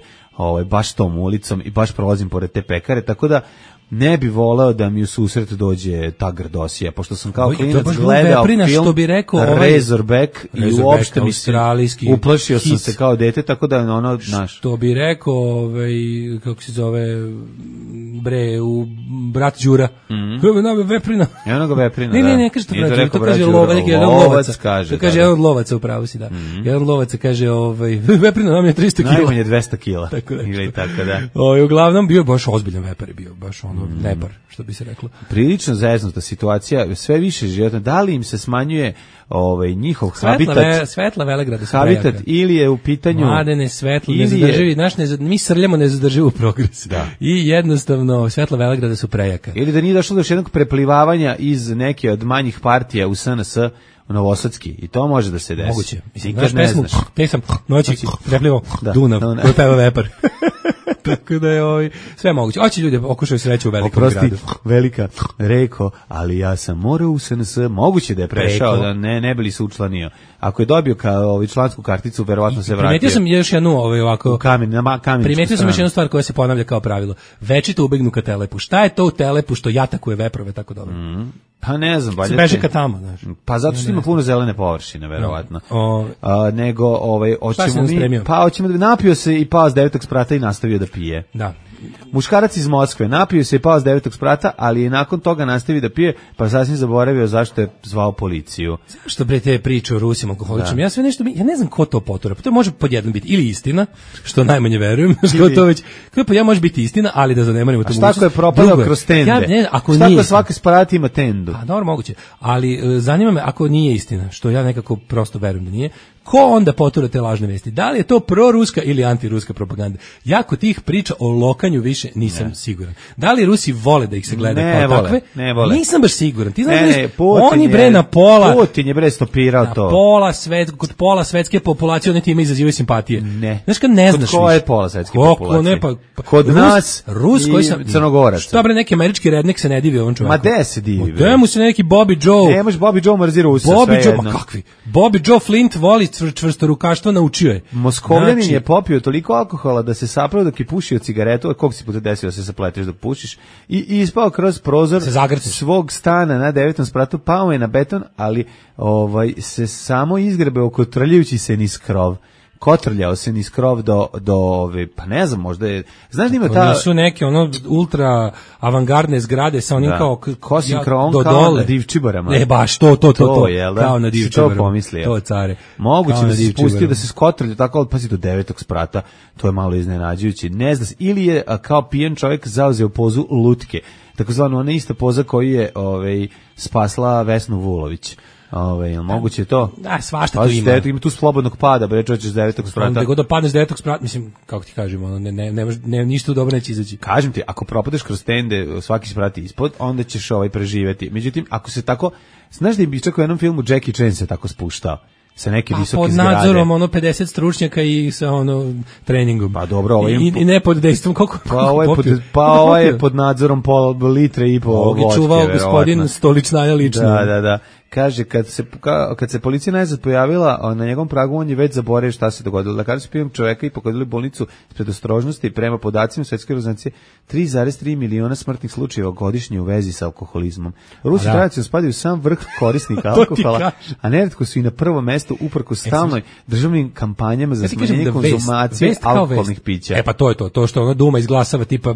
Speaker 6: baš tom ulicom i baš prolazim pored te pekare, tako da ne bi voleo da mi u susret dođe ta grdosija, pošto sam kao klinac gledao film Razorback i uopšte mi se uplašio sam se kao dete, tako da ono, znaš.
Speaker 5: Što bi rekao, kako se zove, u Brat Đura. Veprina.
Speaker 6: Enoga veprina,
Speaker 5: da. Ne, kaže to Brat Đura, to kaže lovac, kaže. To kaže jedan od lovaca, upravo si, da. Jedan od lovaca kaže, veprina nam je 300 kila.
Speaker 6: Najmanje 200 kila. Ili tako da.
Speaker 5: Uglavnom bio baš ozbiljan vepar je bio, baš ono nebar, što bi se reklo.
Speaker 6: Prilično zeznuta situacija, sve više života. Da li im se smanjuje njihov habitat?
Speaker 5: Svetla Velegrada su
Speaker 6: habitat
Speaker 5: prejaka.
Speaker 6: Ili je u pitanju
Speaker 5: Mladene, svetlo, nezadrživi, mi srljamo nezadrživu progres.
Speaker 6: Da.
Speaker 5: I jednostavno Svetla Velegrada su prejaka.
Speaker 6: Ili da nije došlo do još jednog preplivavanja iz neke od manjih partija u SNS Novosadski, i to može da se desi.
Speaker 5: Moguće. Mislim, pesam noći preplivao Dunav, koji peva vepar. Tako da je sve moguće. Hoće ljudi okušaju sreću u velikom gradu.
Speaker 6: Oprosti, velika reko, ali ja sam morao u SNS, moguće da je prešao, da ne bi li se učlanio. Ako je dobio člansku karticu, verovatno se vratio.
Speaker 5: Primetio sam još jednu ovako.
Speaker 6: Primetio
Speaker 5: sam još jednu stvar koja se ponavlja kao pravilo. Večito ubegnu ka Telepu. Šta je to u Telepu što jatakuje veprove tako dobro?
Speaker 6: Pa ne znam,
Speaker 5: valjda. Se beže ka tamo, znaš.
Speaker 6: Pa zato što ima puno zelene površine, verovatno. Nego hoćemo da napio se i pao s 9. sprata i nastavio da pije.
Speaker 5: Da.
Speaker 6: Muškarac iz Moskve napio se i pao s 9. sprata, ali je nakon toga nastavio da pije, pa sasvim zaboravio zašto je zvao policiju.
Speaker 5: Zašto bre te priče o Rusima alkoholičima? Ja sve nešto, ja ne znam ko to potura. Pa to može podjedno biti ili istina, što najmanje verujem, što to već. Pa ja može biti istina, ali da zanemarimo to mogućnost.
Speaker 6: A šta ako je propadao kroz tende? Šta ako svaki sprat ima tendu?
Speaker 5: A dobro, moguće. Ali zanima me ako nije istina, što ja nekako prosto verujem da nije. Ko onda potura te lažne vesti? Da li je to proruska ili antiruska propaganda? Ja kod tih priča o lokanju više nisam siguran. Da li Rusi vole da ih se gleda kao takve?
Speaker 6: Ne vole.
Speaker 5: Nisam baš siguran. Ti znaš, oni bre na pola...
Speaker 6: Putin je bre stopirao to.
Speaker 5: Kod pola svetske populacije oni time izazivaju simpatije.
Speaker 6: Ne.
Speaker 5: Znaš kad ne znaš više.
Speaker 6: Kod ko je pola svetske populacije?
Speaker 5: Kod
Speaker 6: nas i Crnogoraca.
Speaker 5: Dobre, neki američki rednik se ne divi ovom čovjeku.
Speaker 6: Ma de se divi?
Speaker 5: Gde mu se neki Bobby Joe?
Speaker 6: Ne, može Bobby Joe mrzi Rusa,
Speaker 5: sve jedno. Ma kakvi? Bobby Joe Flint voli čvrsto rukaštvo, naučio je.
Speaker 6: Moskovljanin je popio toliko alkohola da se sapravo dok je pušio cigaretu, koliko si puta desio da se zapleteš dok pušiš, i ispao kroz prozor svog stana na 9. spratu, pao je na beton, ali se samo izgrebe oko trljajući se niz krov. kotrljao se niz krov do ove, pa ne znam, možda je, znaš da ima ta...
Speaker 5: Su neke ultra avangardne zgrade sa onim kao...
Speaker 6: Kosim krovom kao na divčibarama.
Speaker 5: Ne, baš to,
Speaker 6: jel da?
Speaker 5: Kao na divčibarama.
Speaker 6: To pomislio.
Speaker 5: To, care.
Speaker 6: Moguće da se spustio, da se skotrljao tako, ali pazi do 9. sprata, to je malo iznenađujuće. Ne zna se, ili je kao pijan čovjek zauzeo pozu lutke, takozvano ona ista poza koju je spasla Vesnu Vulović. Moguće je to?
Speaker 5: Da, svašta tu ima.
Speaker 6: Ima tu slobodnog pada, bre, čovječe s 9. sprata.
Speaker 5: Onda god da padneš s 9. sprata, mislim, kako ti kažemo, ne, ništa dobro neće izaći.
Speaker 6: Kažem ti, ako propadeš kroz tende, svaki sprat ispod, onda ćeš preživeti. Međutim, ako se tako, znaš da bi čak u jednom filmu Jackie Chan se tako spuštao? Sa neke visoke zgrade.
Speaker 5: Pod nadzorom 50 stručnjaka i sa treningom.
Speaker 6: Pa dobro,
Speaker 5: i ne pod dejstvom koliko.
Speaker 6: Ovaj je pod nadzorom pol litre i po vodke.
Speaker 5: Ovog je čuvao gospodin Stoličnaja lično.
Speaker 6: Da. Kaže, kad se policija najzad pojavila na njegovom pragu, on je već zaboravio šta se dogodilo. Lekari su pijom čoveka i pokodili bolnicu s predostrožnosti. Prema podacima Svetske organizacije 3,3 miliona smrtnih slučajeva godišnje u vezi sa alkoholizmom. Rusi tradicionalno spadaju u sam vrh korisnika alkohola, a neretko su i na prvo mesto uprkos stalnoj državnim kampanjama za smanjenje konzumacije alkoholnih pića.
Speaker 5: Pa to je to što Duma izglasava tipa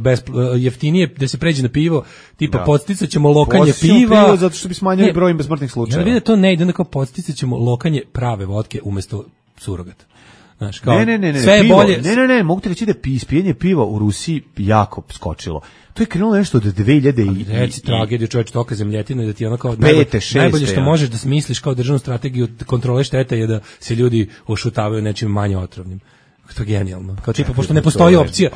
Speaker 5: jeftinije da se pređe na pivo, tipa podsticaćemo lokanje piva
Speaker 6: zato što bi smanjili broj smrtnih slučajeva.
Speaker 5: Ja vidim da to ne ide, onda kao podsticaćemo lokanje prave vodke umjesto surogata. Znaš, kao,
Speaker 6: ne,
Speaker 5: sve je bolje.
Speaker 6: Ne, mogu ti reći da ispijenje piva u Rusiji jako skočilo. To je krenulo nešto od 2000
Speaker 5: Reci tragediju, čovječ, toka zemljetina i da ti ono kao
Speaker 6: najbolje
Speaker 5: što možeš da smisliš kao državnu strategiju kontrole štete je da se ljudi ošutavaju nečim manje otrovnim. To je genijalno. Kao čipa, pošto ne postoji opcija.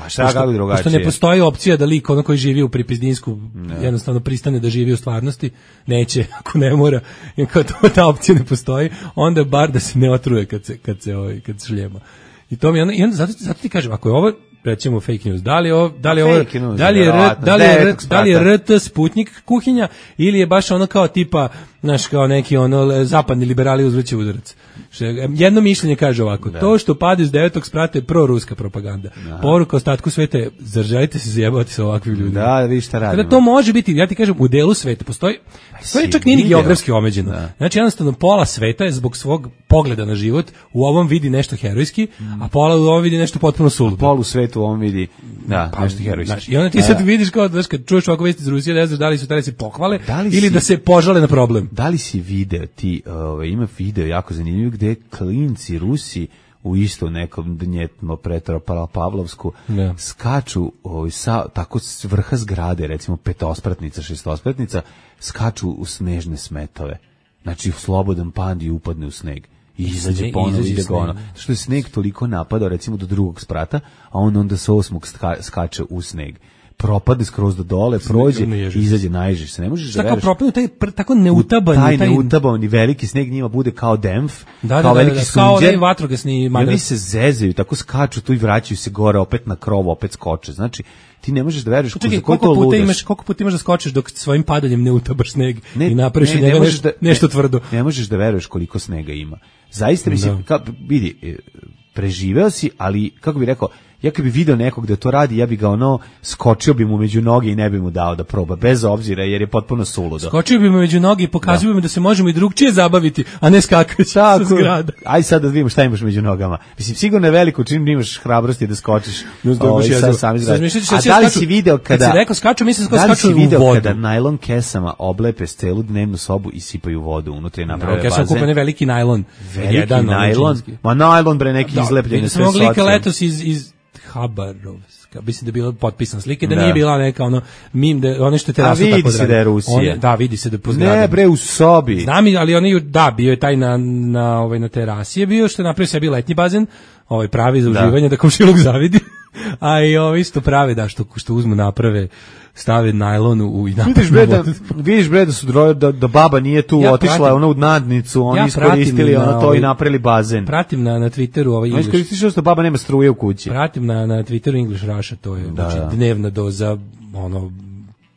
Speaker 5: Pošto ne postoji opcija da lik ono koji živi u Pripizdinsku jednostavno pristane da živi u stvarnosti, neće, ako ne mora, i kao ta opcija ne postoji, onda bar da se ne otruje kad se šljema. I to mi onda zato ti kažem, ako je ovo recimo fake news, da li je RT Sputnik kuhinja ili je baš ono kao tipa, znaš, kao neki ono zapadni liberali uzvraćaju udarac. Jedno mišljenje kaže ovako, to što pade s 9. sprata je proruska propaganda. Poruka ostatku sveta je, zar želite se zajebati sa ovakvim ljudima?
Speaker 6: Da, vi šta radimo.
Speaker 5: Kada to može biti, ja ti kažem, u delu sveta postoji čak nije ni geografski omeđeno. Znači jednostavno pola sveta je zbog svog pogleda na život u ovom vidi nešto herojski, a pola u ovom vidi nešto potpuno suludo.
Speaker 6: Polu svetu u ovom vidi nešto herojski.
Speaker 5: I onda ti sad vidiš kao, znaš, kad čuješ ovako vesti iz Rusije, ne znaš da li su tada se pohvale ili da se požale na problem.
Speaker 6: Da li si video ti, ima video jako zanimljiv gde klinci Rusi u isto nekom dnjetno Petropavlovsku skaču tako s vrha zgrade, recimo 5-ospratnica, 6-ospratnica, skaču u snežne smetove. Znači slobodan pand i upadne u sneg. I izađe ponovo ide ga ono. Što je sneg toliko napadao recimo do 2. sprata, a on onda sa 8. skače u sneg. Propade skroz do dole, prođe i izađe, naježiš se. Ne možeš da veruješ.
Speaker 5: Tako neutabani.
Speaker 6: Taj neutabani veliki sneg njima bude kao demf,
Speaker 5: kao
Speaker 6: veliki sunđer.
Speaker 5: Kao onaj vatrogasni
Speaker 6: madras. I oni se zezaju, tako skaču tu i vraćaju se gore, opet na krov, opet skoče. Znači, ti ne možeš da veruješ koliko
Speaker 5: puta imaš da skočiš dok svojim padanjem ne utabaš sneg i napraviš od njega nešto tvrdo.
Speaker 6: Ne možeš da veruješ koliko snega ima. Zaista mislim, vidi, preživeo si, ali kako bi rekao, ja kad bi video nekog da to radi, ja bi ga skočio bi mu među noge i ne bi mu dao da proba, bez obzira, jer je potpuno suludo.
Speaker 5: Skočio bi mu među noge i pokazio bi mu da se možemo i drugčije zabaviti, a ne skakaći sa zgrada.
Speaker 6: Aj sad da vidimo šta imaš među nogama. Mislim, sigurno je veliko čim imaš hrabrosti da skočiš sa sami zgrada. A da li si video kada...
Speaker 5: Kad si rekao skaču, mislim
Speaker 6: da
Speaker 5: skaču u vodu.
Speaker 6: Da li si video kada najlon kesama oblepe celu dnevnu sobu i sipaju vodu unutra i naprave bazen?
Speaker 5: Ja sam kupio veliki najlon.
Speaker 6: Veliki najlon? Ma najlon, bre, neki izlepljeni sve
Speaker 5: iz Habarovska, mislim da je bilo potpisan slike, da nije bila neka mim, ono što je terasu tako da
Speaker 6: vidi se da je Rusija.
Speaker 5: Da, vidi se da je po zgradi.
Speaker 6: Ne, bre, u sobi.
Speaker 5: Znam, ali bio je taj na terasi je bio, što je napravio sebi letnji bazen, pravi za uživanje, da komšiluk zavidi, a i isto prave, što uzmu naprave, stave najlon i naprave.
Speaker 6: Vidiš bre da su da baba nije tu, otišla ona u nadnicu, oni iskoristili to i napravili bazen.
Speaker 5: Pratim na Twitteru
Speaker 6: English. Iskoristili što baba nema struje u kući.
Speaker 5: Pratim na Twitteru English Russia, to je dnevna doza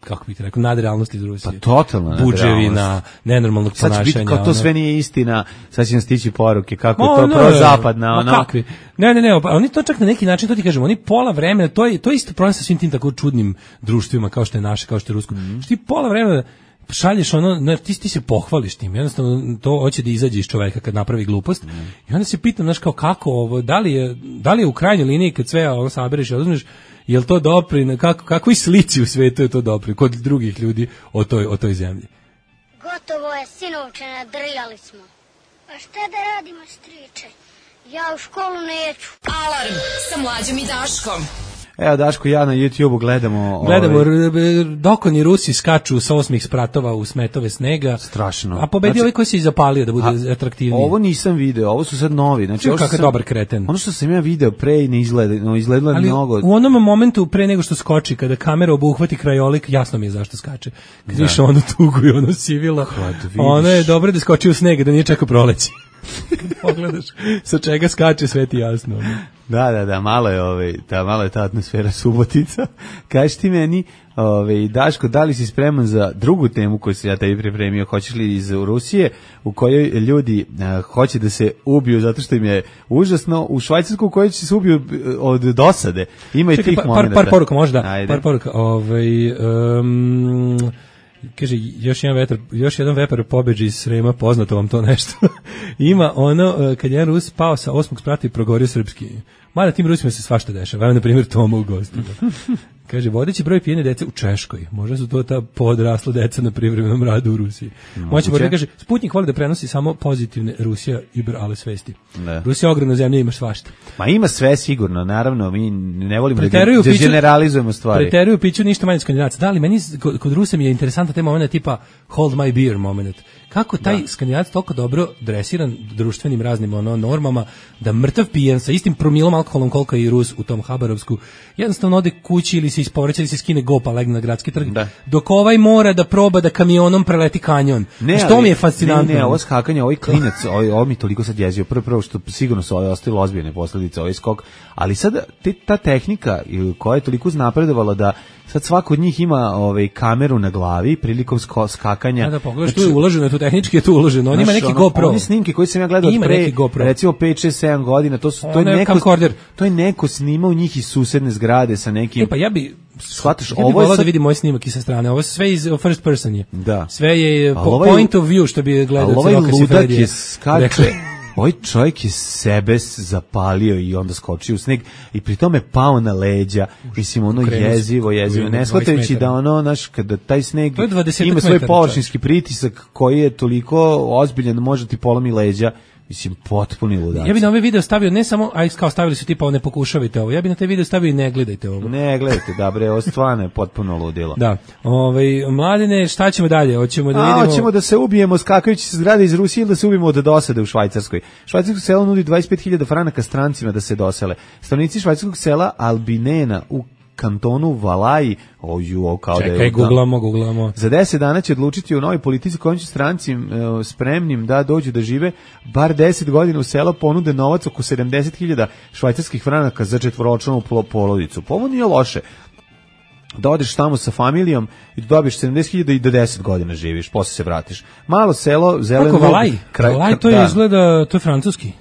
Speaker 5: kako bih rekao, nadrealnosti iz Rusije.
Speaker 6: Pa totalno
Speaker 5: buđevina, nenormalnog ponašanja.
Speaker 6: Sad će biti kao to sve nije istina, sad će nam stići poruke, kako je to prozapadna.
Speaker 5: Kakvi? Ne, oni to čak na neki način, to ti kažem, oni pola vremena, to je isto problem sa svim tim tako čudnim društvima, kao što je naše, kao što je rusko. Što ti pola vremena, šalješ ono, ti se pohvališ tim, jednostavno to hoće da izađe iz čoveka kad napravi glupost. I onda se pitam, znaš, kao kako ovo, da li je u krajnjoj liniji kad sve ovo sabereš i oduzmeš, jel to dopri, kakvoj slici u svetu je to dopri kod drugih ljudi o toj zemlji?
Speaker 14: Gotovo je, sinovče, nadrljali smo. A šta da radimo, striče? Ja u školu neću.
Speaker 3: Alarm sa Mlađom i Daškom.
Speaker 6: Evo, Daško, ja na YouTube-u gledamo
Speaker 5: dokoni Rusi skaču sa 8 spratova u smetove snega.
Speaker 6: Strašno.
Speaker 5: A pobedio ovaj koji se i zapalio da bude atraktivniji.
Speaker 6: Ovo nisam video, ovo su sad novi. Znači,
Speaker 5: kakav dobar kreten.
Speaker 6: Ono što sam ja video pre ne izgledalo mnogo.
Speaker 5: U onom momentu pre nego što skoči, kada kamera obuhvati krajolik, jasno mi je zašto skače. Kad više ono tugu i ono sivilo, ono je dobro da skoči u sneg, da nije čekao proleći. Pogledaš sa čega skače, sve ti jasno.
Speaker 6: Da, malo je ta atmosfera Subotica. Kaži ti meni, Daško, da li si spreman za drugu temu koju sam ja tebi pripremio? Hoćeš li iz Rusije, u kojoj ljudi hoće da se ubiju zato što im je užasno, u Švajcarsku u kojoj će se ubiju od dosade. Ima i tih momenta.
Speaker 5: Par poruka možda. Par poruka. Kaže, još jedan vepar pobeđi iz Srema, poznato vam to nešto. Ima ono, kad jedan Rus pao sa 8. sprata i progorio srpski. Mada tim Rusima se svašta dešava. Evo, na primjer, Toma u gostima. Kaže, vodeći broj pijene dece u Češkoj. Možda su to ta podrasla deca na privremenom radu u Rusiji. Moće kaže, Sputnik voli da prenosi samo pozitivne Rusija ale svesti. Rusija je ogromna zemlja, ima svašta.
Speaker 6: Ma ima sve sigurno, naravno, mi ne volimo da generalizujemo stvari.
Speaker 5: Preteruju piću ništa manje skandinavaca. Da, ali meni kod Rusa mi je interesantna tema momenta tipa hold my beer moment. Kako taj Skandinavac toliko dobro dresiran društvenim raznim normama, da mrtav pijan sa istim promilom alkoholom koliko i Rus u tom Habarovsku, jednostavno ode kući ili se isporeće ili se skine gopa, legne na gradski trg, dok ovaj mora da proba da kamionom preleti kanjon. Što mi je fascinantno.
Speaker 6: Ne, ovo skakanje, ovaj klinac, ovo mi toliko sad jezio. Prvo što sigurno su ostavili ozbiljne posljedice, ovaj skok, ali sad ta tehnika koja je toliko uznapredovala da sad svako od njih ima kameru na glavi prilikom skakanja.
Speaker 5: Da pogledaš, tu je uloženo, tu tehnički je tu uloženo. On ima neki GoPro.
Speaker 6: Oni snimke koje sam ja gledao pre, recimo 5, 6, 7 godina, to je neko snimao njih iz susedne zgrade sa nekim...
Speaker 5: Pa ja bi volao da vidim moj snimak i sa strane. Ovo sve iz first person je.
Speaker 6: Da.
Speaker 5: Sve je point of view, što bi gledao.
Speaker 6: Ovaj ludak je skače... Ovaj čovjek je sebe zapalio i onda skočio u sneg i pri tome pao na leđa. Mislim, ono jezivo, ne shvatajući da ono, znaš, kada taj sneg ima svoj površinski pritisak koji je toliko ozbiljan da može ti polomi leđa. Mislim, potpuni ludaci.
Speaker 5: Ja bih na ovaj video stavio ne samo, kao stavili su tipa ne pokušavajte ovo, ja bih na taj video stavio i ne gledajte ovo.
Speaker 6: Ne gledajte, da bre, ovo stvarno je potpuno ludilo.
Speaker 5: Da. Mladine, šta ćemo dalje? Hoćemo da vidimo...
Speaker 6: Hoćemo da se ubijemo skakajući se zgrade iz Rusije ili da se ubijemo od dosade u Švajcarskoj. Švajcarsko selo nudi 25.000 franaka strancima da se dosele. Stanovnici švajcarskog sela Albinena u kantonu Valaji,
Speaker 5: čekaj, googlamo.
Speaker 6: Za 10 dana će odlučiti o novoj politici kojom će stranci spremnim da dođu da žive bar 10 godina u selo, ponude novac oko 70.000 švajcarskih franaka za četvoročlanu porodicu. Pa ovo nije loše. Da odeš tamo sa familijom i da dobiješ 70.000 i da 10 godina živiš, posle se vratiš. Malo selo, zeleno...
Speaker 5: Valaji, to je izgleda, to je francuski.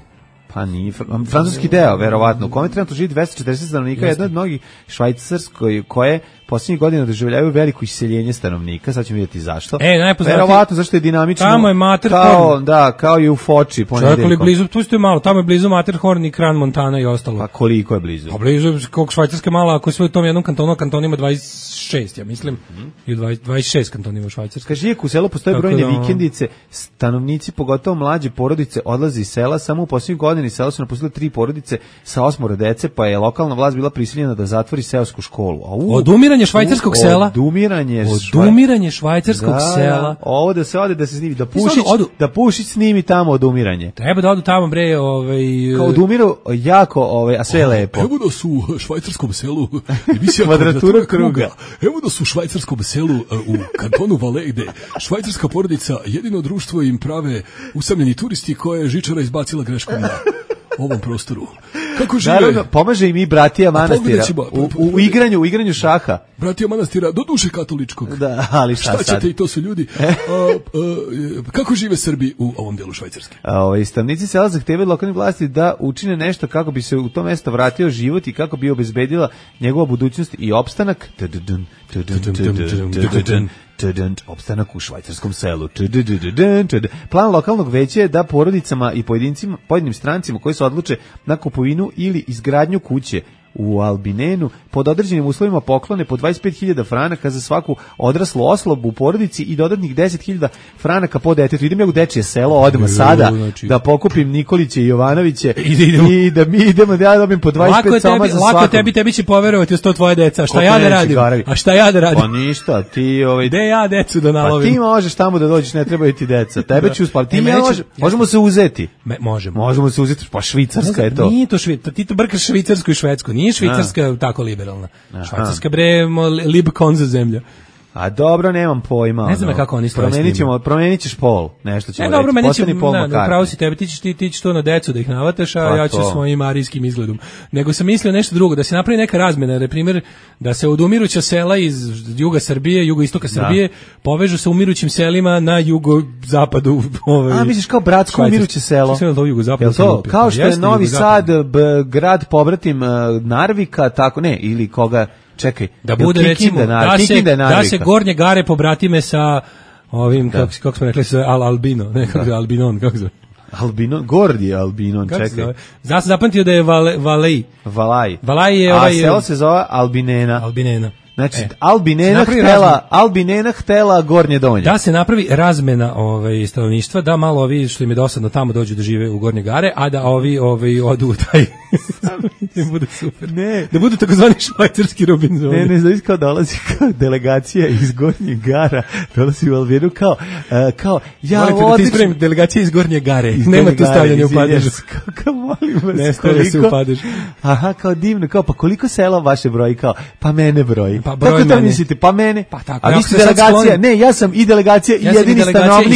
Speaker 6: Pa nije, francuski deo, verovatno, u kome trenutno živi 240 stanovnika, jedna od mnogih Švajcarskoj koje posljednjih godina doživljavaju veliko iseljenje stanovnika, sad ćemo vidjeti zašto. Verovatno zašto je dinamično.
Speaker 5: Tamo je Matterhorn.
Speaker 6: Kao i u Foči ponedeljkom.
Speaker 5: Blizu, pustite malo, tamo je blizu Matterhorn i Kran Montana i ostalo.
Speaker 6: Pa koliko je blizu?
Speaker 5: Pa blizu, koliko Švajcarska mala, ako sve u tom jednom kantonu, kanton ima 26, ja mislim, i 26 kantona ima u Švajcarskoj.
Speaker 6: Kaže, iako u selu postoje brojne vikendice, stanovnici, pogotovo mlađe porodice, odlaze iz sela, samo u posljednjih godini selo su napustile 3 porodice sa 8 dece, pa je lokalna vlast bila prisiljena da zatvori seosku školu.
Speaker 5: Odumiranje švajcarskog sela. Odumiranje švajcarskog sela.
Speaker 6: Ovo da se ode da se snimi, da Pušić snimi tamo odumiranje.
Speaker 5: Treba da odu tamo bre,
Speaker 6: kao odumiru jako, a sve je lepo.
Speaker 11: Evo da su u švajcarskom selu
Speaker 6: kvadratura kruga.
Speaker 11: Evo da su u švajcarskom selu u kantonu Valais, gde švajcarska porodica jedino društvo im prave usamljeni turisti koje je žičara izbacila greškom na ovom prostoru. Kako žive?
Speaker 6: Naravno, pomaže im i bratija manastira u igranju šaha.
Speaker 15: bratija manastira, do duše katoličkog.
Speaker 6: Da, ali šta
Speaker 15: ćete
Speaker 6: sad?
Speaker 15: I to su ljudi. Kako žive Srbi u ovom delu Švajcarske?
Speaker 6: Stanovnici sela zahtevaju lokalne vlasti da učine nešto kako bi se u to mesto vratio život i kako bi obezbedila njegova budućnost i opstanak. Opstanak u švajcarskom selu. Plan lokalnog veća je da porodicama i pojedinim strancima koji se odluče na kupovinu ili izgradnju kuće u Albinenu pod određenim uslovima poklone po 25.000 franaka za svaku odraslu osobu u porodici i dodatnih 10.000 franaka po detetu. Idem ja u dečije selo odmah sada da pokupim Nikoliće i Jovanoviće i da mi idemo da ja dobim po 25 soma za svakom.
Speaker 5: Lako tebi će poverovati uz to tvoje deca. Šta ja da radim? A šta ja da radim?
Speaker 6: Pa ništa, ti
Speaker 5: gde ja decu da nalovim?
Speaker 6: Pa ti možeš tamo da dođeš, ne trebaju ti deca. Tebe ću uspaviti. Ti možemo se uzeti. Možemo se uzeti, pa Švicarska je to.
Speaker 5: Nije to Švicarska, ti to brkaš Švicarsku i Švedsku. Nije Švicarska tako liberalna. Švajcarska bre lib konza zemlja.
Speaker 6: A dobro, nemam pojma.
Speaker 5: Ne znam kako oni stoje.
Speaker 6: Promenit ćeš pol, nešto ćemo reći.
Speaker 5: Dobro, meni će, pravo si tebi, ti ćeš to na decu da ih navataš, a ja ću svojim arijskim izgledom. Nego sam mislio nešto drugo, da se napravi neka razmena, na primjer, da se od umiruća sela iz juga Srbije, jugoistoka Srbije, povežu sa umirućim selima na jugozapadu.
Speaker 6: A misliš kao bratsko umiruće selo? Kao što je Novi Sad, grad pobratim Narvika, tako ne, ili koga... Čekaj,
Speaker 5: da bude recimo da se Gornje Gare pobratime sa ovim kako smo rekli Albino, ne kako Albinon, kako se
Speaker 6: Albinon, Gordi Albinon, čekaj.
Speaker 5: Ja sam zapamtio da je Valaj je
Speaker 6: a selo se zove Albinena. Znači, Albinena htela Gornje Donje.
Speaker 5: Da se napravi razmena stanovništva, da malo ovi što im je dosadno tamo dođu da žive u Gornje Gare, a da ovi odu u taj... ne bude super.
Speaker 6: Ne.
Speaker 5: Da budu takozvani švajcarski Robinzoni.
Speaker 6: Ne, znači kao dolazi kao delegacija iz Gornjeg Gara, dolazi u Albinu kao ja
Speaker 5: odlično... ti ispravim, delegacija iz Gornje Gare. Nema tu stavljanja u padežu.
Speaker 6: Kako molim vas,
Speaker 5: ne stavlja se u padežu.
Speaker 6: Aha, kao divno, kao pa koliko sela vaše broji, kao pa mene broji. Pa broj kako to mislite? Pa mene.
Speaker 5: Pa tako.
Speaker 6: A vi ste delegacija? Ne, ja sam i delegacija i jedini stanovnik.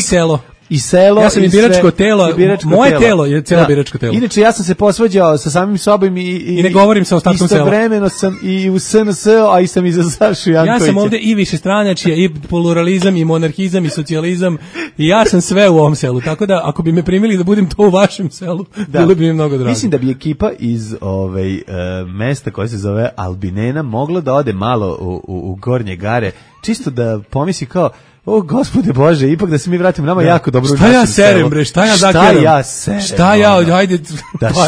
Speaker 6: I selo.
Speaker 5: Ja sam i biračko telo. Moje telo je celo biračko telo.
Speaker 6: Inače, ja sam se posvađao sa samim sobom i
Speaker 5: ne govorim sa ostatkom sela.
Speaker 6: Istovremeno sam i u SNS, a i sam i za Sašu Jankovića.
Speaker 5: Ja sam ovde i višestranačje, i pluralizam, i monarhizam, i socijalizam. I ja sam sve u ovom selu. Tako da, ako bi me primili da budem to u vašem selu, bilo bi mi mnogo drago.
Speaker 6: Mislim da bi ekipa iz mesta koje se zove Albinena mogla da ode malo u Gornje Gare, čisto da pomisli kao o, Gospode Bože, ipak da se mi vratimo, nama jako dobro u našem selu.
Speaker 5: Šta ja serem, bre, šta ja zakeram? Šta ja, ajde.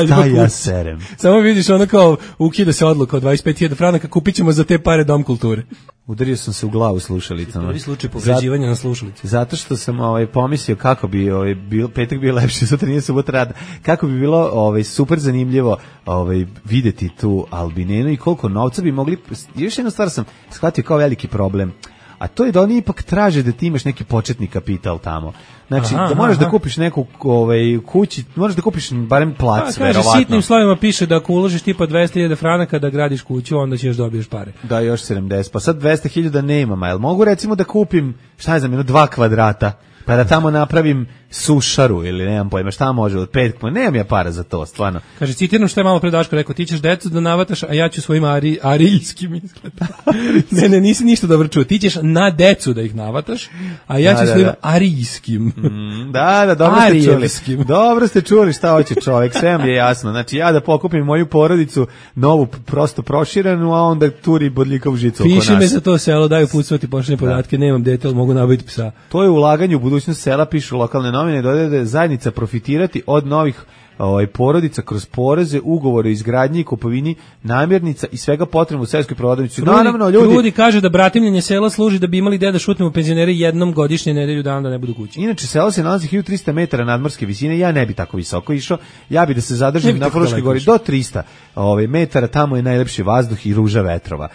Speaker 6: Šta ja serem?
Speaker 5: Samo vidiš, ono kao, ukida se odluka od 25.000 franaka, kupit ćemo za te pare dom kulture.
Speaker 6: Udario sam se u glavu slušalicama.
Speaker 5: Prvi slučaj povređivanja na slušalici.
Speaker 6: Zato što sam pomislio kako bi petak bio lepši, sutra nije subota rada. Kako bi bilo super zanimljivo videti tu Albinenu i koliko novca bi mogli. Još jednu stvar sam shvatio kao veliki problem. A to je da oni ipak traže da ti imaš neki početni kapital tamo. Znači, da moraš da kupiš neku kući, moraš da kupiš barem plac, verovatno.
Speaker 5: Kaže, sitnim slovima piše da ako uložiš tipa 200.000 franaka da gradiš kuću, onda ćeš dobiješ pare.
Speaker 6: Da, još 70. Pa sad 200.000 nemam, a jel mogu recimo da kupim, šta je za mene, 2 kvadrata, pa da tamo napravim sušaru ili nemam pojma, šta može od 5, nemam ja para za to, stvarno.
Speaker 5: Kaže, citiram što je malo pre Daško rekao, ti ćeš decu da navataš, a ja ću svojim ariljskim izgledom. Ne, nisi ništa dobro čuo, ti ćeš na decu da ih navataš, a ja ću svojim arijskim.
Speaker 6: Da, dobro ste čuli šta hoće čovjek, sve mi je jasno. Znači, ja da pokupim moju porodicu, novu, prosto proširenu, a onda turi bodljikav žicu oko nas.
Speaker 5: Piši me za to selo, daju pucovati poštene podatke, nemam dete, ali mogu nabaviti psa.
Speaker 6: To je ulaganje u budućnost sela, pišu lokalne novine, dodaje da je zajednica profitirati od novih porodica kroz poreze, ugovore o izgradnji i kupovini namirnica i svega potrebno u seoskoj prodavnici. Naravno,
Speaker 5: ljudi kaže da bratimljenje sela služi da bi imali gde da šutnemo penzionere jednom godišnje, nedelju dana da ne budu kući.
Speaker 6: Inače, selo se nalazi 1300 metara nadmorske visine, ja ne bi tako visoko išao, ja bi da se zadržim na Fruškoj gori do 300 metara, tamo je najlepši vazduh i ruža vetrova.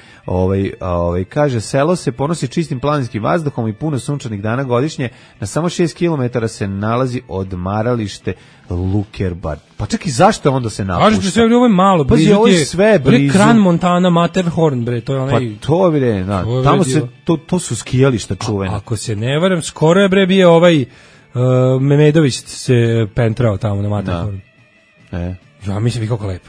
Speaker 6: Kaže, selo se ponosi čistim planinskim vazduhom i puno sunčanih dana godišnje, na samo 6 km se nalazi odmaralište Lukerbar. Pa čekaj, zašto onda se napušta?
Speaker 5: Kažete sve, ovo je malo,
Speaker 6: blizu ovo je sve blizu.
Speaker 5: Kran Montana, Matterhorn, bre, to je onaj...
Speaker 6: Pa to bre, tamo se, to su skijališta čuvene.
Speaker 5: Ako se ne varam, skoro je bre bio Memedović se pentrao tamo na Matterhorn. Ja mislim, kako lepo.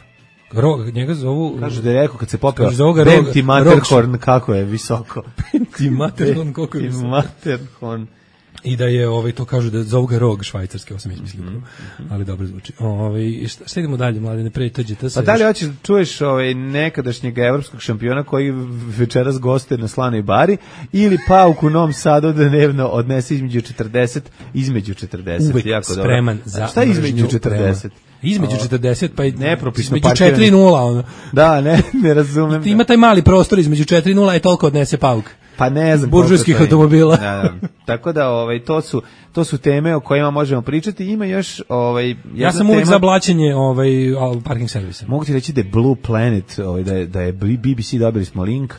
Speaker 5: Njega zovu...
Speaker 6: Kažu da je rekao kad se popeo Benti Matterhorn, kako je visoko.
Speaker 5: Benti Matterhorn, koliko je visoko.
Speaker 6: Matterhorn.
Speaker 5: I da je, to kažu da zovu ga rog švajcarski, ovo sam izmislio, ali dobro zvuči. Šta idemo dalje, Mladene, pre tođe to sve.
Speaker 6: Pa dalje hoćeš da čuješ nekadašnjeg evropskog šampiona koji večeras gostuje na Slanoj bari, ili Pauk u Novom Sadu da dnevno odnese između 40.
Speaker 5: Uvek
Speaker 6: jako
Speaker 5: spreman
Speaker 6: dobro.
Speaker 5: za
Speaker 6: šta između 40?
Speaker 5: Između 40 pa
Speaker 6: nepropisno
Speaker 5: između 4 i 0 ono.
Speaker 6: Da, ne razumem.
Speaker 5: Ima taj mali prostor između 4 i 0 i toliko odnese Pauk.
Speaker 6: Pa ne znam.
Speaker 5: Buržujskih automobila.
Speaker 6: Da. Tako da to su teme o kojima možemo pričati. Ima još
Speaker 5: ja sam uvijek za blaćenje parking servisa.
Speaker 6: Mogu ti reći da je Blue Planet, da je BBC, dobili smo link,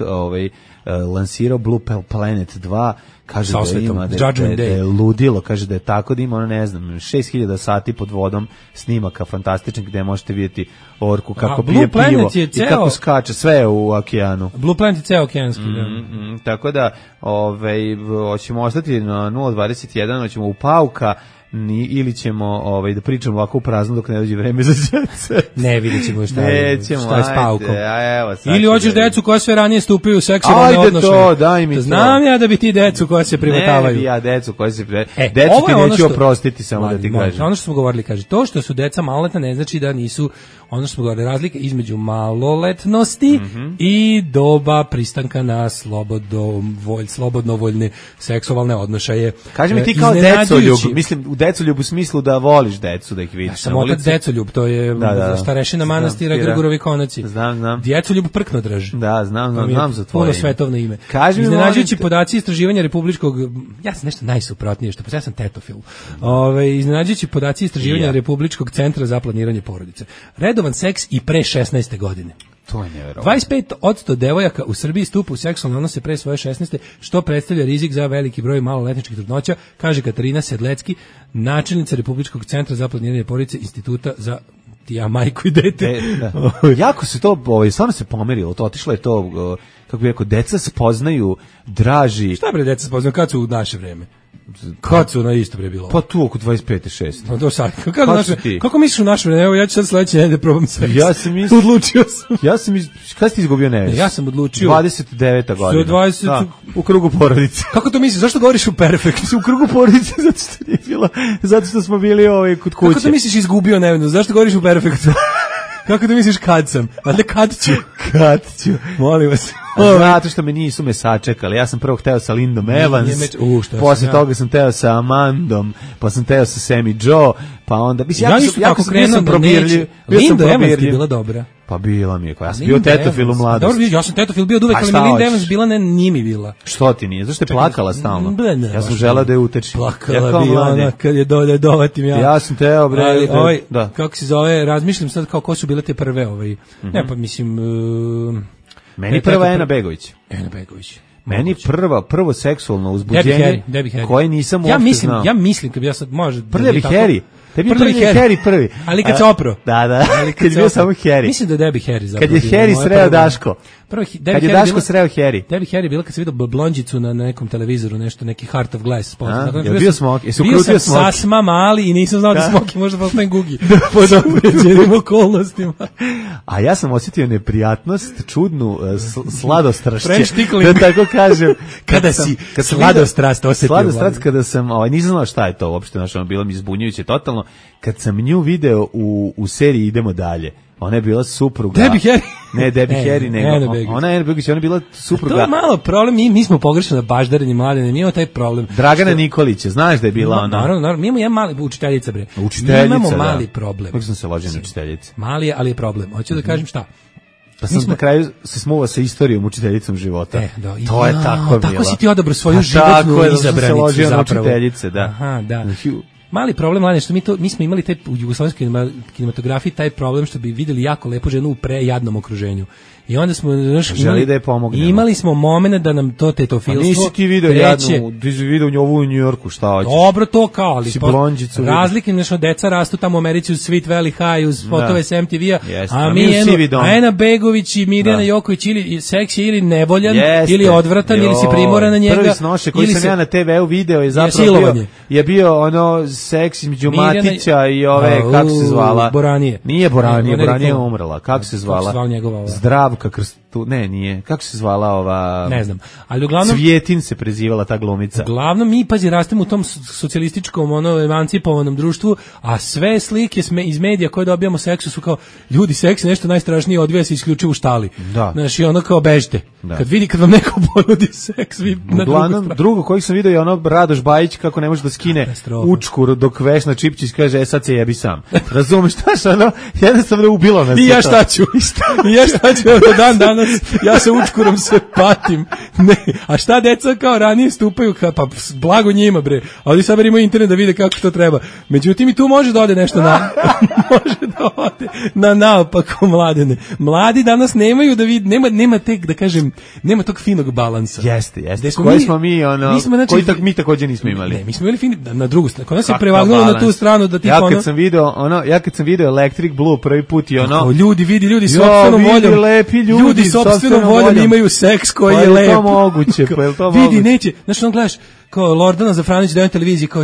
Speaker 6: lansirao Blue Planet 2, kaže da ima da je ludilo, kaže da je tako da ima, ne znam, 6000 sati pod vodom snimaka fantastičnih gde možete vidjeti orku kako pije pivo i kako skače, sve u okeanu.
Speaker 5: Blue Planet je ceo okeanski.
Speaker 6: Tako da hoćemo ostati na 021, hoćemo u Pauka, ili ćemo da pričamo ovako u prazno dok ne dođe vreme za djece.
Speaker 5: Ne, vidjet ćemo šta je s Paukom. Ili hoćeš decu koja sve ranije stupaju u seksualne odnose.
Speaker 6: Ajde to, daj mi to.
Speaker 5: Znam ja da bi ti decu koja se privotavaju.
Speaker 6: Ne bi ja decu koja se privotavaju. Decu ti neću oprostiti, samo da ti kažem.
Speaker 5: Ono što smo govorili, kaže, to što su deca maloletna ne znači da nisu, ono što smo govorili, razlika između maloletnosti i doba pristanka na slobodnovoljne seksualne odnošaje.
Speaker 6: Kaži mi ti kao decoljub, mislim u decoljub u smislu da voliš decu, da ih vidiš.
Speaker 5: Sam otac decoljub, to je starešina manastira Grgurovi Konaci.
Speaker 6: Znam.
Speaker 5: Djecoljub prknodrž.
Speaker 6: Da, znam za tvoje
Speaker 5: puno svetovno ime. Iznenađujući podaci istraživanja republičkog, ja sam nešto najsuprotnije, ja sam tetofil. Iznenađujući podaci istraživanja Republičkog centra za planiranje porodice. Redovan seks i pre 16. godine.
Speaker 6: To je nevjerovatno.
Speaker 5: 25% devojaka u Srbiji stupa u seksualne odnose pre svoje 16. što predstavlja rizik za veliki broj maloletničkih trudnoća, kaže Katarina Sedlecki, načelnica Republičkog centra za planiranje porodice Instituta za majku i dete.
Speaker 6: Jako se to, stvarno se pomerilo, to otišlo je to, kako bih rekao, deca spoznaju, draži.
Speaker 5: Šta bre deca spoznaju, kad su u naše vreme? Kad su na isto bre bilo?
Speaker 6: Pa tu oko 25-6.
Speaker 5: No to sad. Kako misliš u naše vreme? Evo ja ću sad sledeće nedelje probam seks.
Speaker 6: Ja sam
Speaker 5: odlučio sam.
Speaker 6: Kad si ti izgubio nevest?
Speaker 5: Ja sam odlučio.
Speaker 6: 29. godina.
Speaker 5: 20. Da,
Speaker 6: u krugu porodice.
Speaker 5: Kako to misliš? Zašto govoriš u perfekt?
Speaker 6: U krugu porodice zato što smo bili kod kuće.
Speaker 5: Kako to misliš izgubio nevest? Zašto govoriš u perfektu? Kako da misliš kad sam? Valjda kad ću. Molim vas.
Speaker 6: Zato što nisu me sačekali. Ja sam prvo hteo sa Lindom Evans, posle toga sam hteo sa Amandom, pa sam hteo sa Sammy Joe, pa onda...
Speaker 5: Ja sam krenuo da neće. Linda Evans je bila dobra.
Speaker 6: Pa bila mi je, ja sam bio tetofil u mladosti.
Speaker 5: Dobro, ja sam tetofil bio uvek, ali mi Linda Evans bila, nije mi bila.
Speaker 6: Što ti nije? Zašto je plakala stalno? Ja sam želeo da je uteči.
Speaker 5: Plakala bi ona kad je dolje dovatim ja.
Speaker 6: Ja sam teo, bre.
Speaker 5: Kako se zove, razmišljam sad kao ko su bile te prve. Ne, pa mislim...
Speaker 6: Meni prva Ena Begović. Meni prvo seksualno uzbuđenje koje nisam uopšte znao.
Speaker 5: Ja mislim kad bi ja sad može...
Speaker 6: Prvi Harry. Tebi je Harry prvi.
Speaker 5: Ali kad se opro.
Speaker 6: Da. Kad je bio samo Harry.
Speaker 5: Mislim da je Debbie Harry zapravo.
Speaker 6: Kad je Harry sreo Daško. Kad je Daško sreo Harry.
Speaker 5: Debbie Harry bila kad se vidio blondžicu na nekom televizoru, nešto, neki Heart of Glass.
Speaker 6: Je bio Smoky? Jesi ukrutio Smoky?
Speaker 5: Bio sam sasma mali i nisam znao da Smoky može postajem Gugi. Pod određenim okolnostima.
Speaker 6: A ja sam osjetio neprijatnost, čudnu sladostrašće. Da tako kažem.
Speaker 5: Kada si sladostrast osjetio.
Speaker 6: Sladostrast kada sam, nisam znao šta je to uopšte, bilo mi izbunjujuće totalno. Kad sam nju video u seriji Idemo dalje, ona je bila supruga.
Speaker 5: Debbie Harry?
Speaker 6: Ne, Debbie Harry, nego. Ona je Begović, ona je bila supruga.
Speaker 5: To je malo problem, mi smo pogrešno baždareni Mladene, mi imamo taj problem.
Speaker 6: Dragana Nikolića, znaš da je bila ona?
Speaker 5: Naravno, mi imamo jedan mali, učiteljica bre.
Speaker 6: Učiteljica,
Speaker 5: mi imamo mali problem.
Speaker 6: Kako sam se ložio na učiteljice?
Speaker 5: Mali je, ali je problem. Hoću da kažem šta?
Speaker 6: Pa sam na kraju se smuvao sa istorijom učiteljicom života. To je tako bilo.
Speaker 5: Tako si ti odabrao svoju životnu izabranicu zapravo.
Speaker 6: Aha,
Speaker 5: da. Mali problem, Mladene, što mi smo imali taj u jugoslovenskoj kinematografiji taj problem što bi videli jako lepu ženu u prejadnom okruženju. I onda smo imali smo momenat da nam to tetofilstvo.
Speaker 6: A nisi ti video jadnu, ti si video njovu u Njujorku, šta hoćeš?
Speaker 5: Dobro to kao, ali razlike, nešto deca rastu tamo u Americi uz Sweet Valley High, uz fotove s MTV-a, a mi Ena Begović i Mirjana Joković ili seksi ili nevoljan, ili odvratan, ili si primoran na njega.
Speaker 6: Prvi snošaj koji sam ja na TV-u video je zapravo bio seks između Matića i ove, kako se zvala?
Speaker 5: Boranije.
Speaker 6: Nije Boranije, Boranije je umrla. Kako se zvala?
Speaker 5: Kako se zvala njegova ova?
Speaker 6: Zdravka Krstu, ne, nije. Kako se zvala ova?
Speaker 5: Ne znam. Ali uglavnom
Speaker 6: Cvjetin se prezivala ta glumica.
Speaker 5: Uglavnom mi pazi rastemo u tom socijalističkom emancipovanom društvu, a sve slike iz medija koje dobijamo seksu su kao ljudi, seks je nešto najstrašnije, odvija se isključivo u štali.
Speaker 6: Da.
Speaker 5: Znači ono kao bežite. Da. Kad vam neko ponudi seks, vi na
Speaker 6: drugo koji sam video je ono Radoš Bajić kako ne može da skine učku dok Vesna Čipčić kaže sad se jebi sam. Razumeš šta ono? Jednostavno ubilo nas.
Speaker 5: I ja šta ću? I ja šta ću do danas? Ja sa učkurom se patim. Ne. A šta deca kao ranije stupaju pa blago njima bre. A oni sad imaju internet da vide kako to treba. Međutim i tu može da ode nešto može da ode na naopako mladene. Mladi danas nemaju da vidi, nema tek da kažem, nema tog finog balansa.
Speaker 6: Jeste. Koji smo mi ono, znači, koji mi takođe nismo imali.
Speaker 5: Ne, mi smo imali fin na drugu stranu. Kod nas je prevagnulo na tu stranu da tipa
Speaker 6: ja kad sam video Electric Blue prvi put i ono
Speaker 5: ljudi sopstvenom voljom lepi ljudi sopstvenom voljom imaju seks koji je lep.
Speaker 6: Pa je to moguće,
Speaker 5: vidi neće, znači on gledaš kao Lordana Zafranić da je na televiziji kao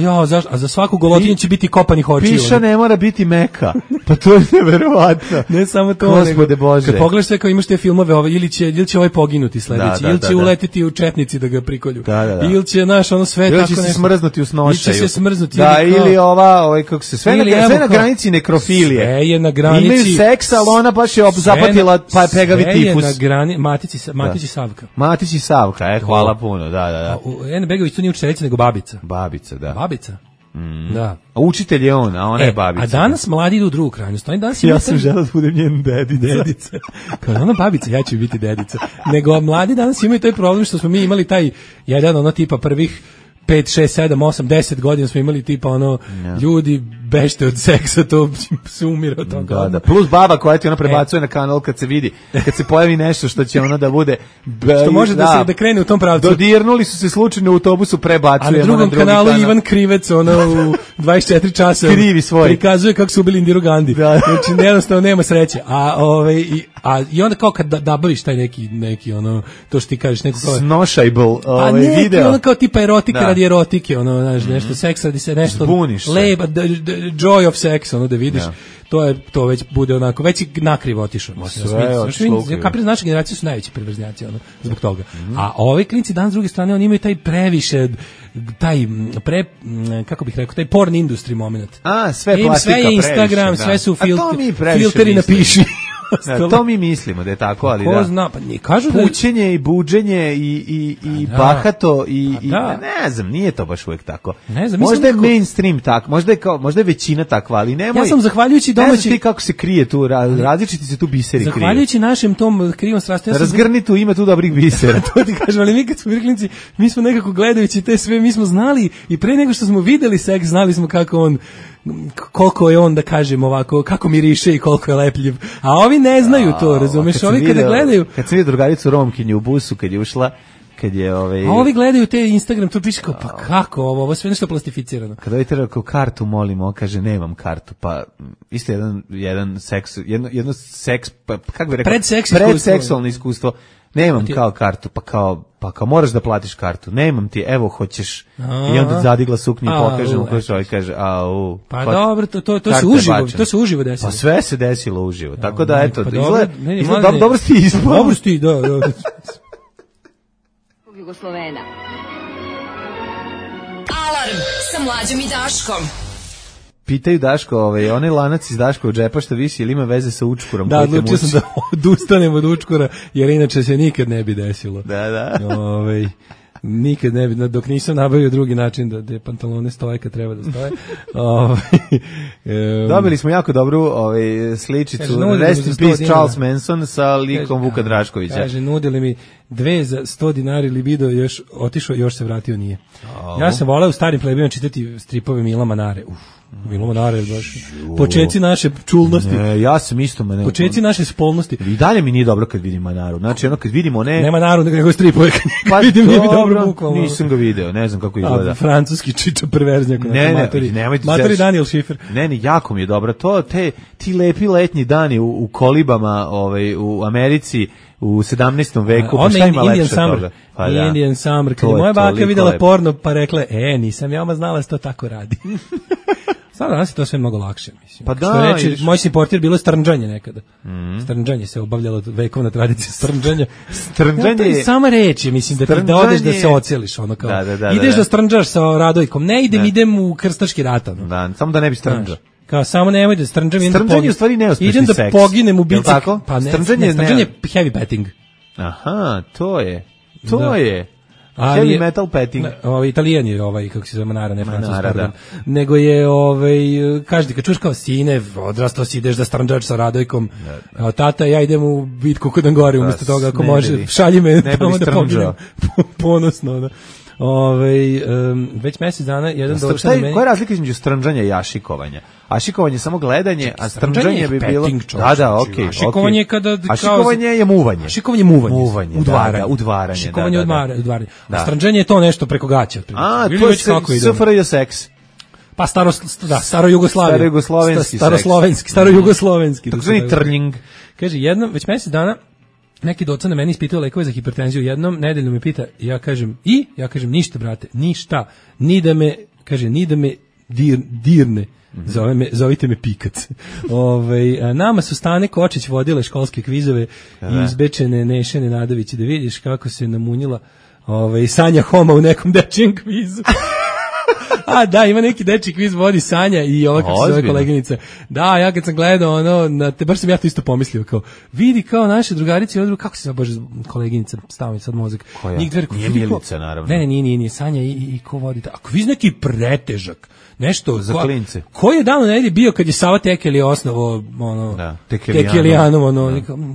Speaker 5: a za svaku golotinju će biti kopanih očiju.
Speaker 6: Piša ne mora biti meka. Pa to je neverovatno.
Speaker 5: Ne samo to,
Speaker 6: Gospode Bože.
Speaker 5: Kad pogledaš sve kao imaš te filmove, ili će ovaj poginuti sledeći, ili će uletiti u četnici da ga prikolju. Ili će ono sve tako
Speaker 6: nešto. Ili će se smrznuti u snošaju.
Speaker 5: Ili će se smrznuti.
Speaker 6: Da, ili kako se sve na granici nekrofilije.
Speaker 5: Sve je na granici.
Speaker 6: Imaju seks, ali ona baš je zapatila pa je pegavi tipus.
Speaker 5: Sve je na granici. Matić i Savka.
Speaker 6: Matić i Savka, hvala puno, da.
Speaker 5: Ene Begović tu nije učiteljica nego babica.
Speaker 6: Babica, da.
Speaker 5: Babica? Da.
Speaker 6: A učitelj je on, a ona je babica.
Speaker 5: A danas mladi idu u drugu krajnost.
Speaker 6: Ja sam želeo da budem njen dedica.
Speaker 5: Kao ona babica, ja ću biti dedica. Nego mladi danas imaju taj problem što smo mi imali taj jedan tipa prvih 5, 6, 7, 8, 10 godina smo imali tipa ljudi bešte od seksa, to se umire od toga.
Speaker 6: Da. Plus baba koja ti prebacuje na kanal kad se pojavi nešto što će da bude
Speaker 5: što može da krene u tom pravcu.
Speaker 6: Dodirnuli su se slučajno u autobusu, prebacujemo
Speaker 5: na drugom kanalu Ivan Krivec u 24 časa
Speaker 6: krivi svoj
Speaker 5: prikazuje kako su ubili Indiru Gandhi. Znači jednostavno nema sreće. I onda kao kad nabaviš taj neki to što ti kažeš neko kao
Speaker 6: snošajbl video.
Speaker 5: Ono kao tipa erotika radi erotike, nešto seks radi se nešto leba, joy of sex, da vidiš, to već bude onako, već i nakrivo otišao. Kapiraš, naša generacija su najveći perverznjaci, zbog toga. A ovi klinci danas s druge strane, oni imaju taj previše, kako bih rekao, taj porn industry moment.
Speaker 6: Sve plastika
Speaker 5: sve je Instagram, sve su filteri na piši.
Speaker 6: To mi mislimo da je tako, ali
Speaker 5: ko zna, pa ne kažu da
Speaker 6: pućenje i buđenje i bahato i ne znam, nije to baš uvek tako. Možda je mainstream tako, možda je većina takva, ali nemoj.
Speaker 5: Ja sam zahvaljujući domaći,
Speaker 6: ne znam ti kako se krije tu, različiti se tu biseri kriju.
Speaker 5: Zahvaljujući našem tom krivom strastu.
Speaker 6: Razgrni tu, ima tu dobrih bisera.
Speaker 5: To ti kažem, ali mi kad smo klinci, mi smo nekako gledajući te sve, mi smo znali i pre nego što smo videli seks, znali smo koliko je on, da kažem ovako, kako miriše i koliko je lepljiv. A ovi ne znaju to, razumeš? Ovi kada gledaju...
Speaker 6: Kad sam vidio drugaricu Romkinju u busu, kad je ušla, kad je
Speaker 5: A ovi gledaju te Instagram, to piše kao, pa kako ovo sve nešto plastificirano.
Speaker 6: Kada ovi treba kao kartu molimo, on kaže nemam kartu, pa isto jedan seks, jedno seks, pa kako bi rekao? Predseksualno iskustvo. Nemam kao kartu, pa kao moraš da platiš kartu. Nemam ti, evo hoćeš. I onda zadigla suknju i pokaže mu koji čovjek kaže,
Speaker 5: pa dobro, to se uživo desilo.
Speaker 6: Pa sve se desilo uživo. Tako da eto, izgleda dobro si ispao.
Speaker 5: Dobro si, da.
Speaker 3: Jugoslovena. Alarm sa Mlađom i Daškom.
Speaker 6: Pitaju Daško, onaj lanac iz Daškovog džepa što visi, ili ima veze sa učkurom?
Speaker 5: Da, odlučio sam da odustanem od učkura, jer inače se nikad ne bi desilo.
Speaker 6: Da.
Speaker 5: Nikad ne bi, dok nisam nabavio drugi način da pantalone stoje kad treba da stoje.
Speaker 6: Dobili smo jako dobru sličicu, Rest in Peace Charles Manson sa likom Vuka Draškovića.
Speaker 5: Kaže, nudili mi 2 za 100 dinari libido, još otišao, još se vratio nije. Ja sam voleo u starim plebima čitati stripove Mila Manare. Milo Manara je baš. Počeci naše čulnosti.
Speaker 6: Ne, ja sam isto Manaru.
Speaker 5: Počeci naše spolnosti.
Speaker 6: I dalje mi nije dobro kad vidim Manaru. Znači, ono kad vidimo
Speaker 5: Nema Manaru, nego stripove.
Speaker 6: Pa
Speaker 5: vidim, nije mi dobro bukvalno.
Speaker 6: Nisam ga video, ne znam kako izgleda.
Speaker 5: Francuski čiča perverznjak. Matori Daniel Schiffer.
Speaker 6: Ne, jako mi je dobro. Ti lepi letnji dani u kolibama u Americi u 17. veku, pa šta ima lepše toga?
Speaker 5: Pa da. Indian Summer, kada moja baka videla porno, pa rekla, nisam ja znala da se to tako radi. Sada danas je to sve mnogo lakše, mislim.
Speaker 6: Pa da,
Speaker 5: moj si portir bilo strnđanje nekada. Strnđanje se obavljalo vekovna tradicija strnđanja.
Speaker 6: Strnđanje je
Speaker 5: sama reč, mislim da odeš da se oceliš, ono kao. Ideš da strnđaš sa Radojkom. Ne idem u krstaški rat.
Speaker 6: Da, samo da ne bi strnđao.
Speaker 5: Kao samo nemoj da strnđam,
Speaker 6: strnđanje je u stvari neuspešni seks.
Speaker 5: Idem da poginem u bici. Pa strnđanje je heavy petting.
Speaker 6: Aha, to je. Heavy metal petting.
Speaker 5: Italijan je kako se zove Manara, ne Francus, pardon. Nego je kažete kad čuš kao sine, odrastao si, ideš da strnđaš sa Radojkom. Tata, ja idem u bitku kod Angore, umjesto toga ako može, šalji me tamo da poginem ponosno. Već mjesec dana jedan došao na meni.
Speaker 6: Koja je razlika između strnđanja i ašikovanja? Ašikovanje je samo gledanje, a strnđanje bi bilo... Da, okej.
Speaker 5: Ašikovanje je kada...
Speaker 6: Ašikovanje je muvanje.
Speaker 5: Ašikovanje je muvanje. Udvaranje. Ašikovanje je udvaranje. A strnđanje je to nešto preko gaća.
Speaker 6: A, to je SFRJ seks.
Speaker 5: Pa starojugoslovenski.
Speaker 6: Takzvani trljing.
Speaker 5: Kaže, jednom, već mjesec dana, neki doca na meni ispituje lekove za hipertenziju, jednom nedeljno me pita, ja kažem ništa brate, ništa, ni da me dirne, zovite me Pikac. Nama su Stane Kočić vodile školske kvizove i izbečene Nešene Nadović, da vidiš kako se namunjila Sanja Homa u nekom dečijem kvizu. A da, ima neki dečji kviz, vodi Sanja i ova kako se zove koleginica. Da, ja kad sam gledao baš sam ja to isto pomislio, kao vidi kao naše drugarice, kako se zove bože koleginica, stavim sad mozak.
Speaker 6: Koja? Nije Milica, naravno.
Speaker 5: Ne, nije Sanja i ko vodi. A kviz neki pretežak. Nešto
Speaker 6: za klince.
Speaker 5: Koji je dan u nedelji bio kad je Sava Tekeli osnovo Tekelijanov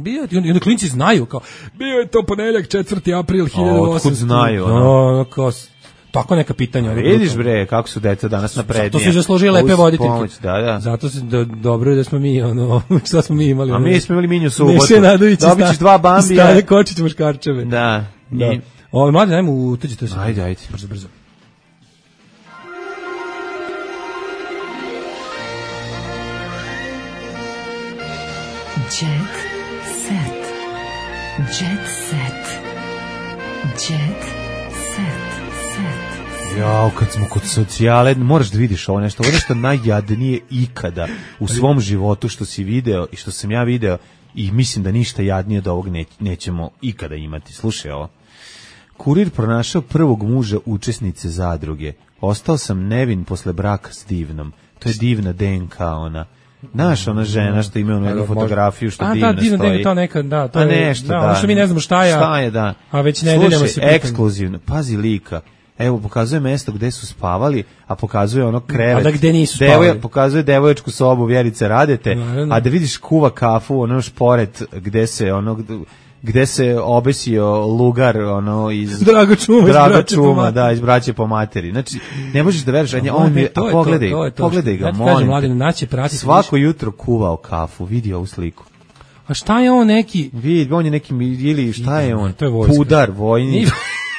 Speaker 5: bio i onda klinci znaju kao bio je to ponedeljak 4. april 1800.
Speaker 6: Otkud znaju
Speaker 5: tako neka pitanja.
Speaker 6: Vidiš bre, kako su deca danas naprednije.
Speaker 5: To su zaslužili lepe voditeljke.
Speaker 6: Da.
Speaker 5: Zato se dobro je da smo mi šta smo mi imali.
Speaker 6: A mi smo imali Minju subotu.
Speaker 5: Neše Nadović
Speaker 6: dobićeš 2 Bambija.
Speaker 5: Stane Kočić muškarčeve.
Speaker 6: Da.
Speaker 5: Mladi, dajmo utuđi to se.
Speaker 6: Ajde.
Speaker 5: Brzo.
Speaker 3: Jet set.
Speaker 6: Jao, kad smo kod socijale, moraš da vidiš ovo nešto najjadnije ikada u svom životu što si video i što sam ja video i mislim da ništa jadnije od ovog nećemo ikada imati. Slušaj ovo. Kurir pronašao prvog muža učesnice zadruge. Ostao sam nevin posle braka s divnom. To je divna DNK ona. Znaš, ona žena što ima jednu fotografiju što divno stoji.
Speaker 5: Divno je to neka, to je
Speaker 6: nešto,
Speaker 5: ono što mi ne znamo šta je, a već nedeljama se pitamo.
Speaker 6: Ekskluzivno, pazi lika. Evo, pokazuje mesto gde su spavali, a pokazuje ono krevet.
Speaker 5: A da gde nisu spavali.
Speaker 6: Pokazuje devojačku sobu Vjerice Radete, a da vidiš kuva kafu, ono šporet gde se obesio lugar iz
Speaker 5: Drago Čuma,
Speaker 6: iz Braće po materi. Znači, ne možeš da veruješ, pogledaj ga, molim te. Svako jutro kuvao kafu, vidi ovu sliku.
Speaker 5: A šta je on neki?
Speaker 6: Vidi, on je neki, ili šta je on?
Speaker 5: To je vojska.
Speaker 6: Pudar, vojnik.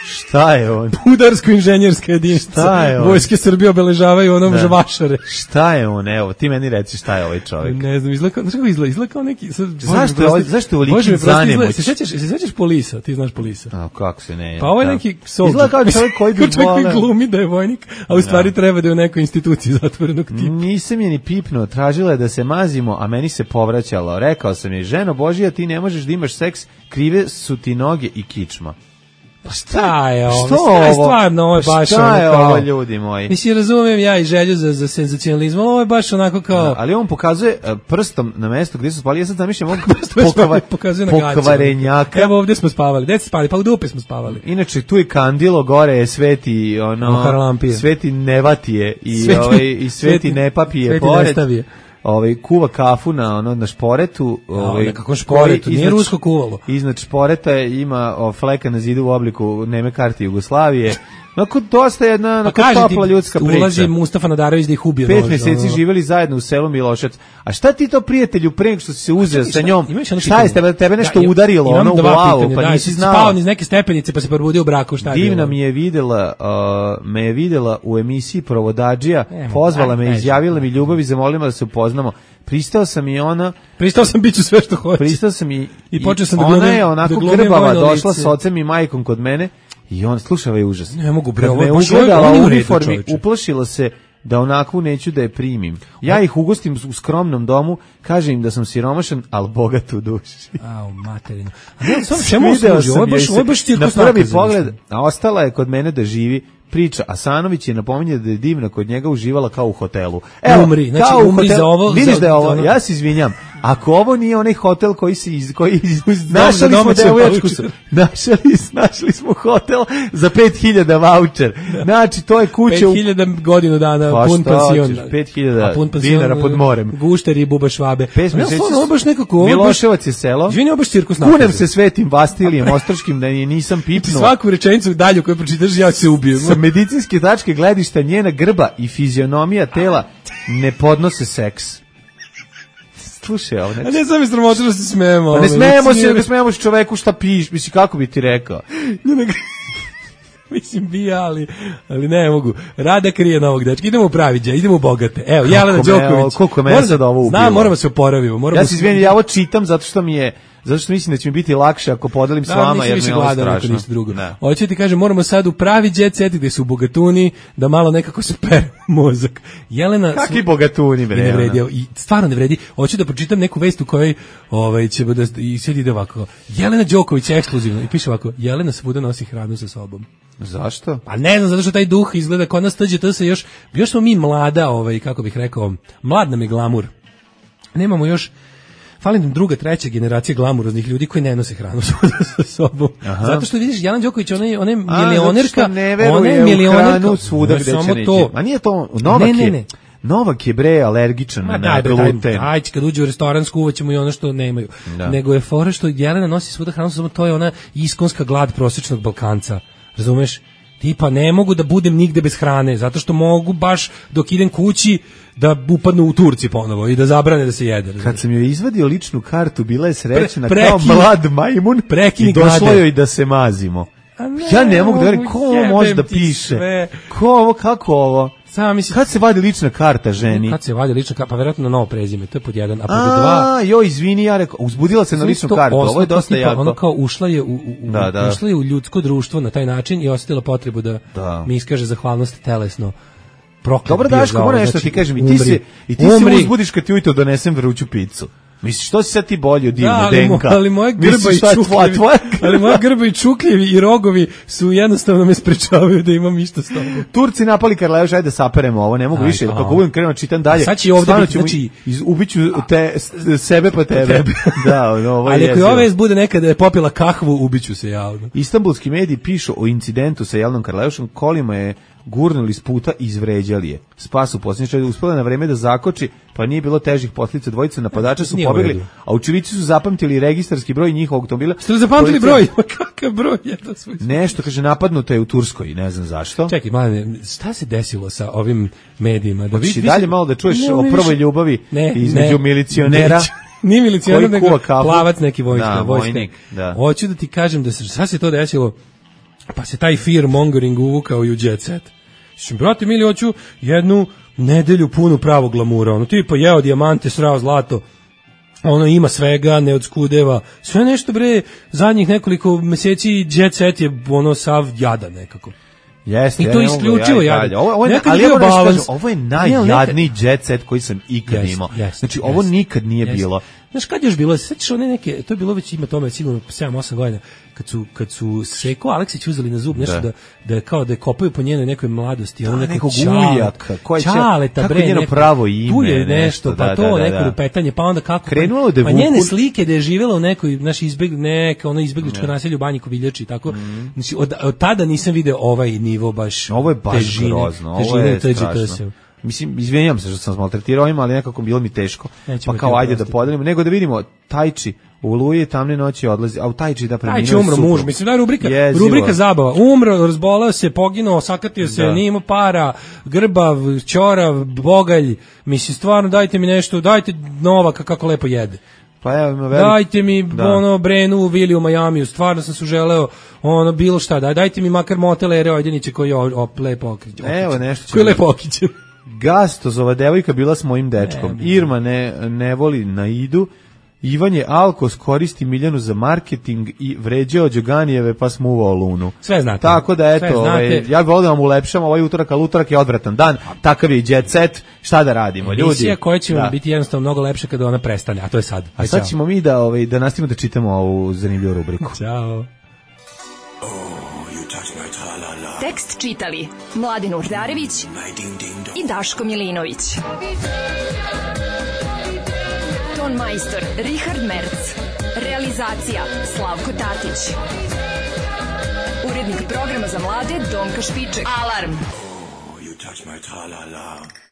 Speaker 6: Šta je on?
Speaker 5: Pudarsko-inženjerska jedinica.
Speaker 6: Šta je on?
Speaker 5: Vojske Srbije obeležavaju žvašare.
Speaker 6: Šta je on? Evo, ti meni reci šta je ovaj čovjek.
Speaker 5: Ne znam, izgleda kao neki...
Speaker 6: Zašto je ovoliki zanemoć?
Speaker 5: Se sjećaš Polisa? Ti znaš Polisa?
Speaker 6: A, kako se ne?
Speaker 5: Pa ovo je neki soldier.
Speaker 6: Izgleda kao čovjek koji bi volao.
Speaker 5: Čovjek glumi da je vojnik, a u stvari treba da je u nekoj instituciji zatvorenog tipa.
Speaker 6: Nisam je ni pipnuo, tražila je da se mazimo, a meni se povraćalo. Rekao sam je, ženo Božija, ti ne možeš da imaš seks, krive su ti noge i kičma.
Speaker 5: Pa šta je ovo? Stvarno, ovo je baš
Speaker 6: šta je ovo, ljudi moji?
Speaker 5: Mislim, razumijem ja i želju za senzacionalizam, ovo je baš onako kao...
Speaker 6: Ali on pokazuje prstom na mesto gdje su spali, ja sad zamišljam ovog
Speaker 5: pokvarenjaka. Evo ovdje smo spavali, gdje ste spali? Pa u dupe smo spavali.
Speaker 6: Inače, tu je kandilo, gore je sveti, sveti Nevatije i sveti Nepapije pored. Kuva kafu na šporetu.
Speaker 5: Kako šporetu? Nije rusko kuvalo.
Speaker 6: Iznad šporeta ima fleka na zidu u obliku Neme karte Jugoslavije. Onako dosta jedna onako topla ljudska priča.
Speaker 5: Ulazi Mustafa Nadarević da ih ubije.
Speaker 6: 5 meseci živeli zajedno u selu Milošac. A šta ti to prijatelju pre nego što si se uzeo sa njom? Šta je tebe nešto udarilo ono u glavu, pa nisi znao?
Speaker 5: Spao niz neke stepenice pa se probudio u braku, šta je?
Speaker 6: Divna mi je videla u emisiji Provodadžija, pozvala me, izjavila mi ljubav i zamolila da se upoznamo. Pristao sam i ona.
Speaker 5: Pristao sam biću sve što hoće.
Speaker 6: Pristao sam i
Speaker 5: počeo sam da
Speaker 6: glumim. Ona je onako grbava došla s ocem i majkom kod mene i on slušaj užas.
Speaker 5: Ne mogu bre,
Speaker 6: ovo je ugledala u uniformi, uplašila se da onako neću da je primim. Ja ih ugostim u skromnom domu, kažem im da sam siromašan, al bogat u duši.
Speaker 5: Au, materinu. A ne, čemu služi? Ovo je baš cirkus
Speaker 6: na prvi pogled, a ostala je kod mene da živi. Priča, Asanović je napominje da je Divna kod njega uživala kao u hotelu.
Speaker 5: Evo, umri, znači umri za ovo.
Speaker 6: Vidiš da je ovo, ja se izvinjam, ako ovo nije onaj hotel koji našli smo hotel za 5000 voucher. Znači, to je kuća
Speaker 5: 5000 godinu dana, pun pansion.
Speaker 6: 5000 dinara pod morem.
Speaker 5: Gušteri i buba švabe. Ovo baš nekako...
Speaker 6: Miloševac je selo.
Speaker 5: Izvini, ovo baš cirkus.
Speaker 6: Kunem se Svetim Vastilijem Ostroškim da nisam pipnuo.
Speaker 5: Svaku rečenicu dalju koju pročitaš, ja se ubijem.
Speaker 6: Sa medicinske tačke gledišta njena grba i fizionomija tela ne podnose seks. Slušaj, ovo
Speaker 5: ne sam mi sramotno da se smijemo.
Speaker 6: Pa ne smijemo se, nego smijemo se čoveku šta piš, misli kako bi ti rekao.
Speaker 5: Mislim bi, ali ne mogu. Rada krije novog dečka. Idemo u praviđa, idemo u bogate. Evo, Jelena Đoković.
Speaker 6: Koliko me sad ovo ubilo.
Speaker 5: Znam, moramo se oporavimo.
Speaker 6: Ja se izvinim, ja ovo čitam zato što mislim da će mi biti lakše ako podelim s vama, jer mi je ovo strašno.
Speaker 5: Hoću ti kažem, moramo sad u pravi jet set gde su bogatuni, da malo nekako se pere mozak. Jelena...
Speaker 6: Kakvi bogatuni, bre?
Speaker 5: Ne vredi, stvarno ne vredi. Hoću da pročitam neku vest u kojoj će da... I sad ide ovako. Jelena Đoković ekskluzivno. I piše ovako. Jelena svuda nosi hranu sa sobom.
Speaker 6: Zašto?
Speaker 5: Pa ne znam, zato što taj duh izgleda kod nas tađe, to se još smo mi mlada, kako bih rekao, mlad nam je glamur. Nemamo još, fali nam druga, treća generacija glamuroznih ljudi koji ne nose hranu sa sobom. Aha. Zato što vidiš, Jelena Đoković, ona je milionerka,
Speaker 6: ona je milionerka, svuda gde će neće. A nije to, Novak je bre alergičan na gluten.
Speaker 5: Ajde, kad uđe u restoran skuvaćemo i ono što nemaju. Da. Nego je fora što Jelena nosi svuda hranu sa sobom, to je ona iskonska glad prosječnog Balkanca. Razumeš? Tipa ne mogu da budem nigde bez hrane, zato što mogu baš dok idem kući da upadnu u Turci ponovo i da zabrane da se jede. Razumeš?
Speaker 6: Kad sam joj izvadio ličnu kartu, bila je srećna kao mlad majmun i došlo joj da se mazimo. Ja ne mogu da verujem, ko ovo može da piše? Ko ovo, kako ovo? Kad se vadi lična karta ženi?
Speaker 5: Kad se vadi lična karta, pa vjerojatno na novo prezime, to je pod jedan, a pod dva...
Speaker 6: Joj, izvini, ja rekao, uzbudila se na ličnu kartu, ovo je dosta jako.
Speaker 5: Ono kao ušla je u ljudsko društvo na taj način i osjetila potrebu da mi iskaže zahvalnost telesno.
Speaker 6: Dobro, Daško, moram nešto ti kažem, i ti se uzbudiš kad ti ujutro donesem vruću picu. Misliš, što si sad ti bolji od Divne Denka?
Speaker 5: Ali moja grba i čukljevi i rogovi su jednostavno me sprečavaju da imam išta s tobom.
Speaker 6: Turci napali Karleuš, ajde da saperemo ovo, ne mogu više, kako budem krenuo čitam dalje.
Speaker 5: Sad će ovdje biti,
Speaker 6: ubiću sebe pa tebe. Da, ovo je
Speaker 5: ali ako je ove bude nekada je popila kahvu, ubiću se javno.
Speaker 6: Istanbulski mediji pišu o incidentu sa Jelenom Karleušom, kolima je gurnuli s puta i izvređali je. Spas u posljednjoj uspela na vreme da zakoči, pa nije bilo težih posljedica. Dvojica napadača su pobegli, a očevici su zapamtili registarski broj njihovog automobila.
Speaker 5: Ste zapamtili broj? Kakav broj je to svoj?
Speaker 6: Nešto, kaže, napadnuto je u Turskoj, ne znam zašto.
Speaker 5: Čekaj, mladine, šta se desilo sa ovim medijima? Da
Speaker 6: vi dalje malo da čuješ o prvoj ljubavi između milicionera.
Speaker 5: Nije milicioner, nego plavac neki
Speaker 6: vojnik.
Speaker 5: Hoću da ti kažem da šta se to desilo, pa se taj fear mongering uvukao i u jet set. Brate mili, hoću jednu nedelju punu pravog glamura, ono tipa jeo dijamante, srao zlato, ono ima svega, ne odskudeva, sve nešto bre, zadnjih nekoliko meseci jet set je ono sav jadan nekako.
Speaker 6: Jeste,
Speaker 5: i to isključivo jadan.
Speaker 6: Ovo je najjadniji jet set koji sam ikad imao. Znači, ovo nikad nije bilo.
Speaker 5: Znaš kad je još bilo, sećaš one neke, to je bilo već ima tome sigurno 7-8 godina, kad su Seko Aleksić uzeli na zub nešto da kao da kopaju po njenoj nekoj mladosti, ono nekog
Speaker 6: ujaka,
Speaker 5: Čaleta, bre,
Speaker 6: njeno pravo ime,
Speaker 5: tu je nešto, pa to neko lupetanje, pa onda kako, pa njene slike da je živjela u nekoj, ono izbegličko naselje u Banji Koviljači, tako, znači od tada nisam video ovaj nivo baš
Speaker 6: ovo je baš grozno, ovo je strašno. Mislim, izvinjam se što sam maltretirao ovima, ali nekako bilo mi teško. Pa kao ajde da podelimo, nego da vidimo Tajči U Oluji tamne noći odlazi, a u Tajči da preminuo
Speaker 5: Tajči umro muž, mislim da je rubrika zabava. Umro, razbolao se, poginuo, sakatio se, nije imao para, grbav, ćorav, bogalj, mislim stvarno dajte mi nešto, dajte Novaka kako lepo jede.
Speaker 6: Pa evo,
Speaker 5: dajte mi Brenu Vili u Majamiju, stvarno sam se želeo bilo šta, dajte mi makar motel Ere Ojdeniće koji je lepo okrićen.
Speaker 6: Evo nešto
Speaker 5: koji je lepo okrićen.
Speaker 6: Gastozova devojka bila s mojim dečkom. Irma ne voli Naidu. Ivan je alkos, koristi Miljanu za marketing i vređao Đoganijeve pa smuvao Lunu.
Speaker 5: Sve znate.
Speaker 6: Tako da eto, ja bih volio da vam ulepšam ovaj utorak, ali utorak je odvratan dan, takav je i jet set, šta da radimo, ljudi?
Speaker 5: Emisija koja će vam biti jednostavno mnogo lepše kada ona prestane, a to je sad.
Speaker 6: A sad ćemo mi da nastavimo da čitamo ovu zanimljivu rubriku.
Speaker 5: Ćao.
Speaker 3: Tekst čitali Mladin Urdarević i Daško Milinović. Ton majstor Richard Merc. Realizacija Slavko Tatić. Urednik programa za mlade Donka Špiček. Alarm! You touch my tra-la-la.